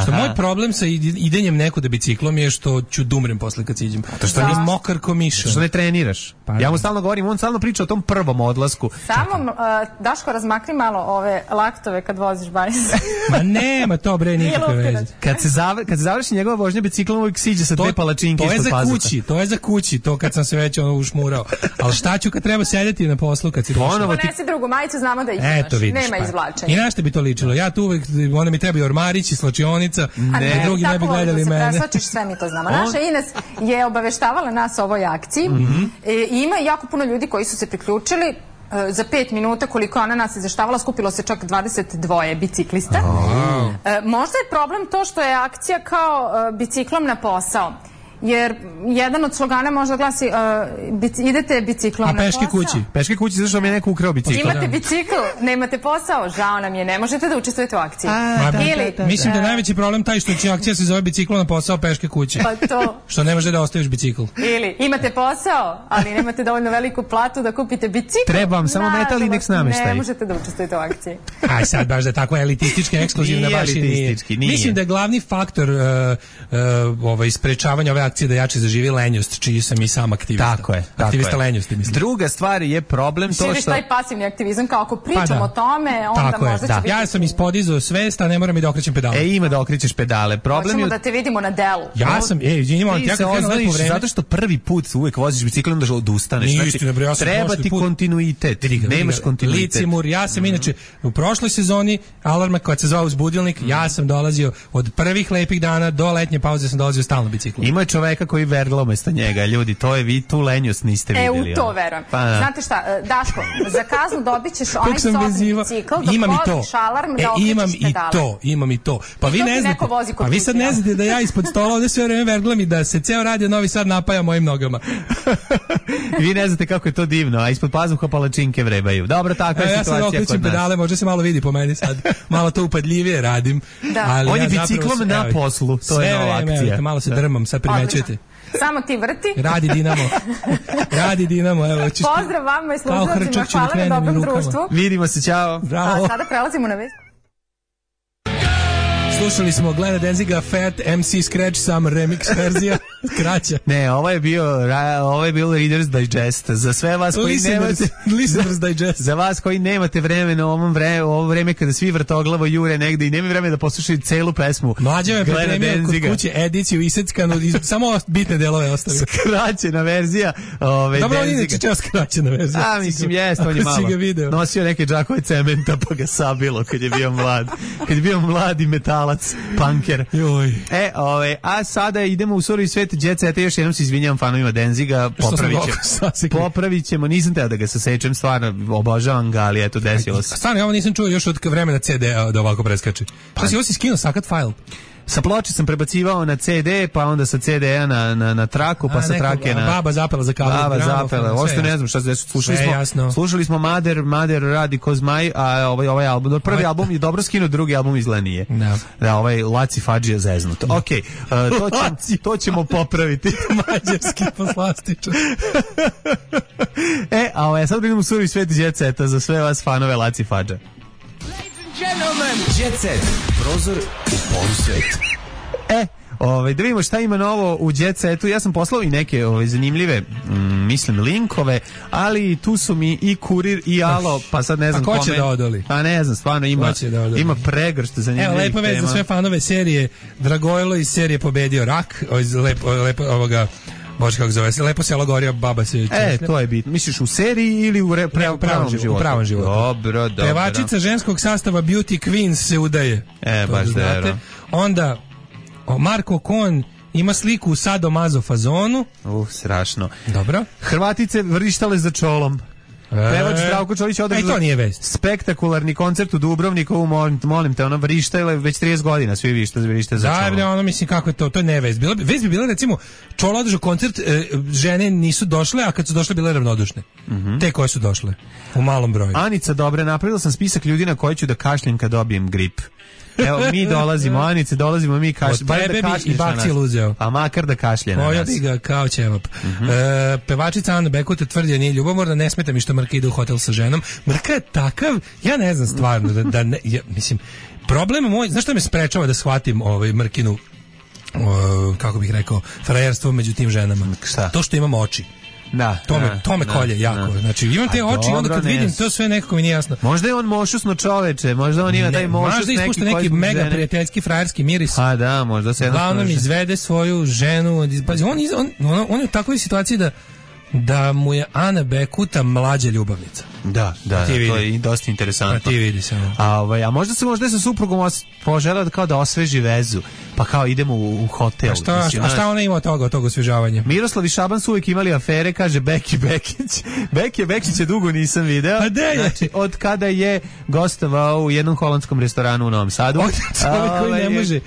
Što moj problem sa idenjem nekuda biciklom je što što ću dumrem posle kad siđem. Što je mokar ko miša.
Što ne treniraš. Ja mu stalno govorim, on stalno priča o tom prvom odlasku.
Samo, Daško, razmakni malo ove laktove kad voziš bajs.
Ma nema to, bre, nikakve veze.
Kad se završi njegova vožnja biciklom, uvijek siđe sa dve palačinke ispod pazuha.
To je za kući, to kad sam se već ušmurao. Ali šta ću kad treba sedeti na poslu kad si došao?
Ponesi drugu majicu, znamo da imaš. Nema izvlačenja.
I na šta bi to ličilo? Ja tu uvek, onda mi treba ormarić i slačionica, da drugi ne bi gledali mene.
Tako se preslačiš, sve mi to znamo. Naša Ines je obaveštavala nas o ovoj akciji i ima jako puno ljudi koji su se priključili. Za 5 minuta koliko ona nas izveštavala, skupilo se čak 22 biciklista. Možda je problem to što je akcija kao biciklom na posao. Jer jedan od slogana možda glasi idete biciklom na posao.
Peške kući, zašto mi je neko ukrao bicikl.
Imate bicikl, nemate posao, žao nam je, ne možete da učestvujete u akciji.
Mislim da je najveći problem taj što će akcija se zove biciklom na posao peške kuće.
Pa to.
Što ne može da ostaviš bicikl.
Ili imate posao, ali nemate dovoljno veliku platu da kupite bicikl.
Treba vam samo metal i nek nameštaj.
Ne možete da učestvujete u akciji.
Aj sad baš da je tako elitistički, ekskluzivna baš i nije. Mislim da je glavni faktor sprečavanja ove akcije da jače zaživi lenjost, čiji sam i sam aktivista.
Tako je.
Aktivista lenjosti, mislim.
Druga stvar je problem to što...
taj pasivni aktivizam, kao ako pričamo o tome, onda možda će biti...
Ja sam ispodizao svest, a ne moram i da okrećem pedale.
Ima da okrećeš pedale.
Hoćemo da te vidimo na delu.
Ja sam, ja se
ozvaniš zato što prvi put uvek voziš biciklom da odustaneš. Treba ti kontinuitet. Nemaš kontinuitet.
Licimur, ja sam inače u prošloj sezoni Alarma kad se zvao Uzbudilnik, ja sam dolazio od prvih lepih dana do letnje pauze sam dolazio stalno biciklom.
Ima čoveka koji vergla umesto njega, ljudi, to je vi tu lenjost niste vidjeli.
U to verujem. Znate šta, Daško, za kaznu dobit ćeš onaj sobni bicikl dok voziš alarm da okrećeš pedale.
Imam i to. Pa vi ne znate, vi sad ne znate da ja ispod stola ovdje sve vreme verglam i da se ceo radio Novi Sad napaja mojim nogama.
Vi ne znate kako je to divno, a ispod pazuha palačinke vrebaju. Dobro, takva je situacija kod nas. Ja sad okrećem pedale, možda se malo vidi po meni sad, malo to upadljivije radim. On je biciklom na poslu, to je nova akcija.
Malo se drmam, sad primećujete.
Samo ti vrti.
Radi Dinamo. Evo,
pozdrav vama i slušalcima, hvala na dobrom društvu.
Vidimo se, čao.
A sada prelazimo na vest.
Slušali smo Glena Danziga Fat MC Scratch Some remix verzija kraća.
Ne, ovo je bio Reader's Digest. Za sve vas koji nemate
Listeners Digest.
Za vas koji nemate vremena ovo vreme kada svi vrtoglavo jure negde i nemaju vremena da poslušaju celu pesmu.
Mlađa me pripremio kod kuće ediciju iseckanu, samo bitne delove ostavio.
Skraćena verzija.
Dobro, on inače čeo skraćena verzija.
A, mislim, jest, on je malo nosio neke džakove cementa pa ga sabilo kad je bio mlad. Kad je bio mladi metalac, punker. A sada idemo u surovi svet Jet Seta, još jednom se izvinjam fanovima Danziga, popravit ćemo, nisam teo da ga sasečem, stvarno obožavam ga, ali eto, desilo se.
Stvarno, ovo nisam čuo još od vremena CD-a da ovako preskače. Šta si, ovo si skinuo sakat file?
Sa ploče sam prebacivao na CD, pa onda sa CD-a na traku, pa sa trake na...
Baba zapela za kabel.
Baba zapela, ošto ne znam šta se slušali smo Mader radi ko zmaj, a ovaj album, prvi album je dobro skinuo, drugi album izgleda nije. Da, ovaj Laci Fadžija zeznut. Okej, to ćemo popraviti.
Mađarski poslastičar.
A sad idemo u surovi svet Jet Seta za sve vas fanove Laci Fadža.
Jet Set, prozor u polusvet.
Da vidimo šta ima novo u Jet Setu. Ja sam poslao i neke zanimljive linkove, ali tu su mi i Kurir i Alo, pa sad ne znam kome.
A ko će da odoli?
Pa ne znam, stvarno ima pregršt zanimljivih tema.
Evo, lepa vez za sve fanove serije. Dragojlo iz serije Pobedio rak, lepo ovoga... Bože, kako zove se, lepo selo gorio, baba se češlja.
To je bitno. Misliš u seriji ili u pravom životu?
U pravom životu.
Dobro.
Pevačica ženskog sastava Beauty Queens se udaje.
Baš dobro.
Onda, Marko Kon ima sliku u sadomazo fazonu.
Strašno.
Dobro.
Hrvatice vrištale za čolom. Pevač Zdravko Čolić održao spektakularni koncert u Dubrovniku, molim te, vrištale već 30 godina, svi vrište za čolom.
Da, mislim kako je to je nevest. Vest bi bila, recimo, Čolo održao koncert, žene nisu došle, a kad su došle bile ravnodušne. Te koje su došle, u malom broju.
Anica, dobre, napravila sam spisak ljudi na koji ću da kašljem kad dobijem grip. Evo, mi dolazimo, Anice, mi kašljemo.
Od tebe bi i bakcijel uzeo.
A makar da kašlje na nas.
Pojao bi ga kao ćevap. Pevačica Ana Bekuta tvrdi da nije ljubomorna, ne smeta mi što Mrka ide u hotel sa ženom. Mrka je takav, ja ne znam stvarno, mislim, problem moj, znaš što me sprečava da shvatim Mrkinu kako bih rekao, frajerstvo među tim ženama.
Šta?
To što imam oči.
Da,
to me kolje jako. Znači imam te oči i onda kad vidim to sve nekako mi nije jasno.
Možda je on mošusno čoveče, možda on ima taj mošus
neki. Možda ispušta neki mega prijateljski frajerski miris.
A da, možda se
uglavnom izvede svoju ženu. Pazi, on je u takvoj situaciji da mu je Ana Bekuta mlađa ljubavnica.
Da, to je dosta interesantno.
Ti vidi se.
A možda je sa suprugom poželeo kao da osveži vezu, pa kao idemo u hotel.
A šta ona ima od tog osvežavanja?
Miroslav i Šaban su uvijek imali afere, kaže Beki Bekić. Beki Bekića dugo nisam video.
A gde je?
Znači, od kada je gostovao u jednom holandskom restoranu u Novom Sadu.
Čovjek koji ne može.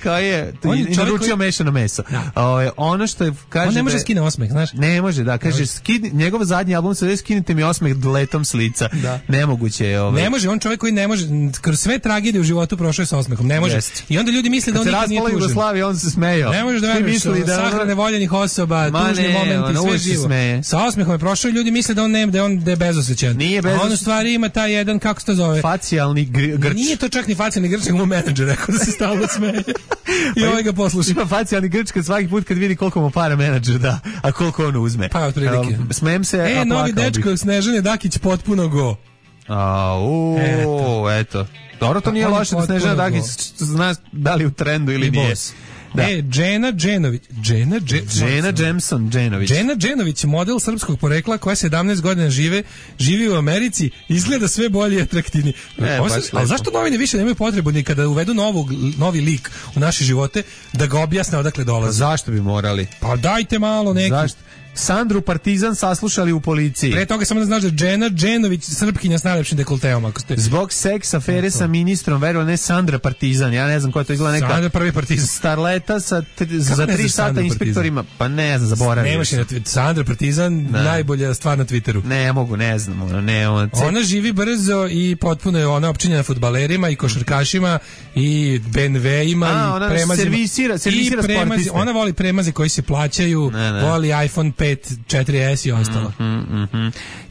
I naručio mešano meso. Ono što je, kaže...
On ne može skine osmeh, znaš?
Ne može, da. Kaže, njegov zadnji album se skinite mi osmeh letom s lica. Da. Nemoguće je
Ne može, on čovjek koji ne može, kroz sve tragedije u životu prošao je sa osmehom, ne može. I onda ljudi misle da on nikad nije tužan.
Jugoslavije, on se smejao.
Ne može da veruješ, sahrane voljenih osoba, tužni momenti, sve živo. Sa osmehom je prošao i ljudi misle da on je bezosjećan.
Nije bezosjećan.
A on u stvari ima taj jedan, kako se to zove?
Facijalni grč.
Nije to čak ni facijalni grč, nego mu menadžer rekao da se stalno smeje. I ovaj ga posluša.
Ima facijalni grč kad svaki put kad vidi koliko mu para menadžer da, a koliko on uzme.
Pa otprilike.
Smejem se, a plakao bih.
Novi dečko Snežane Dakić potpuno go.
Eto. Dobro, to nije loše da Snežana Dakić zna da li u trendu ili nije.
Da. Džena Dženović, model srpskog porekla koja 17 godina živi u Americi, izgleda sve bolje i atraktivnije. Ali zašto novine više nemaju potrebu ni kada uvedu novi lik u naše živote da ga objasne odakle dolazi?
Zašto bi morali?
Pa dajte malo neki.
Zašto? Sandru Partizan saslušali u policiji.
Pre toga samo da znaš da Džena Dženović, Srpkinja s najlepšim dekolteom.
Zbog seks afere sa ministrom, verovali ne, Sandra Partizan, ja ne znam koja to izgleda neka...
Sandra prvi Partizan.
Starleta za 3 sata inspektorima, pa ne znam, zaboravim.
Nemaš je Sandra Partizan, najbolja stvar na Twitteru.
Ne znam.
Ona živi brzo i potpuno je ona opčinjena fudbalerima i košarkašima i BMW-ima i premazima.
Servisira sportiste.
Ona voli premaze koji se plaćaju, voli iPhone 5, 4S i ostalo.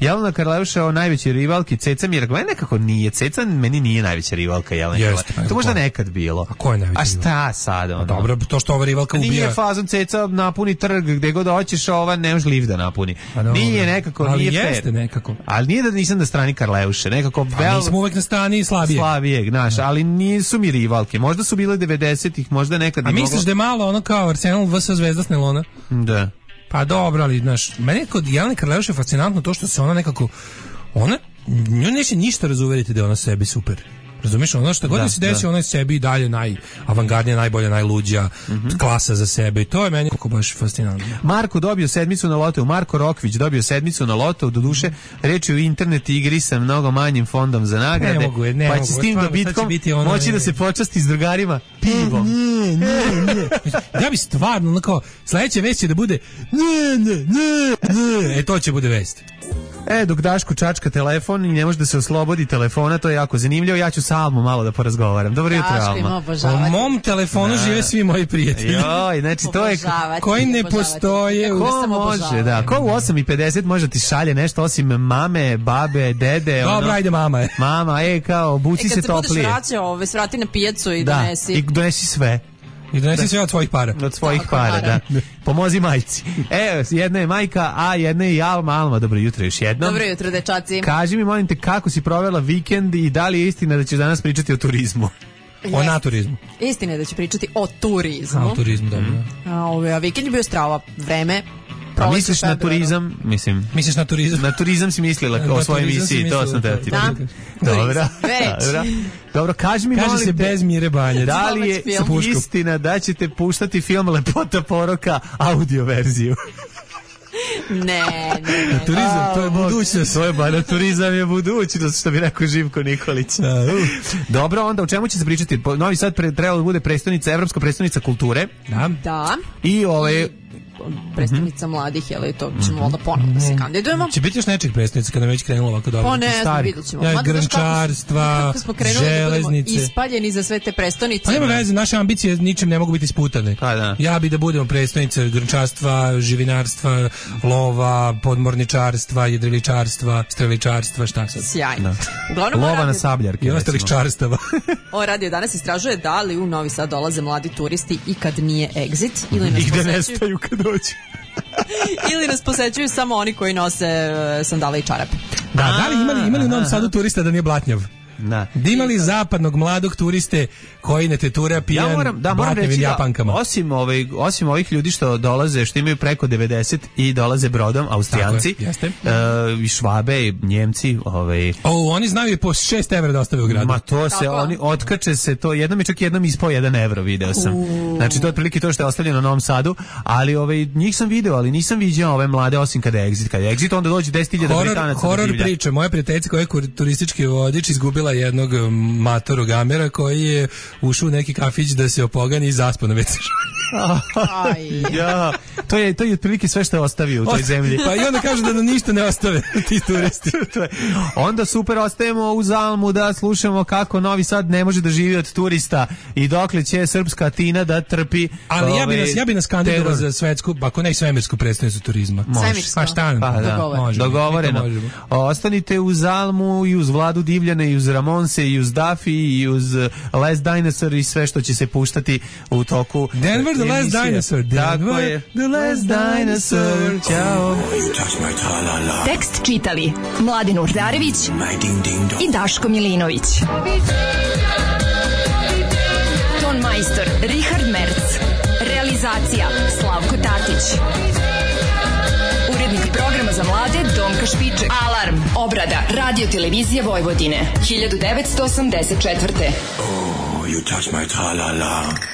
Jelena Karleuša o najvećoj rivalki, Ceca mi je rekao, nekako nije, Ceca meni nije najveća rivalka Jelena. To možda nekad bilo.
A ko je najveća rivalka?
A šta sad?
Dobro, to što ova rivalka ubija.
Nije fazon Ceca napuni trg, gde god hoćeš, ova ne može lift da napuni. Nije nekako,
ali
nije fair.
Ali jeste nekako.
Ali nije da nisam na strani Karleuše, nekako...
nismo uvek na strani slabijeg,
znaš, ali nisu mi rivalke. Možda su bile 90-ih, možda nekad...
A misliš da je malo ono kao Arsenal vs Zvezda s Nelona?
Da.
Pa dobro, ali znaš, meni je kod Jelene Karleuše fascinantno to što se ona nekako, nju neće ništa razuveriti da je ona sebi super. Razumiješ, ono što god se desi, ona je sebi i dalje najavangardnija, najbolja, najluđa, klasa za sebe i to je meni kako baš fascinantno.
Marko dobio 7 na lotu, Marko Rokvić dobio 7 na lotu, doduše reč je u internet igri sa mnogo manjim fondom za nagrade, pa će s tim dobitkom moći da se počasti s drugarima pivom.
Ja bi stvarno, kao, sledeća vest će da bude to će bude vest.
Dok Daško čačka telefon i ne može da se oslobodi telefona, to je jako zanimljivo. Ja ću sa Almom malo da porazgovaram. Dobro jutro, Alma.
U mom telefonu žive svi moji prijatelji.
Znači to je
koji ne postoje.
Ko može, da. Ko u 8:50 može ti šalje nešto osim mame, babe, dede.
Dobro, ajde mama.
Mama, kao, buci se toplije.
Kad se budeš vraćao, svrati na pijacu i donesi.
Da, i donesi sve.
I donesi sve od svojih para.
Od svojih para, da. Pomozi majci. Jedna je majka, a jedna je i Alma. Alma, dobro jutro još jednom.
Dobro jutro, dečaci.
Kaži mi, molim te, kako si provela vikend i da li je istina da ćeš danas pričati o turizmu?
O naturizmu.
Istina je da ću pričati o turizmu.
O turizmu, dobro.
A vikend je bio strava vreme.
A misliš na turizam?
Misliš na turizam?
Na turizam si mislila o svojoj emisiji, to sam te ti. Dobro, kaži mi,
kaže se bez Mire Banjac.
Da li je istina da ćete puštati film Lepota poroka audio verziju?
Ne.
Turizam, to je budućnost.
Turizam je budućnost, što bi rekao Živko Nikolić. Dobro, onda o čemu će se pričati? Novi Sad trebalo da bude evropska prestonica kulture.
Da.
I
predstavnica mladih, jel, to ćemo onda ponovno da se kandidujemo.
Će biti još nečeg predstavnica kada već krenulo ovako dobro?
Pa ne znam, vidjet ćemo.
Grnčarstva, železnice.
Ispaljeni za sve te prestonice.
Pa nema veze, naše ambicije ničim ne mogu biti isputane. Ja bi da budemo predstavnice grnčarstva, živinarstva, lova, podmorničarstva, jedriličarstva, streličarstva, šta sad?
Sjajno.
Lova na sabljarke.
I ostalih čarstava.
Ovo radio danas istražuje da li u Novi Sad dolaze mladi turisti i kad nije exit ili nas
posećuju. I da nestaju kad dođu.
Ili nas posećuju samo oni koji nose sandale i čarape.
Da li imali u Novom Sadu turista da nije blatnjav? Da imali zapadnog mladog turiste koji ne tetura pijan blatnjavim Japankama.
Osim ovih ljudi što dolaze, što imaju preko 90 i dolaze brodom, Austrijanci, i Švabe, i Njemci.
Oni znaju i po 6 evra da ostave u gradu.
Ma to se, oni otkače se, to jednom i čak jednom ispao 1 evro, video sam. Znači to je otprilike to što je ostavljeno na Novom Sadu, ali njih sam video, ali nisam viđao ove mlade osim kada je exit. Kada je exit, onda dođe 10.000 Britanaca.
Horor priče, moja prijateljica koja je turistički vodič izgubila jednog matorog gamera koji je ušao u neki kafić da se opogani i zaspao na WC.
Ja, to je otprilike sve što je ostavio u toj zemlji.
Pa i onda kažu da nam ništa ne ostave ti turisti.
Onda super, ostajemo u Zalmu da slušamo kako Novi Sad ne može da živi od turista i dokle će srpska Atina da trpi.
Ali ja bi nas kandidovao za svetsku, ako ne i svemirsku predstavnicu turizma.
Svemirsko.
Dogovoreno. Ostanite u Zalmu i uz Vladu Divljane i uz Ramonse i uz Dafi i uz Last Dinosaur i sve što će se puštati u toku
Denver, The Last Dinosaur.
Denver, The Last Dinosaur. Ćao.
Tekst čitali Mladen Urdarević i Daško Milinović. Ton majstor Richard Merc. Realizacija Slavko Tatić. Urednik programa za mlade Donka Špiček. Alarm. Obrada Radio Televizije Vojvodine. 1984.
Oh, you touch my tra-la-la.